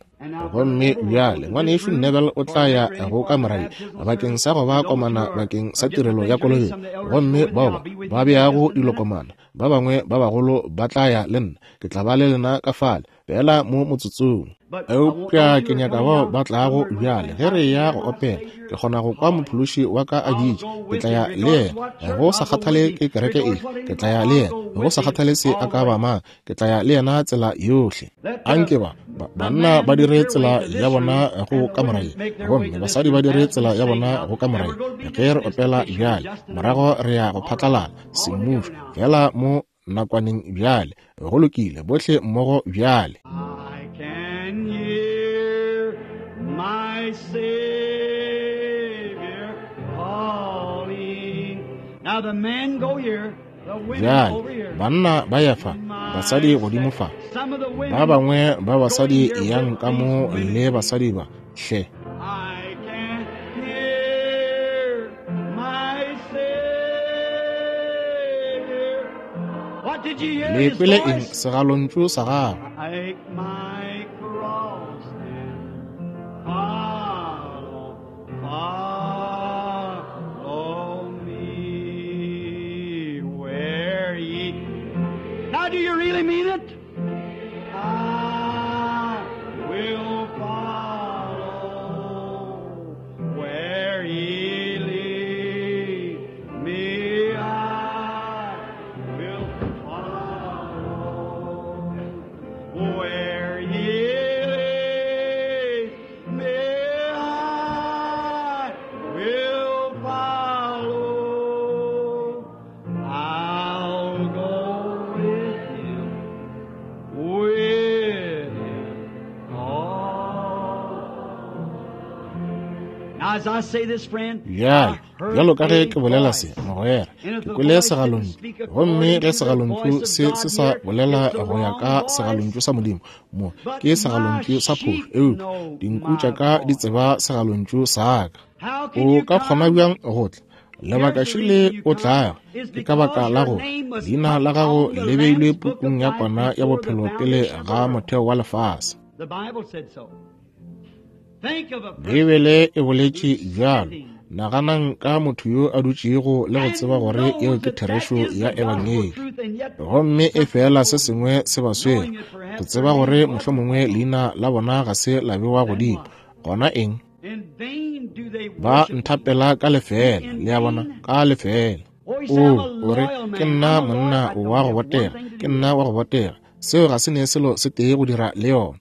Gomme bjale Ngwanešu Neville o tla ya go kamora ye bakeng sa go ba komana bakeng sa tirelo ya kolobetšo. Gomme bao ba ba beago dilokomana, ba bangwe ba bagolo ba tla ya le nna. Ke tla ba le lena ka fale, feela mo motsotsong. Eupša ke nyaka bao ba tlago bjale ge re ya go opela. Ke kgona go kwa Mophološi wa ka a bitša. Ke tla ya le yena, go sa kgathale ke kereke efe. Ke tla ya le yena, go sa kgathale se a ka ba mang. Ke tla ya le yena tsela yohle. Anke ba, ba banna ba dire tsela ya bona go kamora ye, gomme basadi ba dire tsela ya bona go kamora ye. Ge re opela bjale, morago re ya go phatlalala semmušo, feela mo nakwaneng bjale. Go lokile, bohle mmogo bjale. I can hear my Savior calling. Now the men go here, the women Bjale, over here. banna ba ya fa, basadi godimo fa. Some of the women Ba bangwe ba basadi go here yang with ka these mo women. le basadi ba, hle. I can hear my Savior. What did you hear Le his kwele eng voice? segalontšu sa gagwe? Take my cross and follow, follow me where ye. Now, do you really mean it? I will follow where ye lead me. I will follow where ye lead me. I will follow. I'll go with him, with him all. Now, as I say this, friend, Bjale, I heard bjalo ka ge a ke bolela se, voice. mogwera, And if ke the kwele voice didn't segalontšu. speak Gomme according ge to the segalontšu voice of se God se sa here, bolela it's the go ya wrong ka voice. segalontšu sa Modimo, mo But ke my segalontšu sa phošo. sheep Eupša know dinku tša my ka di voice. tseba segalontšu sa ka. How can O you ka kgona come? bjang go tla? Lebaka Here's the šele reason you o come tlago is ke ka baka because la your gore name was leina put la gago on the le beilwe Lamb's book of pukung ya life kwana ya before the bophelo pele foundation of ga the world. motheo wa lefase. The Bible said so. Think of a person Beibele e boletše who's bjalo. sitting Naganang ka motho yo a dutšego le go tseba gore yeo ke therešo ya Ebangedi, gomme e fela se sengwe se ba swere, go tseba gore mohlomongwe leina la bona ga se la bewa godimo. Gona eng? Ba nthapela ka lefeela, le a bona, ka lefeela. O, o re, ke nna monna wa go botega, ke nna wa go botega. Seo ga se ne selo se tee go dira le yona.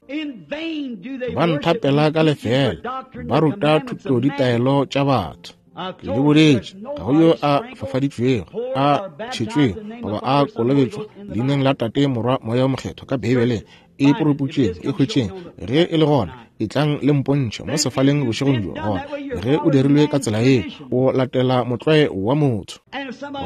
Ba nthapela ka lefeela, ba ruta thuto ditaelo tša batho. Ke le boletše, ga go yo a fafaditšwego, a tšhetšwego, goba a kolobetšwa leineng la Tate, Morwa, Moya wo Mokgethwa ka Beibeleng. E puruputšeng, e hwetšeng, ge e le gona, etlang le mpontšhe mo sefaleng bošegong bjo. Gona ge o dirilwe ka tsela yeo, o latela motlwae wa motho.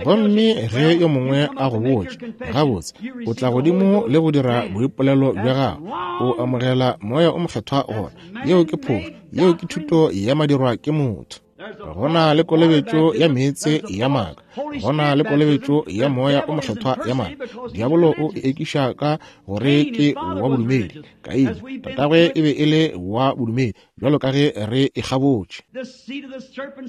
Gomme ge yo mongwe a go botša, gabotse, o tla godimo le go dira boipolelo bja gago, o amogela Moya o Mokgethwa gona. Yeo ke phošo, yeo ke thuto ya madirwa ke motho. Go na le kolobetšo ya meetse ya maaka, go na le kolobetšo ya Moya o Mokgethwa ya maaka. Diabolo o e ekiša ka gore ke wa bodumedi. Kaine, tatagwe e be e le wa bodumedi, bjalo ka ge re e kgabotše.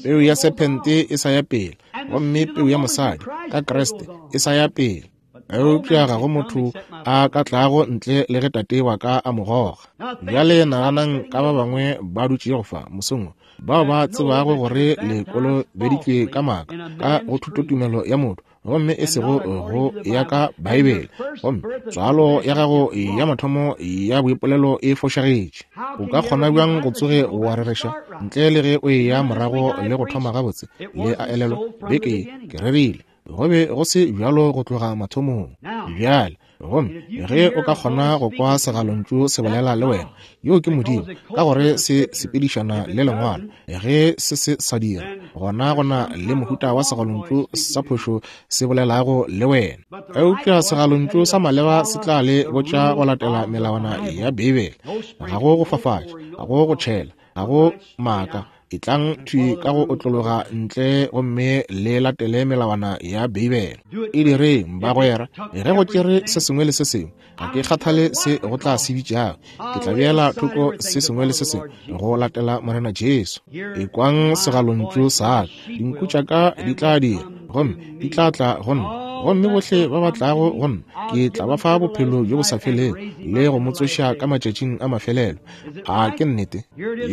Peu ya sephente e sa ya pele, gomme peu ya mosadi ka Kriste e sa ya pele. Eupša ga go motho a ka tlago ntle le ge Tate wa ka a mo goga. Bjale naganang ka ba bangwe ba dutšego fa mosong wo, bao ba tsebago gore le kolobeditšwe ka maaka ka go thutotumelo ya motho, gomme e sego go ya ka Beibele, gomme tswalo ya gago ya mathomo ya boipolelo e fošagetše. O ka kgona bjang go tsoge wa rereša ntle le ge o eya morago le go thoma gabotse? Le a elelwa, beke ye ke rerile Go be go se bjalo go tloga mathomong. Bjale, gomme ge o ka kgona go kwa segalontšu se bolela le wena, yoo ke Modimo, ka gore se sepedišana le Lengwalo. Ge se se sa dira, gona go na le mohuta wa segalontšu sa phošo se bolelago le wena. Eupša segalontšu sa maleba se tla le botša go latela melawana ya Beibele. Ga go go fafatša, ga go go tšhela, ga go maaka. Etlang thwi ka go otlologa ntle gomme le latele melawana ya Beibele. E direng, bagwera. Ge go tšere se sengwe le se sengwe, ga ke kgathale se go tla se bitšago, ke tla beela thoko se sengwe le se sengwe go latela Morena Jesu. Ekwang segalontšu sa ka, dinku tša ka di tla dira, gomme di tla tla go nna, gomme bohle ba ba tlago go nna ke tla ba fa bophelo bjo bo sa felego le go mo tsoša ka matšatšing a mafelelo. A ke nnete?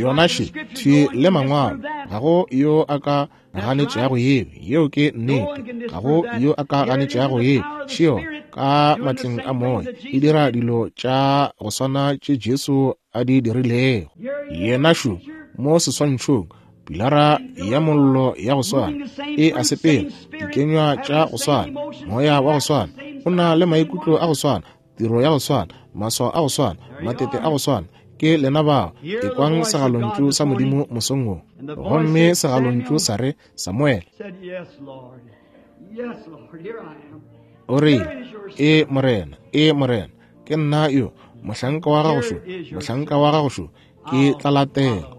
Yona še, thwi le Mangwalo. Ga go yo a ka ganetšago yeo. Yeo ke nnete. Ga go yo a ka ganetšago yeo. Še yona, ka matleng a Moya, e dira dilo tša go swana tše Jesu a di dirilego. Yena šo, mo seswantšhong, pilara ya mollo ya go swana, e a sepela, dikenywa tša go swana, Moya wa go swana, o na le maikutlo a go swana, tiro ya go swana, maswao a go swana, matete a go swana. Ke lena bao. Ekwang segalontšu sa Modimo mosong wo. Gomme segalontšu sa re, Samuele. O rile, E Morena, e Morena, ke nna yo, mohlanka wa gago šo, mohlanka wa gago šo, ke tla latela.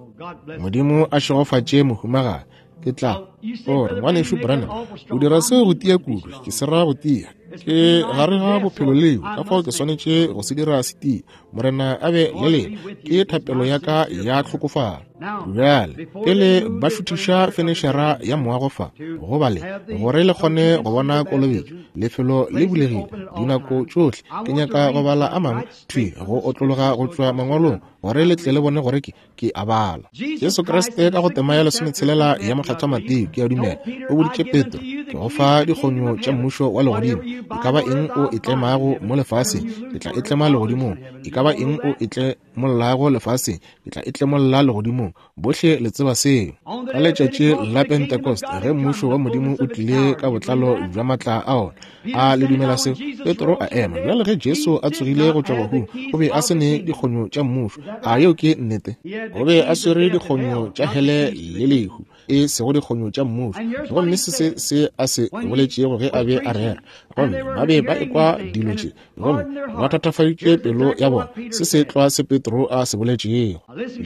Modimo a šegofatše mohumagadi. Ke tla. O re, Ngwanešu Branham, o dira seo go tia kudu. Ke se ra go tia. Ke gare ga bophelo leo, ka fao ke swanetše go se dira se tia. Morena a be le lena. Ke thapelo ya ka ya tlhokofalo. Bjale, pele ba šuthiša fenešara ya moago fa, go ba le, gore le kgone go bona kolobetšo, lefelo le bulegile dinako tšohle. Ke nyaka go bala a mangwe thwi go otlologa go tšwa mangwalong, gore le tle le bone gore ke ke a bala. Jesu Kriste ka go tema ya lesometshela ya Mokgethwa Mateo, ke a dumela, o boditše Petro, ke go fa dikgonyo tša mmušo wa legodimo. E ka ba eng o e tlemago mo lefaseng, ke tla e tlema legodimong. E ka ba eng o e tlemollago lefaseng, ke tla e tlemolla legodimong. Bohle le tseba seo. Ka letšatši la Pentecost, ge mmušo wa Modimo o tlile ka botlalo bja matla a ona, A le dumela seo? Petro a ema. Bjale ge Jesu a tsogile go tšwa bahung, o be a se ne dikgonyo tša mmušo. A yeo ke nnete? O be a swere dikgonyo tša hele le lehu, e sego dikgonyo tša mmušo. Gomme se se se a se boletšego ge a be a rera, gomme ba be ba ekwa dilo tše, gomme ba thatafaditše pelo ya bona. Se se tlwa se Petro a se boletšego.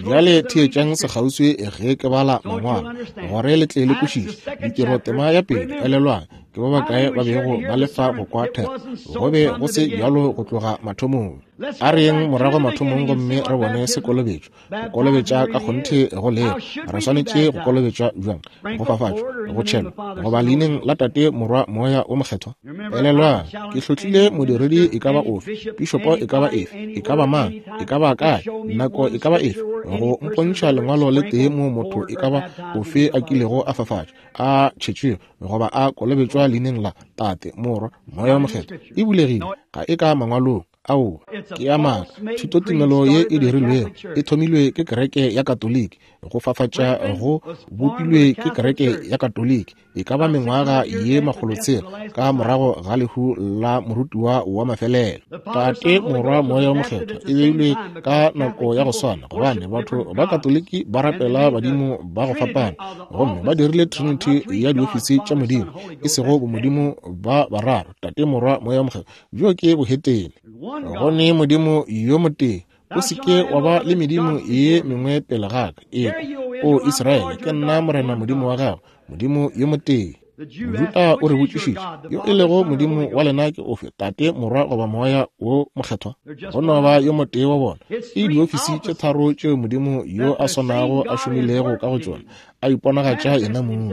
Bjale theetšang sekgauswi ge ke bala mangwalo, gore le tle le kwešiše. Ditiro tema ya pele, elelwang, ke ba bakae ba bego ba le fa go kwa thero? Go be go se bjalo go tloga mathomong. A re yeng morago mathomong gomme re bone se kolobetšo, go kolobetša ka kgonthe go lego. Re swanetše go kolobetšwa bjang? Go fafatšwa, go tšhelwa, goba leineng la Tate, Morwa, Moya wo Mokgethwa? Elelwang, ke hlotlile modiredi e ka ba ofe, pišopo e ka ba efe, e ka ba mang, e ka ba kae, nako e ka ba efe, go mpontšha lengwalo le tee moo motho e ka ba ofe a kilego a fafatšwa, a tšhetšwego, goba a kolobetšwa leineng la Tate, Morwa, Moya wo Mokgethwa. E bulegile, ga e ka mangwalong. Aowa, ke ya maaka. Thutotumelo ye e dirilwego e thomilwe ke kereke ya Katoliki, go fafatša go bopilwe ke kereke ya Katoliki e ka ba mengwaga ye makgolotshela ka morago ga lehu la morutiwa wa mafelelo. Tate, Morwa, Moya wo Mokgethwa e beilwe ka nako ya go swana, gobane batho ba Katoliki ba rapela badimo ba go fapana, gomme ba dirile trinity ya diofisi tša Modimo, e sego bomodimo ba bararo, Tate, Morwa, Moya wo Mokgethwa. Bjo ke bohetene. Go ne Modimo yo motee. O se ke wa ba le medimo ye mengwe pele ga ka. Ekwa, O Israele, ke nna Morena Modimo wa gago, Modimo yo motee. Mojuda o re botšišitše, Yo e lego Modimo wa lena ke ofe, Tate, Morwa goba Moya wo Mokgethwa? Go no ba yo motee wa bona. Ke diofisi tše tharo tšeo Modimo yo a swanago a šomilego ka go tšona, a iponagatša yena mong.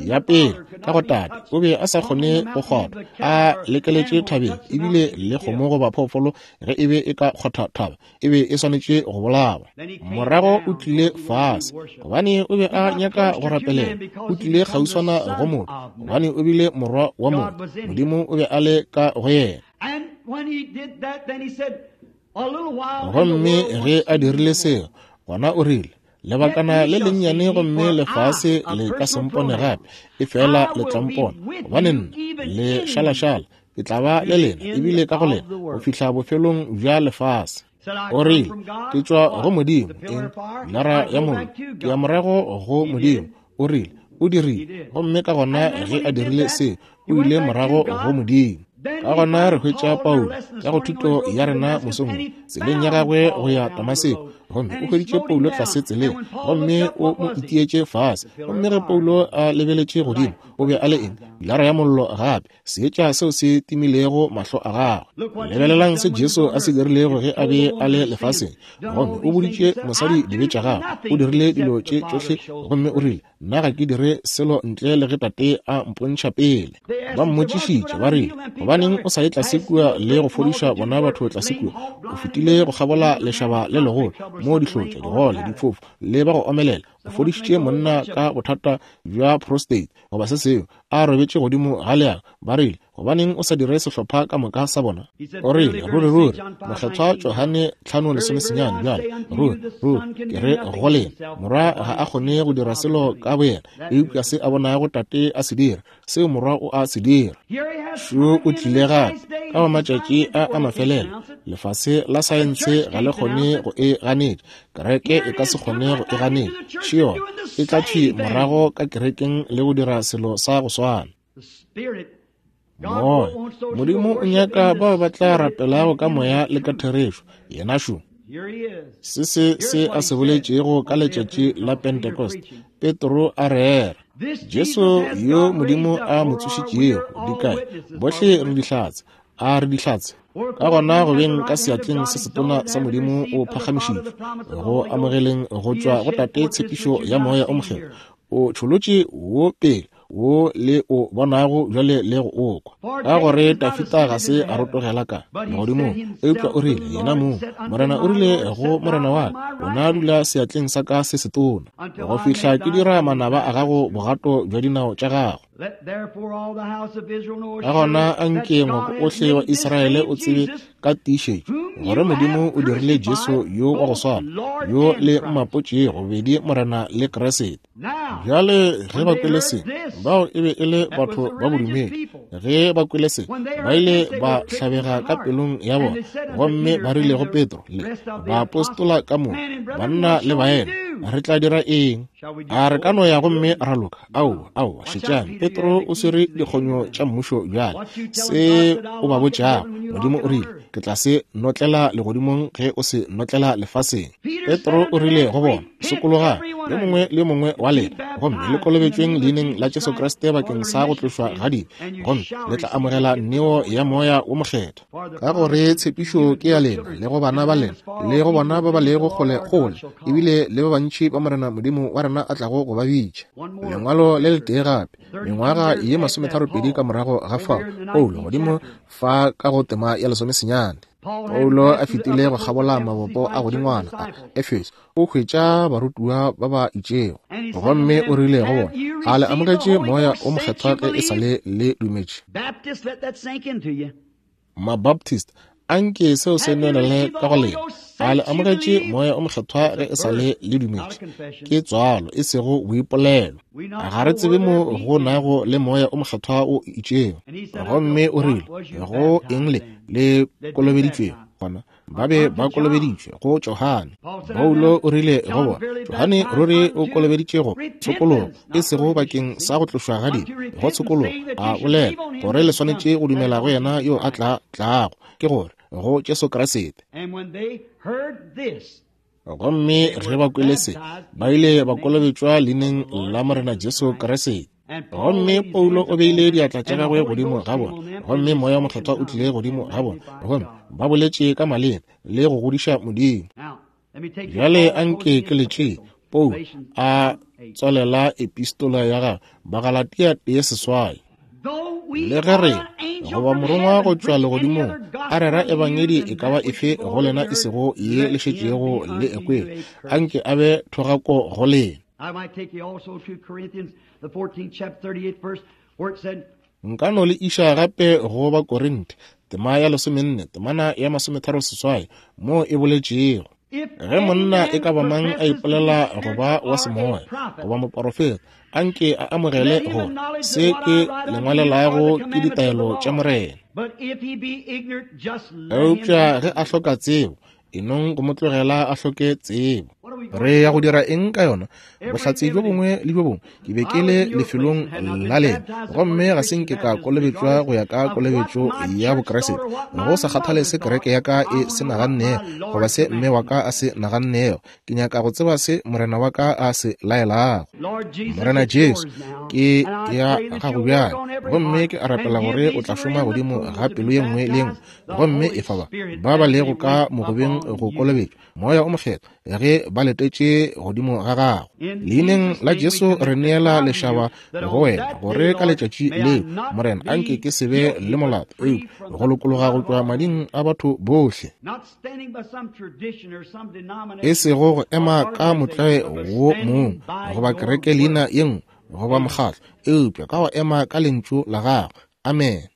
Ya pele, ka go Tate, o be a sa kgone go kgotha, a lekeletše thabeng, ebile le kgomo goba phoofolo ge e be e ka kgotha thaba, e be e swanetše go bolawa. Morago o tlile fase, gobane o be a nyaka go rapelela. O tlile kgauswana go motho, gobane o bile morwa wa motho. Modimo o be a le ka go yena. Gomme ge a dirile seo, gona o rile, Lebakana le lennyane gomme lefase le ka se mpone gape, efela le tla mpona, gobane nna, le šalašala, ke tla ba le lena, ebile ka go lena, go fihla bofelong bja lefase. O rile, Ke tšwa go Modimo, eng? Pilara ya Mollo. Ke ya morago go Modimo. O rile, O dirile. Gomme ka gona ge a dirile seo, o ile morago go Modimo. Ka gona re hwetša Paulo ka go thuto ya rena mosong wo, tseleng ya gagwe go ya Damaseko, gomme o hweditše Paulo tlase tseleng, gomme o mo itietše fase. Gomme ge Paulo a lebeletše godimo, o be a le eng? Pilara ya Mollo gape, Seetša seo se timilego mahlo a gagwe. Lebelelang se Jesu a se dirilego ge a be a le lefaseng, gomme o boditše mosadi dibe tša gagwe. O dirile dilo tše tšohle, gomme o rile, Nna ga ke dire selo ntle le ge Tate a mpontšha pele. Ba mmotšišitše, ba rile, Gobaneng o sa ye tlase kua le go fodiša bona batho tlase kua? O fetile go kgabola lešaba le legolo, moo dihlotša, digole, difofu, le ba go omelela. O fodišitše monna ka bothata bja prostate, goba se sengwe, a robetše godimo ga leago. Ba rile, Gobaneng o sa dire sehlopha ka moka sa bona? O rile, Ruri, ruri, Mokgethwa Johane 5:19, bjale, ruri, ruri, ke re go lena, Morwa ga a kgone go dira selo ka boyena, eupša se a bonago Tate a se dira, seo Morwa o a se dira. Šo o tlile gape, ka go matšatši a a mafelelo. Lefase la saense ga le kgone go e ganetša. Kereke e ka se kgone go e ganetša. Še yona, e tla thwi morago ka kerekeng le go dira selo sa go swana. Moya. Modimo o nyaka bao ba tla rapelago ka moya le ka therešo. Yena šo. Se se se a se boletšego ka letšatši la Pentecost, Petro a rera. Jesu yo Modimo a mo tsošitšego, di kae? Bohle re dihlatse. A re dihlatse? Ka gona go beng ka seatleng se setona sa Modimo o phagamišitšwe, go amogeleng go tšwa go Tate tshepišo ya Moya o Mokgethwa, o tšholotše wo pele wo le o bonago bjale le go o kwa. Ka gore Dafida ga se a rotogela ka legodimong, eupša o rile, yena mong, Morena o rile go Morena wa ka, Wena dula seatleng sa ka se setona, go fihla ke dira manaba a gago bogato bja dinao tša gago. Ka gona anke ngwako ohle wa Israele o tsebe ka tiišetšo gore Modimo o dirile Jesu yo wa go swana, yo le mmapotšego bobedi Morena le Kriste. Bjale ge ba kwele se, bao e be e le batho ba bodumedi, ge ba kwele se, ba ile ba hlabega ka pelong ya bona, gomme ba rile go Petro le baapostola ka moka, banna le baena, re tla dira eng? A re ka no ya gomme ra loka? Aowa, aowa, šetšang, Petro o swere dikgonyo tša mmušo bjale. Se o ba botšago, Modimo o rile, ke tla se notlela legodimong ge o se notlela lefaseng. Petro o rile go bona, Sokologang, yo mongwe le yo mongwe wa. wa lena, gomme le kolobetšweng leineng la Jesu Kriste bakeng sa go tlošwa ga dibe, gomme le tla amogela neo ya Moya wo Mokgethwa. Ka gore tshepišo ke ya lena, le go bana ba lena, le go bona ba ba lego kgole-kgole, ebile le ba bantši ba Morena Modimo wa rena a tlago go ba bitša. Lengwalo le letee gape, mengwaga ye masometharopedi ka morago ga fao, Paulo godimo fa ka go tema ya lesomesenyane. Paulo a fetile go kgabola mabopo a godingwana a Efeso, o hwetša barutiwa ba ba itšego, gomme o rile go bona, A le amogetše Moya o Mokgethwa ge e sa le le dumetše? Mabaptist, a nke seo se nwelele ka go lena. A le amogetše Moya o Mokgethwa ge e sa le le dumetše? Ke tswalo, e sego boipolelo. Ga re tsebe mo go nago le Moya o Mokgethwa o itšego. Gomme o rile, Go eng le le kolobeditšwego? Gona ba be ba kolobeditšwe go Johane. Paulo o rile go bona, Johane ruri o kolobeditše go tshokologo, e sego bakeng sa go tlošwa ga dibe, go tshokologo, a bolela gore le swanetše go dumela go yena yo a tla tlago, ke gore, go Jesu Kriste. Gomme ge ba kwele se, ba ile ba kolobetšwa leineng la Morena Jesu Kriste. Gomme Paulo o beile diatla tša gagwe godimo ga bona, gomme Moya Mokgethwa o tlile godimo ga bona, gomme ba boletše ka maleme le go godiša Modimo. Bjale anke ke le tšee Paulo a tswalela epistola ya gagwe Bagalatia 1:8. Le ge re goba morongwa go tšwa legodimong a rera ebangedi e ka ba efe go lena e sego ye le šetšego le ekwele, anke a be thogako go lena. Nka no le iša gape go Bakorinthe, tema ya lesomenne, temana ya masometharosesoai, moo e boletšego. Ge monna e ka ba mang a ipolela go ba wa semoya goba moporofeta, anke a amogele gore se ke le ngwalelago ke ditaelo tša Morena. Eupša ge a hloka tsebo, e nong go mo tlogela a hloke tsebo. Re ya go dira eng ka yona? Bohlatse bjo bongwe le bjo bongwe ke be ke le lefelong la lena, gomme ga se nke ka kolobetšwa go ya ka kolobetšo ya Bokriste, go sa kgathale se kereke ya ka e se nagannego goba se mme wa ka a se nagannego. Ke nyaka go tseba se Morena wa ka a se laelago. Morena Jesu, ke ya gago bjale, gomme ke a rapela gore o tla šoma godimo ga pelo ye nngwe le ye nngwe, gomme e fa ba ba ba lego ka mogobeng go kolobetšwa Moya o Mokgethwa ge ba letetše godimo ga gago. Leineng la Jesu re neela lešaba go wena, gore ka letšatši leo, Morena, anke ke se be le molato, eupša go lokologa go tšwa mading a batho bohle. E sego go ema ka motlae wo mongwe goba kereke leina ye nngwe goba mokgatlo, eupša ka go ema ka lentšu la gago. Amen.